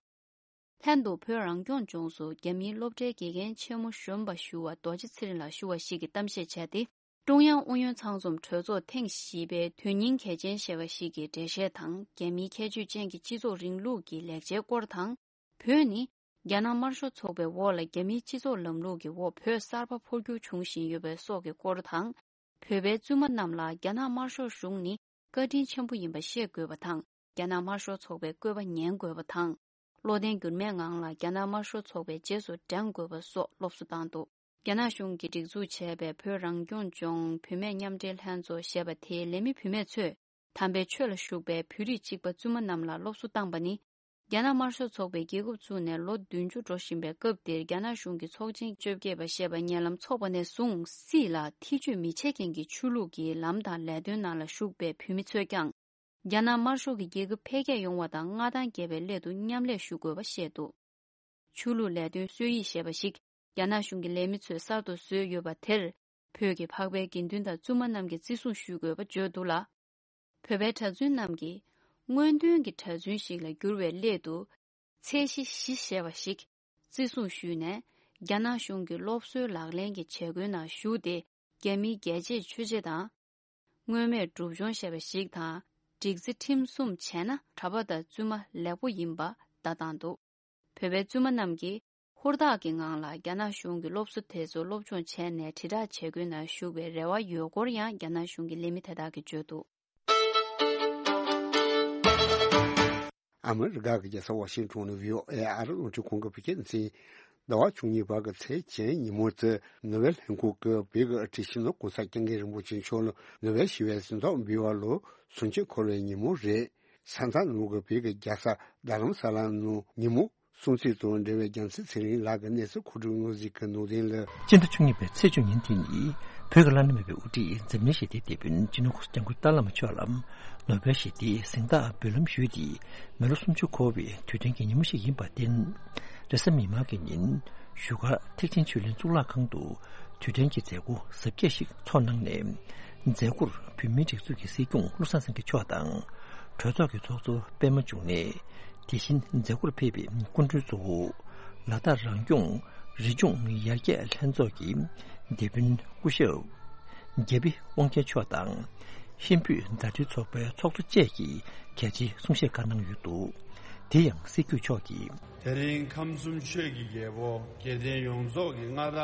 ལྷན་དུ་བོད་རང་སྐྱོང་ལྗོངས་སུ་རྒྱ་མིའི་སློབ་གྲྭའི་དགེ་རྒན་ཆེན་མོ་གཞོན་པ་ཞུ་བ་རྡོ་རྗེ་ཚེ་རིང་ལགས་ཞུ་བ་ཞིག་གིས་གཏམ་བཤད་བྱས་ཏེ། ཀྲུང་དབྱང་ཨུ་ཡོན་ཚང་འཛོམས་གྲོས་ཚོགས་ཐེངས་བཞི་པའི་དོན་སྙིང་གལ་ཆེན་ཞེས་པ་ཞིག་གི་འགྲེལ་བཤད་དང་། རྒྱ་མིའི་ཁྱད་ཆོས་ཅན་གྱི་སྤྱི་ཚོགས་རིང་ལུགས་ཀྱི་ལེགས་ཆའི་སྐོར་དང་། བོད་ནི་རྒྱ་ནག་དམར་ཤོག་ཚོགས་པའི་འོག་ལ་རྒྱ་མིའི་སྤྱི་ཚོགས་ལམ་ལུགས་ཀྱི་འོག་བོད་གསར་པ་འཕོ་འགྱུར་འབྱུང་བཞིན་ཡོད་པའི་སོགས་ཀྱི་སྐོར་དང་། བོད་པའི་བཙུན་མ་རྣམས་ལ་རྒྱ་ནག་དམར་ཤོག་གཞུང་ནི་བཀའ་དྲིན་ཆེན་པོ་ཡིན་པ་ཤེས་དགོས་པ་དང་། རྒྱ་ནག་དམར་ཤོག་ཚོགས་པའི་བཀོད་པ་ཉན་དགོས་པ་དང་། བློ་བརྟན་འགྱུར་མེད་ངང་ལ་རྒྱ་ནག་དམར་ཤོག་ཚོགས་པའི་རྗེས་སུ་འབྲང་དགོས་པ་སོགས་སློབ་གསོ་བཏང་འདུག་རྒྱ་ནག་གཞུང་གིས་སྒྲིག་འཛུགས་བྱས་པའི་བོད་རང་སྐྱོང་ལྗོངས་བུད་མེད་མཉམ་འབྲེལ་ལྷན་ཚོགས་ཞེས་པ་དེའི་ལས་མི་བུད་མེད་ཚོས། དམ་པའི་ཆོས་ལ་ཞུགས་པའི་བོད་རིགས་གཅིག་པ་བཙུན་མ་རྣམས་ལ་སློབ་གསོ་བཏང་པ་ནི། རྒྱ་ནག་དམར་ཤོག་ཚོགས་པས་རྒྱལ་ཁབ་བཙུགས་ནས་ལོ་བདུན་ཅུ་འགྲོ་བཞིན་པའི་སྐབས་འདིར། རྒྱ་ནག་གཞུང་གི་ཚོགས་ཆེན་བཅོ་བརྒྱད་པ་ཞེས་པ་ཉེ་ལམ་འཚོགས་པ་ནས་བཟུང་། སྲིད་ལ་ཐེ་བྱུས་མི་བྱེད་མཁན་གྱི་ཆོས་ལུགས་ཀྱི་ལམ་དང་ལས་དོན་ནང་ལ་ཞུགས་པའི་བོད་མི་ཚོས་ཀྱང་། རྒྱ་ནག་དམར་ཤོག་གི་རྒྱལ་ཁབ་འཕེལ་རྒྱས་ཡོང་བ་དང་མངའ་ཐང་རྒྱས་པའི་སླད་དུ་མཉམ་ལས་ཞུ་དགོས་པ་བཤད་འདུག་ཆོས་ལུགས་ལས་དོན་སྲོལ་ཡིག་ཞེས་པ་ཞིག་རྒྱ་ནག་གཞུང་གི་ལས་མི་ཚོས་གསར་དུ་བཟོས་ཡོད་པ་དེར། བོད་ཀྱི་འཕགས་པའི་དགེ་འདུན་དང་བཙུན་མ་རྣམས་ཀྱིས་བརྩི་སྲུང་ཞུ་དགོས་པ་བརྗོད་འདུག་ལ། བོད་པའི་གྲྭ་བཙུན་རྣམས་ཀྱིས་སྔོན་ཐོན་གྱི་གྲྭ་བཙུན་ཞིག་ལ་འགྱུར་བའི་སླད་དུ། ཚད་གཞི་བཞི་ཞེས་པ་ཞིག་བརྩི་སྲུང་ཞུས་ནས། རྒྱ་ནག་གཞུང་གི་སློབ་གསོའི་ལག་ལེན་གྱི་བྱེད་སྒོའི་ནང་ཞུགས་ཏེ། རྒྱ་མིའི་རྒྱལ་གཅེས་ཆོས་གཅེས་དང་། མངོན་མེད་སྒྲུབ་སྦྱོང་ཞེས་པ་ཞིག་དང་། སྒྲིག་འཛིན་ཁྲིམས་སྲུང་བྱས་ན་གྲྭ་པ་དང་བཙུན་མ་ལེགས་པོ་ཡིན་པ་བརྡ་བཏང་འདུག་བོད་པའི་བཙུན་མ་རྣམས་ཀྱིས་ཧུར་ཐག་གི་ངང་ལ་རྒྱ་ནག་གཞུང་གི་སློབ་གསོ་དེ་ཚོ་སློབ་སྦྱོང་བྱས་ནས་དྲིལ་བསྒྲགས་བྱེད་སྒོའི་ནང་ཞུགས་པའི་རེ་བ་ཡོད་སྐོར་ཡང་རྒྱ་ནག་གཞུང་གི་ལས་མི་དེ་དག་གིས་བརྗོད་འདུག་ཨ་མི་རི་ཀ་གི་རྒྱལ་ས་ཝ་ཤིང་ཊོན་ནས་བྷི་ཨོ་ཨེ་ཨ་རི་རླུང་འཕྲིན་ཁང་གི་བོད་སྐད་སྡེ་ཚན། ཟླ་བ་བཅུ་གཉིས་པ་གི་ཚེས་བཅུ་ཉིན་མོ་དེ་ནོ་བེལ་ལྷན་ཁང་གིས་བོད་ཀྱི་སྲིད་སྤྱི་ནོར་གོང་ས་སྐྱབས་མགོན་རིན་པོ་ཆེ་མཆོག་ལ་ནོ་བེལ་ཞི་བའི་གཟེངས་རྟགས་འབུལ་བ་ལོ་སུམ་ཅུ་འཁོར་བའི་ཉིན་མོ་རེད། ས་མཚམས་ནང་གི་བོད་ཀྱི་རྒྱལ་ས་རྡ་རམ་ས་ལ་ནང་ཉིན་མོ་སྲུང་བརྩི་དང་འབྲེལ་བའི་རྒྱལ་མཚན་ཚེ་རིང་ལགས་ཀྱི་གནས་ཚུལ་མཁོ་སྒྲུབ་དངོས་གཟིགས་ཀྱི་ནང་དོན་ལ། སྤྱི་ཟླ་བཅུ་གཉིས་པའི་ཚེས་བཅུ་ཉིན་དེ་ནི་བོད་ཀྱི་བླ་ན་མེད་པའི་དབུ་ཁྲིད་འཛམ་གླིང་ཞི་བདེའི་དེད་དཔོན་སྤྱི་ནོར་གོང་ས་སྐྱབས་མགོན་ཏཱ་བླ་མ་མཆོག་ལ་ནོ་བེལ་ཞི་བདེའི་གཟེངས་རྟགས་འབུལ་ལམ་ཞུས་ཏེ། མི་ལོ་སུམ་ཅུ་འཁོར་བའི་དུས་དྲན་གྱི་ཉིན་མོ་ཞིག་ཡིན་པར་བརྟེན། རེས་གཟའ་མིག་དམར་གྱི་ཉིན་བཞུགས་སྒར་ཐེག་ཆེན་ཆོས་གླིང་གཙུག་ལག་ཁང་དུ་དུས་དྲན་གྱི་མཛད་སྒོ་གཟབ་རྒྱས་ཤིག་ཚོགས་གནང་ནས། མཛད་སྒོར་བོད་མིའི་སྒྲིག་འཛུགས་ཀྱི་སྲིད་སྐྱོང་བློ་བཟང་སེང་གེ་མཆོག་དང་། གྲོས་ཚོགས་ཀྱི་ཚོགས་གཙོ་པད་མ་འབྱུང་གནས། དེ་བཞིན་མཛད་སྒོར་ཕེབས་པའི་སྐུ་མགྲོན་གཙོ་བོ། ལ་དྭགས་རང་སྐྱོང་རི་ལྗོངས་ཡར་རྒྱས་ལྷན་ཚོགས་ཀྱི་དེད་དཔོན་སྐུ་ཞབས་རྒྱ་བི་དབང་རྒྱལ་མཆོག་དང་། ཧིན་བོད་མཛའ་འབྲེལ་ཚོགས་པའི་ཚོགས་གཙོ་བཅས་ཀྱིས་གལ་ཆེའི་གསུང་བཤད་ཁག་གནང་ཡོད་འདུག་དེ་ཡང་སྲིད་སྐྱོང་མཆོག་གིས། དེ་རིང་ཁམས་གསུམ་ཆོས་ཀྱི་རྒྱལ་པོ་དགེ་ལྡན་ཡོངས་རྫོགས་ཀྱི་མངའ་བདག་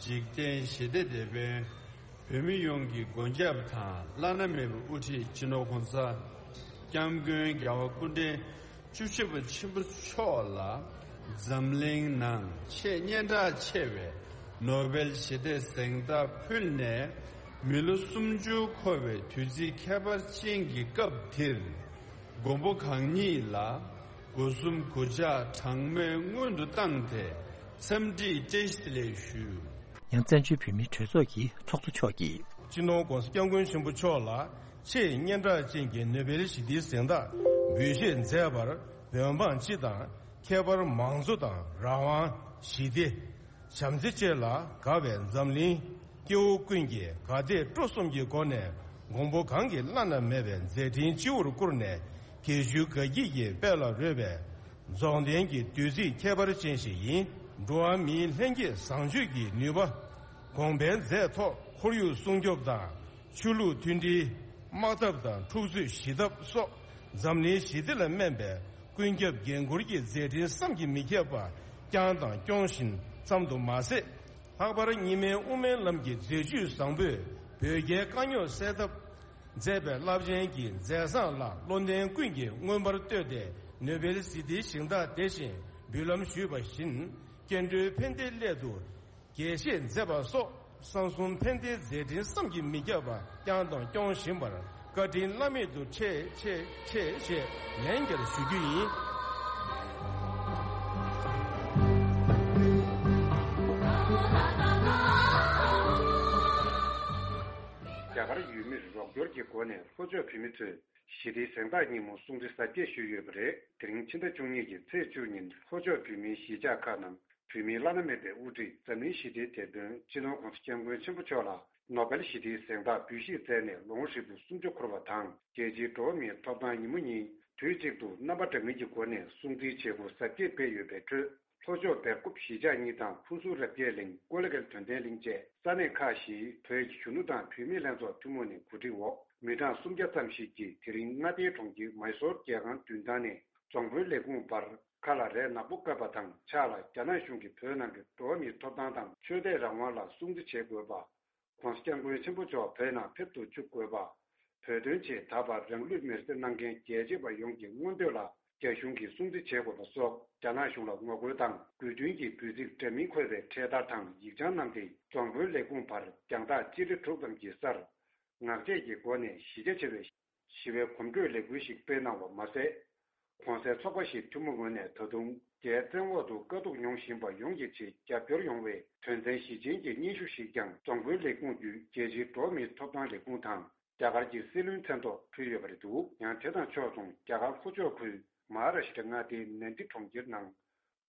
འཇིག་རྟེན་ཞི་བདེ་དེད་དཔོན། བོད་མི་ཡོངས་ཀྱི་མགོན་སྐྱབས་དང་བླ་ན་མེད་པའི་དབུ་ཁྲིད་སྤྱི་ནོར་གོང་ས་སྐྱབས་མགོན་རྒྱལ་བ་སྐུ་ཕྲེང་བཅུ་བཞི་པ་ཆེན་པོ་མཆོག་ལ་འཛམ་གླིང་ནང་ཆེས་སྙན་གྲགས་ཆེ་བའི་ནོ་བེལ་ཞི་བདེ་གཟེངས་རྟགས་ཕུལ་ནས། མི་ལོ་སུམ་ཅུ་འཁོར་བའི་དུས་ཚིགས་ཁྱད་པར་ཅན་གྱི་སྐབས་འདིར། མགོན་པོ་གང་ཉིད་ལ་སྒོ་གསུམ་གུས་ཕྱག་གྲངས་མེད་སྔོན་དུ་བཏང་སྟེ་འཚམས་འདྲི་བཀྲ་ཤིས་བདེ་ལེགས་ཞུ། ཡང་བཙན་བྱོལ་བོད་མིའི་གྲོས་ཚོགས་ཀྱི་ཚོགས་གཙོ་མཆོག་གིས། སྤྱི་ནོར་༧གོང་ས་༧སྐྱབས་མགོན་ཆེན་པོ་མཆོག་ལ་ཆེས་སྙན་གྲགས་ཅན་གྱི་ནོ་བེལ་ཞི་བདེའི་གཟེངས་རྟགས་འབུལ་བཞེས་མཛད་པར་འོས་འབངས་སྤྱི་དང་ཁྱད་པར་མང་གཙོ་དང་རང་དབང་། ཞི་བདེ། བྱམས་བརྩེ་བཅས་ལ་དགའ་བའི་འཛམ་གླིང་སྐྱེ་བོ་ཀུན་གྱིས་དགའ་དད་སྤྲོ་གསུམ་གྱི་སྒོ་ནས་མགོན་པོ་གང་གི་བླ་ན་མེད་པའི་མཛད་འཕྲིན་སྤྱི་བོར་བཀུར་ནས་དགེ་བཅུའི་དགའ་སྐྱིད་ཀྱི་དཔལ་ལ་རོལ་བའི་རྫོགས་ལྡན་གྱི་དུས་ཚིགས་ཁྱད་པར་ཅན་ཞིག་ཡིན། འགྲོ་བ་མིའི་ལྷན་སྐྱེས་བཟང་སྤྱོད་ཀྱི་ནུས་པ། གོང་འཕེལ་མཛད་ཐོག་ཁོར་ཡུག་སྲུང་སྐྱོབ་དང་ཆོས་ལུགས་མཐུན་སྒྲིལ། དམག་འཐབ་དང་འཁྲུག་རྩོད་ཞི་ཐབས་སོགས་འཛམ་གླིང་ཞི་བདེ་ལ་སྨན་པའི་ཀུན་ཁྱབ་འགན་འཁུར་གྱི་མཛད་འཕྲིན་བསམ་གྱིས་མི་ཁྱབ་པ་བསྐྱངས་དང་སྐྱོང་བཞིན་ཙམ་དུ་མ་ཟད། ལྷག་པར་གཉིས་སྨན་དབུ་མའི་ལམ་གྱི་མཛད་བཅུས་བཟང་པོས་བོད་རྒྱའི་དཀའ་རྙོག་སེལ་ཐབས། མཛད་པའི་རླབས་ཆེན་གྱི་མཛད་བཟང་ལ་བློ་ལྡན་ཀུན་གྱིས་མངོན་པར་བསྟོད་དེ། ནོ་བེལ་ཞི་བདེའི་ཞིང་བདག་དེ་བཞིན་འབུལ་ལམ་ཞུས་པ་བཞིན། སྐྱེ་འགྲོའི་ཕན་བདེའི་སླད་དུ། དགྱེས་བཞེས་མཛད་པ་སོགས་གསང་གསུམ་ཕན་བདེའི་མཛད་འཕྲིན་བསམ་གྱིས་མི་ཁྱབ་པ་བསྐྱངས་དང་སྐྱོང་བཞིན་པར་བཀའ་དྲིན་བླ་མེད་དུ་ཆེ་ཆེ་ཆེ་ཞེས་ལན་བརྒྱར་ཞུ་རྒྱུ་ཡིན། རྒྱ་གར་ཡུལ་མིར་རོགས་སྐྱོར་གྱི་སྒོ་ནས་ལྷོ་ཕྱོགས་བོད་མི་ཚོས་ཞི་བདེའི་གཟེངས་རྟགས་ཉིན་མོ་སྲུང་བརྩི་གཟབ་རྒྱས་ཞུས་ཡོད་པ་རེད། དེ་རིང་ཕྱི་ཟླ་བཅུ་གཉིས་ཀྱི་ཚེས་བཅུ་ཉིན་ལྷོ་ཕྱོགས་བོད་མིའི་གཞིས་ཆགས་ཁག་ནང་བོད་མིའི་བླ་ན་མེད་པའི་དབུ་ཁྲིད་འཛམ་གླིང་ཞི་བདེའི་དེད་དཔོན་སྤྱི་ནོར་༸གོང་ས་༸སྐྱབས་མགོན་ཆེན་པོ་མཆོག་ལ་ནོ་བེལ་ཞི་བདེའི་གཟེངས་རྟགས་འབུལ་བཞེས་མཛད་ནས་ལོ་ངོ་ཧྲིལ་པོ་སུམ་ཅུ་འཁོར་བ་དང་། རྒྱལ་སྤྱིའི་འགྲོ་བ་མིའི་ཐོབ་ཐང་ཉིན་མོ་ཉིན་དུས་གཅིག་ཏུ་རྣམ་པ་འདྲ་མིན་གྱི་སྒོ་ནས་སྲུང་བརྩིའི་བྱེད་སྒོ་གཟབ་རྒྱས་སྤེལ་ཡོད་པའི་ཁྲོད། ལྷོ་ཕྱོགས་སྦེལ་ཀོབ་གཞིས་ཆགས་གཉིས་དང་ཧུ་སུར་རབ་རྒྱས་གླིང་ཀོ་ལི་གྷལ་དོན་ལྡན་གླིང་བཅས་ས་གནས་ཁག་བཞིའི་བོད་ཀྱི་གཞོན་ནུ་དང་བུད་མེད་ལྷན་ཚོགས་ཐུན་མོང་ནས་གོ་སྒྲིག་འོག་མི་གྲངས་སུམ་བརྒྱ་ཙམ་ཞིག་གིས་དེ་རིང་མངའ་སྡེའི་གྲོང་ཁྱེར་མཱི་སོར་རྒྱལ་ཁང་མདུན་ཐང་ནས་རྫོང་དཔོན་ལས་ཁུངས་བར་ཁ་ལ་རས་ནག་པོ་བཀབ་པ་དང་ཕྱག་ལ་རྒྱ་ནག་གཞུང་གིས་བོད་ནང་གི་འགྲོ་བ་མིའི་ཐོབ་ཐང་དང་ཆོས་དད་རང་དབང་ལ་སྲུང་བརྩི་བྱེད་དགོས་པ། ༸གོང་ས་༸སྐྱབས་མགོན་ཆེན་པོ་མཆོག་བོད་ནང་ཕེབས་སུ་བཅུག་དགོས་པ། བོད་དོན་ཆེད་ད་བར་རང་ལུས་མེར་སྲེག་གནང་མཁན་རྒྱལ་གཅེས་པ་ཡོངས་ཀྱི་མངོན་འདོད་ལ་རྒྱ་གཞུང་གིས་སྲུང་བརྩི་བྱེད་དགོས་པ་སོགས་རྒྱ་ནག་གཞུང་ལ་ངོ་རྒོལ་དང་དགོས་འདུན་གྱི་འབོད་ཚིག་འདྲ་མིན་འཁོད་པའི་འཕྲེད་དར་དང་ཡིག་བྱང་བསྣམས་ཏེ་རྫོང་དཔོན་ལས་ཁུངས་བར་རྒྱང་ཐག་སྤྱི་ལེ་དྲུག་ཙམ་གྱི་སར་ངག་བཅད་ཀྱི་སྒོ་ནས་གཞི་རྒྱ་ཆེ་བའི་ཞི་བའི་གོམ་བགྲོད་ལས་འགུལ་ཞིག་སྤེལ་གནང་བ་མ་ཟད། གོང་གསལ་ཚོགས་པ་བཞིའི་ཐུན་མོང་ངོས་ནས་ད་དུང་རྒྱའི་བཙན་འོག་ཏུ་དཀའ་སྡུག་མྱོང་བཞིན་པ་ཡོངས་ཀྱི་ཆེད་རྒྱབ་སྐྱོར་ཡོང་བའི་དོན་ཚན་བཞི་ཅན་གྱི་སྙན་ཞུ་ཞིག་ཀྱང་རྫོང་དཔོན་ལས་ཁུངས་བརྒྱུད་རྒྱལ་སྤྱིའི་འགྲོ་བ་མིའི་ཐོབ་ཐང་ལས་ཁུངས་དང་རྒྱ་གར་གྱི་སྲིད་བློན་མཚན་ཐོག་ཕུལ་ཡོད་པ་རེད་འདུག་ཡང་དེ་དང་ཕྱོགས་མཚུངས་རྒྱ་གར་ལྷོ་ཕྱོགས་ཁུལ་མ་ཧཱ་ར་ཤི་ཏྲ་མངའ་སྡེའི་ནན་ཏི་གྲོང་ཁྱེར་ནང་།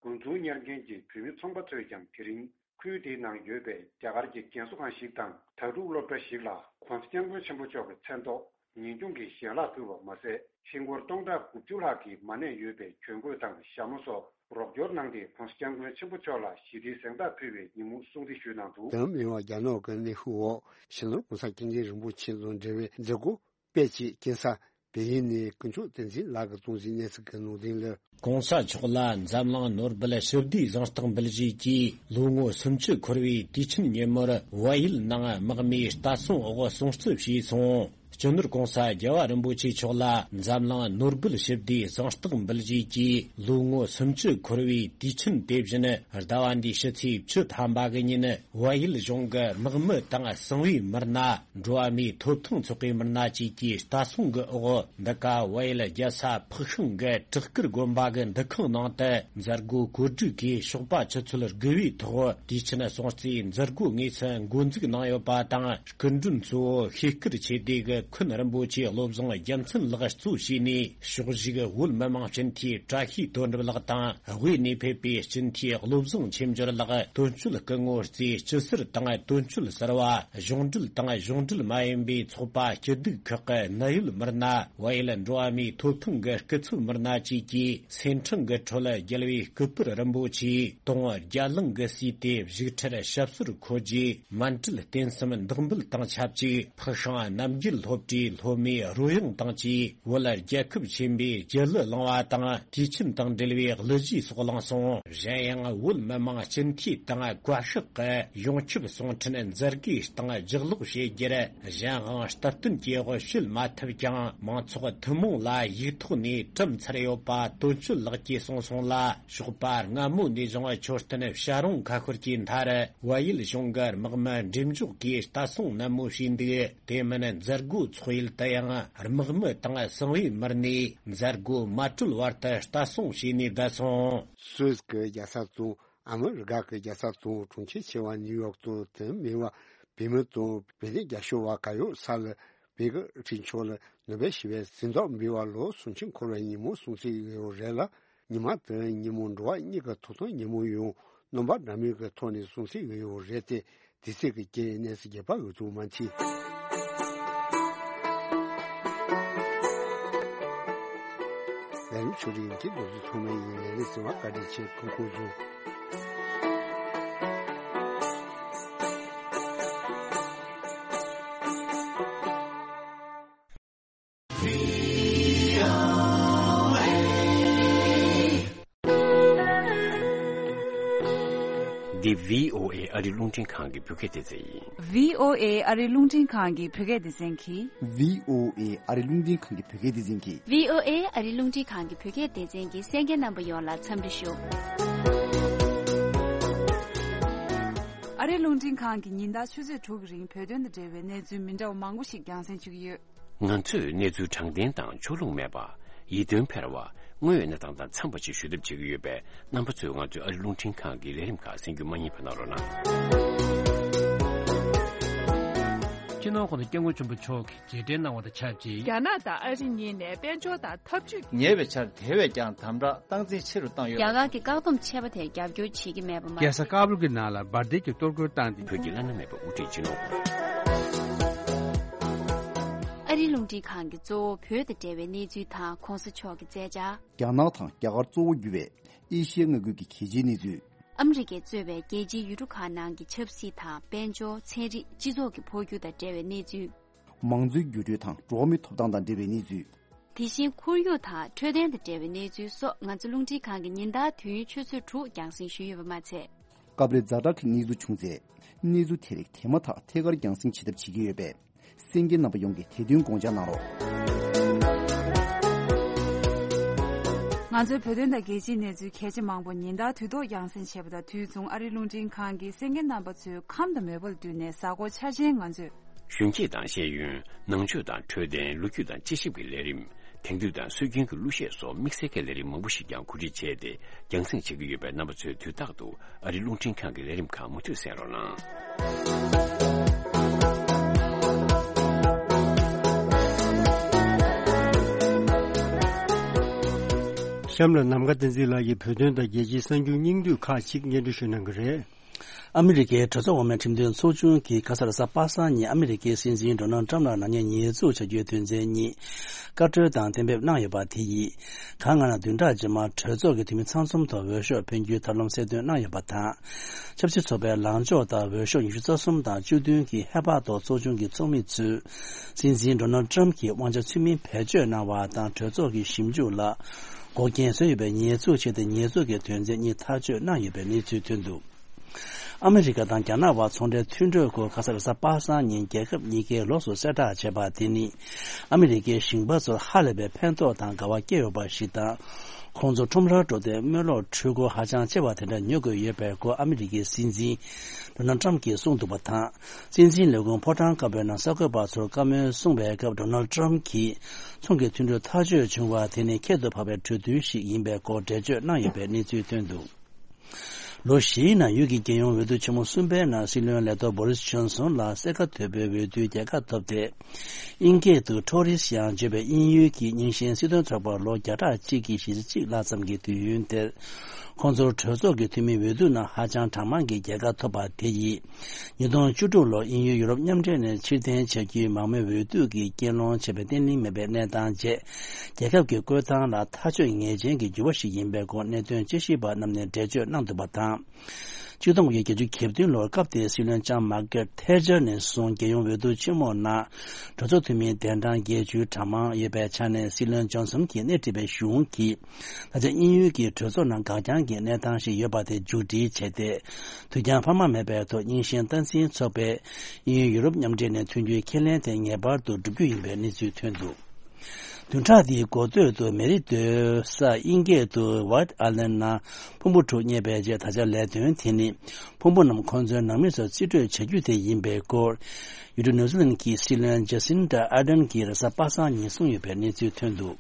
འགོ་འཛུགས་གཉེར་མཁན་གྱི་བོད་མི་ཚོང་པ་ཚོས་ཀྱང་དེ་རིང་ཁུལ་དེའི་ནང་ཡོད་པའི་རྒྱ་གར་གྱི་རྒན་གསོ་ཁང་ཞིག་དང་དྭ་ཕྲུག་སློབ་གྲྭ་ཞིག་ལ་༸གོང་ས་༸སྐྱབས་མགོན་ཆེན་པོ་མཆོག་གི་མཚན་ཐོག་ཉིན་གུང་གི་ཞལ་ལག་ཕུལ་བ་མ་ཟད། ཧིན་སྒོར་སྟོང་ཕྲག་དགུ་བཅུ་ལྷག་གི་མ་ཎི་ཡོད་པའི་གྱོན་གོས་དང་ཞྭ་མོ་སོགས་རོགས་སྐྱོར་གནང་སྟེ་༸གོང་ས་༸སྐྱབས་མགོན་ཆེན་པོ་མཆོག་ལ་ཞི་བདེའི་གཟེངས་རྟགས་ཕུལ་བའི་ཉིན་མོ་སྲུང་བརྩི་ཞུས་གནང་འདུག་དོན་མི་དབང་རྒྱ་ནག་གི་གནས་ཤུལ་འོག་སྤྱི་ནོར་༸གོང་ས་༸སྐྱབས་མགོན་རིན་པོ་ཆེ་དང་འབྲེལ་བའི་མཛད་སྒོ་སྤེལ་ཆེད་སྐྱིན་གསར་བལ་ཡུལ་ནས་དཀོན་མཆོག་བསྟན་འཛིན་ལགས་ཀྱིས་གཏོང་གཟིགས་གནས་ཚུལ་གྱི་ནང་དོན་ལ། ༸གོང་ས་མཆོག་ལ་འཛམ་གླིང་ནོར་བུ་ཞི་བདེའི་གཟེངས་རྟགས་འབུལ་བཞེས་ཀྱིས་ལོ་ངོ་སུམ་ཅུ་འཁོར་བའི་དུས་ཆེན་ཉིན་མོར་བལ་ཡུལ་ནང་དམག་མིའི་ལྟ་སྲུང་འོག་སྲུང་བརྩི་བྱས་སོང་། སྤྱི་ནོར་༸གོང་ས་༸རྒྱལ་བ་རིན་པོ་ཆེ་མཆོག་ལ་འཛམ་གླིང་ནོར་བུ་ཞི་བདེའི་གཟེངས་རྟགས་འབུལ་བཞེས་ཀྱིས་ལོ་ངོ་སུམ་ཅུ་འཁོར་བའི་དུས་ཆེན་དེ་བཞིན་ཟླ་བ་འདིའི་ཕྱི་ཚེས་བཅུ་ཐམ་པ་གི་ཉིན་བལ་ཡུལ་གཞུང་གི་དམག་མི་དང་གསང་བའི་མི་སྣ། འགྲོ་བ་མིའི་ཐོབ་ཐང་ཚོགས་པའི་མི་སྣ་བཅས་ཀྱི་ལྟ་སྲུང་གི་འོག་འདི་ག་བལ་ཡུལ་རྒྱལ་ས་ཕག་ཤང་གི་བྲག་དཀར་དགོན་པ་གི་འདུ་ཁང་ནང་དུ་མཛད་སྒོ་གོ་སྒྲིག་གིས་ཞོགས་པ་ཆུ་ཚོད་དགུ་པའི་ཐོག་དུས་ཆེན་སྲུང་བརྩིའི་མཛད་སྒོ་དངོས་སུ་འགོ་འཛུགས་གནང་ཡོད་པ་དང་། སྐུ་མགྲོན་གཙོ་བོ་ཤེས་དཀར་ཆོས་སྡེ་གི་འཁོན་རིན་པོ་ཆེ་བློ་བཟང་རྒྱལ་མཚན་ལགས་གཙོ་བྱས་ནས། ཕྱོགས་བཞུགས་བོད་མི་མང་སྤྱི་འཐུས་བཀྲ་ཤིས་དོན་གྲུབ་ལགས་དང་། དབུས་ནས་ཕེབས་པའི་སྤྱི་འཐུས་བློ་བཟང་ཆོས་འབྱོར་ལགས། དོན་གཅོད་སྐུ་ངོ་རྩེ་སྐྱིད་ཟུར་དང་། དོན་གཅོད་ཟུར་པ། གཞུང་འབྲེལ་དང་གཞུང་འབྲེལ་མ་ཡིན་པའི་ཚོགས་པ་སྐྱིད་སྡུག་ཁག་གི་གནད་ཡོད་མི་སྣ། བལ་ཡུལ་འགྲོ་བ་མིའི་ཐོབ་ཐང་གི་སྐུ་ཚབ་མི་སྣ་བཅས་ཀྱིས། སེམས་ཁྲལ་གྱི་ཁྲོད་རྒྱལ་བའི་སྐུ་པར་རིན་པོ་ཆེའི་དུང་རྒྱ་གླིང་གིས་བསུས་ཏེ་བཞུགས་ཁྲིར་ཞབས་སོར་འཁོད་རྗེས། མཎྜལ་རྟེན་གསུམ་བདག་འབུལ་དང་ཆབས་ཅིག་ཕག་ཤང་རྣམ་རྒྱལ་སློབ་གྲྭའི་སློབ་མའི་རོལ་དབྱངས་དང་བཅས་བོད་རྒྱལ་ཁབ་ཆེན་པོའི་རྒྱལ་གླུ་བླངས་པ་དང་། དུས་ཆེན་དང་འབྲེལ་བའི་གླུ་གཞས་སོགས་བླངས་སོང་། གཞན་ཡང་བོད་མི་མང་སྤྱི་འཐུས་དང་བཀའ་ཤག་གི་ཡོངས་ཁྱབ་གསུང་འཕྲིན་མཛད་སྒོའི་སྟེང་ལྗགས་ཀློག་བྱེད་རྒྱུར། གཞན་དབང་སྟབས་བསྟུན་གྱི་དབུ་བྱེད་མ་ཐུབ་ཀྱང་། མང་ཚོགས་ཐུན་མོང་ལ་ཡིག་ཐོག་ནས་གྲུབ་ཚར་ཡོད་པ་དོན་གཅོད་ལགས་ཀྱིས་གསུངས་སོང་ལ། ཞོགས་པ་སྔ་མོ་ནས་བཟུང་མཆོད་རྟེན་བྱ་རུང་ཁ་ཤོར་གྱི་མཐར། བལ་ཡུལ་གཞུང་གི་དམག་མི་འགྲེམས་འཇོག་གིས་ལྟ་སྲུང་ནན་མོ་བྱས་འདུག་དེ་མིན་མཛད་སྒོ་འཚོགས་ཡུལ་དུ་ཡང་དམག་མི་དང་གསང་བའི་མི་སྣས་མཛད་སྒོ་མ་གྲོལ་བར་དུ་ལྟ་སྲུང་བྱས་ནས་བསྡད་སོང་། སུད་སི་གི་རྒྱལ་ས་དང་ཨ་མི་རི་ཀ་གི་རྒྱལ་ས་དང་གྲོང་ཁྱེར་ཆེ་བ་ནིའུ་ཡོག་ཏུ་དེ་མིན་བ་བོད་མི་དང་བོད་དོན་རྒྱབ་སྐྱོར་བ་ག་ཡོད་ས་ལ་བོད་ཀྱི་སྤྱི་ཚོགས་ལ་ནོ་བེལ་ཞི་བའི་གཟེངས་རྟགས་འབུལ་བ་ལོ་སུམ་ཅུ་འཁོར་བའི་ཉིན་མོ་སྲུང་བརྩི་ཡོད་རེད་ལ། ཉི་མ་དེ་ཉིན་མོ་འགྲོ་བ་མིའི་ཐོབ་ཐང་ཉིན་མོ་ཡང་རྣམ་པ་འདྲ་མིན་གྱི་ཐོག་ནས་སྲུང་བརྩི་ཡོད་རེད་དེ། དུས་ཚོད་ཀྱི་རྐྱེན་གནས་ཚུལ་རྒྱས་པ་འོད་ཐུག་མ་མཆིས། ལས་རིམ་ཆོས་རིག་གི་རྡོག་རྩ་ཚང་མ་ཡིན། ལས་རིམ་གསན་པར་བཀའ་དྲིན་ཆེ། སྐུ་ཁམས་བཟང་། འདི་བྷི་ཨོ་ཨེ་ཨ་རིའི་རླུང་འཕྲིན་ཁང་གི་བོད་སྐད་སྡེ་ཚན་ཡིན། བྷི་ཨོ་ཨེ་ཨ་རིའི་རླུང་འཕྲིན་ཁང་གི་བོད་སྐད་སྡེ་ཚན་གྱིས། བྷི་ཨོ་ཨེ་ཨ་རིའི་རླུང་འཕྲིན་ཁང་གི་བོད་སྐད་སྡེ་ཚན་གྱིས། བྷི་ཨོ་ཨེ་ཨ་རིའི་རླུང་འཕྲིན་ཁང་གི་བོད་སྐད་སྡེ་ཚན་གྱི་གསན་མཁན་རྣམ་པ་ཡོངས་ལ་འཚམས་འདྲི་ཞུ། ཨ་རིའི་རླུང་འཕྲིན་ཁང་གིས་ཉིན་ལྟར་ཆུ་ཚོད་དྲུག་གི་རིང་བོད་དོན་དང་འབྲེལ་བའི་གནས་ཚུལ་མི་འདྲ་བ་མང་པོ་ཞིག་རྒྱང་སྲིང་ཞུ་གི་ཡོད། ང་ཚོས་གནས་ཚུལ་དྲང་བདེན་དང་ཕྱོགས་ལྷུང་མེད་པ། ཡིད་རྟོན་འཕེར་བ། དངོས་ཡོད་གནས་སྟངས་དང་འཚམས་པ་ཞིག་ཞུ་ཐབས་བྱེད་ཀྱི་ཡོད་པས། རྣམ་པ་ཚོས་ང་ཚོའི་ཨ་རིའི་རླུང་འཕྲིན་ཁང་གི་ལས་རིམ་ཁག་གསན་རྒྱུ་མ་བསྙེལ་བ་གནང་རོགས་གནང་། སྤྱི་ནོར་༸གོང་ས་༸སྐྱབས་མགོན་ཆེན་པོ་མཆོག་གིས་རྗེས་དྲན་གནང་བ་དང་ཆབས་ཅིག་རྒྱ་ནག་དང་ཨ་རི་གཉིས་ནས་དཔལ་འབྱོར་དང་འཐབ་ཇུས། ཉེ་བའི་ཆར་དེ་བས་ཀྱང་དམ་དྲག་སྟངས་འཛིན་ཆེ་རུ་བཏང་ཡོད། རྒྱ་གར་གྱི་བཀག་སྡོམ་ཆད་པ་དེར་རྒྱབ་སྐྱོར་བྱེད་ཀྱི་མེད་པ་མ་རྒྱལ་ས་ཟད། ཀ་བུལ་གྱི་ནང་ལ་འབར་མདེལ་གྱི་གཏོར་རྒོལ་བཏང་སྟེ། བོད་ཀྱི་བླ་ན་མེད་པ་དབུ་ཁྲིད་སྤྱི་ནོར་ཨ་རིའི་རླུང་འཕྲིན་ཁང་གིས་གཙོ་བོ་བོད་དང་འབྲེལ་བའི་གནས་ཚུལ་དང་གོང་ས་མཆོག་གི་མཛད་འཆར། རྒྱ་ནག་དང་རྒྱ་གར་གཙོ་བོ་གྱུར་བའི་ཨེ་ཤི་ཡའི་མངའ་ཁུལ་གྱི་གལ་ཆེའི་གནས་ཚུལ། ཨ་མི་རི་ཀས་གཙོས་པའི་རྒྱལ་སྤྱིའི་ཡུལ་གྲུ་ཁག་ནང་གི་ཆབ་སྲིད་དང་དཔལ་འབྱོར། ཚན་རིག་སྤྱི་ཚོགས་ཀྱི་འཕོ་འགྱུར་དང་འབྲེལ་བའི་གནས་ཚུལ། མང་གཙོའི་འགྱུར་འགྲོས་དང་འགྲོ་བ་མིའི་ཐོབ་ཐང་དང་འབྲེལ་བའི་གནས་ཚུལ། དེ་བཞིན་ཁོར་ཡུག་དང་འཕྲོད་བསྟེན་དང་འབྲེལ་བའི་གནས་ཚུལ་སོགས་ང་ཚོ་རླུང་འཕྲིན་ཁང་གིས་ཉིན་ལྟར་དུས་ཡུན་ཆུ་ཚོད་དྲུག་རྒྱང་སྲིང་ཞུས་ཡོད་པ་མ་ཚད། སྐབས་རེ་ཛ་དྲག་གི་གནས་ཚུལ་བྱུང་ཚེ། གནས་ཚུལ་དེ་རིགས་དེ་མ་ཐག་ཐད་ཀར་རྒྱང་སྲིང་བྱེད་ཐབས་བྱེད་ཀྱི་ཡོད་པས། གསན་མཁན་རྣམ་པ་ཡོངས་ཀྱིས་དེ་དོན་དགོངས་འཇགས་གནང་རོགས། ང་ཚོའི་བོད་དོན་དང་རྒྱལ་སྤྱིའི་གནས་ཚུལ་གལ་ཆེ་མང་པོ་ཉིན་ལྟར་དུས་ཐོག་རྒྱང་སྲིང་བྱས་པ་དང་། དུས་མཚུངས་ཨ་རིའི་རླུང་འཕྲིན་ཁང་གིས་གསན་མཁན་རྣམ་པ་ཚོའི་ཁམས་དང་མོས་པ་ལ་བསྟུན་ནས་གཟའ་འཁོར་འཆར་ཅན་ང་ཚོས། གཞོན་སྐྱེས་དང་ཤེས་ཡོན། ནང་ཆོས་དང་འཕྲོད་བསྟེན། ལོ་རྒྱུས་དང་དཔྱད་ཞིབ་ཀྱི་ལས་རིམ། དེང་དུས་དང་སྲོལ་རྒྱུན་གྱི་གླུ་གཞས་སོགས་དམིགས་བསལ་གྱི་ལས་རིམ་མང་པོ་ཞིག་ཀྱང་གོ་སྒྲིག་བྱས་ཏེ་རྒྱང་སྲིང་བྱེད་ཀྱི་ཡོད་པས། རྣམ་པ་ཚོས་དུས་རྟག་ཏུ་ཨ་རིའི་རླུང་འཕྲིན་ཁང་གི་ལས་རིམ་ཁག་མུ་མཐུད་གསན་རོགས་གནང་། གཤམ་ལ་ནམ་མཁའ་བསྟན་འཛིན་ལགས་ཀྱིས་བོད་དོན་དང་རྒྱལ་སྤྱིའི་གསར་འགྱུར་སྙིང་བསྡུས་ཁག་ཅིག་སྙན་སྒྲོན་ཞུ་གནང་གི་རེད། ཨ་མི་རི་ཀའི་གྲོས་ཚོགས་འོག་མའི་ཁྲིམས་དོན་ཚོགས་ཆུང་གིས་ཁ་ས་ལ་གཟའ་པ་སངས་ཉིན་ཨ་མི་རི་ཀའི་སྲིད་འཛིན་ཌོ་ནལ་ཊམ་ལ་ནག་ཉེས་ཉེས་འཛུགས་བྱ་རྒྱུའི་དོན་ཚན་གཉིས་བཀའ་འཁྲོལ་དང་གཏན་འབེབས་གནང་ཡོད་པ་དེ་ཡིས། གང་ལྔ་ནས་བདུན་ཕྲག་རྗེས་མར་གྲོས་ཚོགས་ཀྱི་འཐུས་མི་ཚང་འཛོམས་ཐོག་འོས་ཤོག་འཕེན་རྒྱུའི་ཐབས་ལམ་གསལ་སྟོན་གནང་ཡོད་པ་དང་། ཆབ་སྲིད་ཚོགས་པའི་ལངས་ཕྱོགས་དང་འོས་ཤོག་ཉི་ཤུ་རྩ་གསུམ་དང་བཅུ་བདུན་གྱི་ཧེ་བག་ཐོག་ཚོགས་ཆུང་གི་ཚོགས་མི་ཚོས་སྲིད་འཛིན་ཌོ་ནལ་ཊམ་གྱིས་དབང་ཆ་ཚུལ་མིན་བེད་སྤྱོད་གནང་བ་དང་། གྲོས་ཚོགས་ཀྱི་ཞིབ་འཇུག་ལ་འགོག་རྐྱེན་བཟོས་ཡོད་པའི་ཉེས་འཛུགས་བྱས་ཏེ། ཉེས་འཛུགས་ཀྱི་དོན་ཚན་གཉིས་ཐག་གཅོད་གནང་ཡོད་པའི་གནས་ཚུལ་ཐོན་འདུག་ཨ་མི་རི་ཀ་དང་རྒྱ་ནག་དབར་ཚོང་འབྲེལ་མཐུན་གྲོས་སྐོར་ཁ་ས་ལ་གཟའ་པ་སངས་ཉིན་རྒྱལ་ཁབ་གཉིས་ཀས་ལོགས་སུ་གསལ་བསྒྲགས་བྱས་པ་དེ་ནི། ཨ་མི་རི་ཀའི་ཞིང་པ་ཚོར་ཧ་ལས་པའི་ཕན་ཐོགས་དང་དགའ་བ་སྐྱེས་ཡོད་པ་ཞིག་དང་། ཁོང་ཚོ་ཁྲོམ་རར་འགྲོ་དུས་དམུས་ལོག་འཕྲུལ་འཁོར་ཧ་ཅང་ཆེ་བ་དེ་འདྲ་ཉོ་དགོས་ཡོད་པའི་སྐོར་ཨ་མི་རི་ཀའི་སྲིད་འཛིན་ཌོ་ནལ་ཊམ་གྱིས་གསུངས་འདུག་པ་དང་། སྲིད་འཛིན་ལས་ཁུངས་ཕོ་བྲང་དཀར་པོའི་ནང་གསར་འགོད་པ་ཚོར་བཀའ་མོལ་གསུངས་པའི་སྐབས། ཌོ་ནལ་ཊམ་གྱིས་ཚོང་གི་མཐུན་གྲོས་ཐག་གཅོད་བྱུང་བ་དེ་ནི་ཁྱད་དུ་འཕགས་པའི་གྲོས་མཐུན་ཞིག་ཡིན་པའི་སྐོར་འགྲེལ་བརྗོད་གནང་ཡོད་པའི་གནས་ཚུལ་ཐོན་འདུག་ལོ་བཞིའི་ནང་ཡུལ་གྱི་རྒྱལ་ཡོངས་འོས་བསྡུ་ཆེན་མོ་གསུམ་པའི་ནང་སྲིད་བློན་ལས་ཐོག་བོ་རིས་ཇོན་སོན་ལ་གསེར་ཁ་དོད་པོའི་འོས་བསྡུའི་རྒྱལ་ཁ་ཐོབ་སྟེ། དབྱིན་སྐད་དུ་ཊོ་རི་སི་ཡང་བརྗོད་པའི་དབྱིན་ཡུལ་གྱི་རྙིང་ཞེན་སྲིད་དོན་ཚོགས་པར་ལོ་བརྒྱ་ཕྲག་གཅིག་གི་གཞེས་ཚེས་གཅིག་ལྷག་ཙམ་གྱི་དུས་ཡུན་དེར། ཁོང་ཚོར་གྲོས་ཚོགས་ཀྱི་འཐུས་མིའི་འོས་བསྡུ་ནང་ཧ་ཅང་གྲངས་མང་གི་རྒྱལ་ཁ་ཐོབ་པ་དེ་ཡིས། ཉིས་སྟོང་བཅུ་དྲུག་ལོར་དབྱིན་ཡུལ་ཡུ་རོབ་མཉམ་འབྲེལ་ནས་ཕྱིར་འཐེན་བྱ་རྒྱུའི་མང་མོས་འོས་བསྡུ་གི་རྐྱེན་སློང་བྱས་པའི་བརྟན་ལྷིང་མེད་པའི་གནས་སྟངས་རྗེས། རྒྱལ་ཁབ་ཀྱི་བཀོད་སྟངས་ལ་ཐག་གཅོད་ངེས་ཅན་གྱི་འགྱུར་བ་ཞིག་ཡིན་པའི་སྐོར་གནད་དོན་དཔྱད་ཞིབ་པ་རྣམས་ནས་འགྲེལ་བརྗོད་གནང་འདུག་པ་དང་། ཆིག་སྟོང་དགུ་བརྒྱ་བརྒྱད་ཅུ་གྱ་བདུན་ལོར་སྐབས་དེའི་སྲིད་བློན་ལྕམ་མར་གྷེ་རེ་ཊི་ཐེ་ཆར་ནས་བཟུང་རྒྱལ་ཡོངས་འོས་བསྡུ་ཆེན་མོའི་ནང་གྲོས་ཚོགས་འཐུས་མིའི་གདན་གྲངས་བརྒྱད་ཅུའི་གྲངས་མང་ཡོད་པའི་ཆ་ནས། སྲིད་བློན་ཇོན་སོན་གྱིས་སྣེ་ཁྲིད་པའི་གཞུང་གིས། ད་ཆ་དབྱིན་ཡུལ་གྱི་གྲོས་ཚོགས་ནང་འགག་རྐྱང་གི་གནས་སྟངས་ཤིག་ཡོད་པ་དེ་མཇུག་སྒྲིལ་བྱས་ཏེ། དུས་འགྱངས་འཕར་མ་མེད་པའི་ཐོག་རྙིང་ཞེན་སྟངས་འཛིན་ཚོགས་པས་དབྱིན་ཡུལ་ཡུ་རོབ་མཉམ་འབྲེལ་ནས་ཐོན་རྒྱུའི་ཁས་ལེན་དེ་ངེས་པར་དུ་བསྒྲུབ་རྒྱུ་ཡིན་པའི་གནས་ཚུལ་ཐོན་འདུག་བདུན་ཕྲག་འདིའི་འགོ་སྟོད་དུ་མེ་རི་སྡོད་ས་དབྱིན་སྐད་དུ་White Island ནང་ཕུང་པོ་དྲུག་རྙེད་པའི་རྗེས། ད་ཆ་ལས་དོན་དེ་ནི་ཕུང་པོ་རྣམས་ཁོང་ཚོའི་ནང་མི་ཚོར་རྩིས་སྤྲོད་བྱ་རྒྱུ་དེ་ཡིན་པའི་སྐོར། ཡུལ་གྲུ་ནིའུ་ཛི་ལན་གྱི་སྲིད་བློན་ཇེ་སིན་ཌ་ཨར་ཌན་གྱིས་རེས་གཟའ་པ་སངས་ཉིན་གསུངས་ཡོད་པའི་གནས་ཚུལ་ཐོན་འདུག་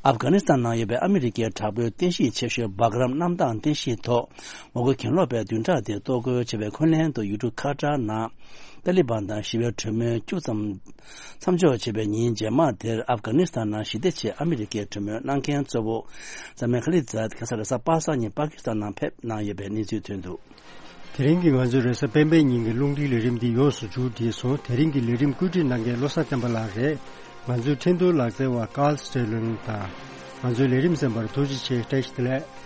ཨབ་གྷ་ནི་སི་ཐན་ནང་ཡོད་པའི་ཨ་མི་རི་ཀའི་དྲག་པོའི་རྟེན་གཞི་ཆེ་ཤོས་སྦག་རམ་གནམ་ཐང་རྟེན་གཞི་ཐོག་མོ་རྒོལ་གྱེན་ལོག་པས་བདུན་ཕྲག་འདིར་གཏོར་རྒོལ་བྱས་པའི་འཁོན་ལན་དུ། ཡུལ་གྲུ་ཁ་ཏར་ནང་ཏཱ་ལི་བན་དང་ཞི་བའི་གྲོས་མོལ་བཅུ་ཙམ་མཚམས་འཇོག་བྱས་པའི་ཉིན་རྗེས་མ་དེར། ཨབ་གྷ་ནི་སི་ཐན་ནང་ཞི་བདེ་ཆེད་ཨ་མི་རི་ཀའི་གྲོས་མོལ་གནང་མཁན་གཙོ་བོ་ཛ་མེ་ཁ་ལི་ཛད་ཁ་ས་རེས་གཟའ་པ་སངས་ཉིན་པ་ཀི་སི་ཐན་ནང་ཕེབས་གནང་ཡོད་པའི་གནས་ཚུལ་ཐོན་འདུག་དེ་རིང་གི་ང་ཚོའི་རེས་གཟའ་སྤེན་པའི་ཉིན་གྱི་རླུང་འཕྲིན་ལས་རིམ་འདི་ཡོངས་སུ་མཇུག་བསྒྲིལ་སོང་། དེ་རིང་གི་ལས་རིམ་བཀོད་སྒྲིག་གནང་མཁན་བློ་བཟང་བསྟན་པ་ལགས་རེད། ང་ཚོའི་འཕྲིན་གཏོང་ལག་རྩལ་བ་ཀཱལ་སི་ཊེ་ལོན་དང་། ང་ཚོའི་ལས་རིམ་གསན་པར་ཐུགས་རྗེ་ཆེ། བཀྲ་ཤིས་བདེ་ལེགས།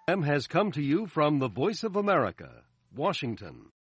M has come to you from the Voice of America, Washington.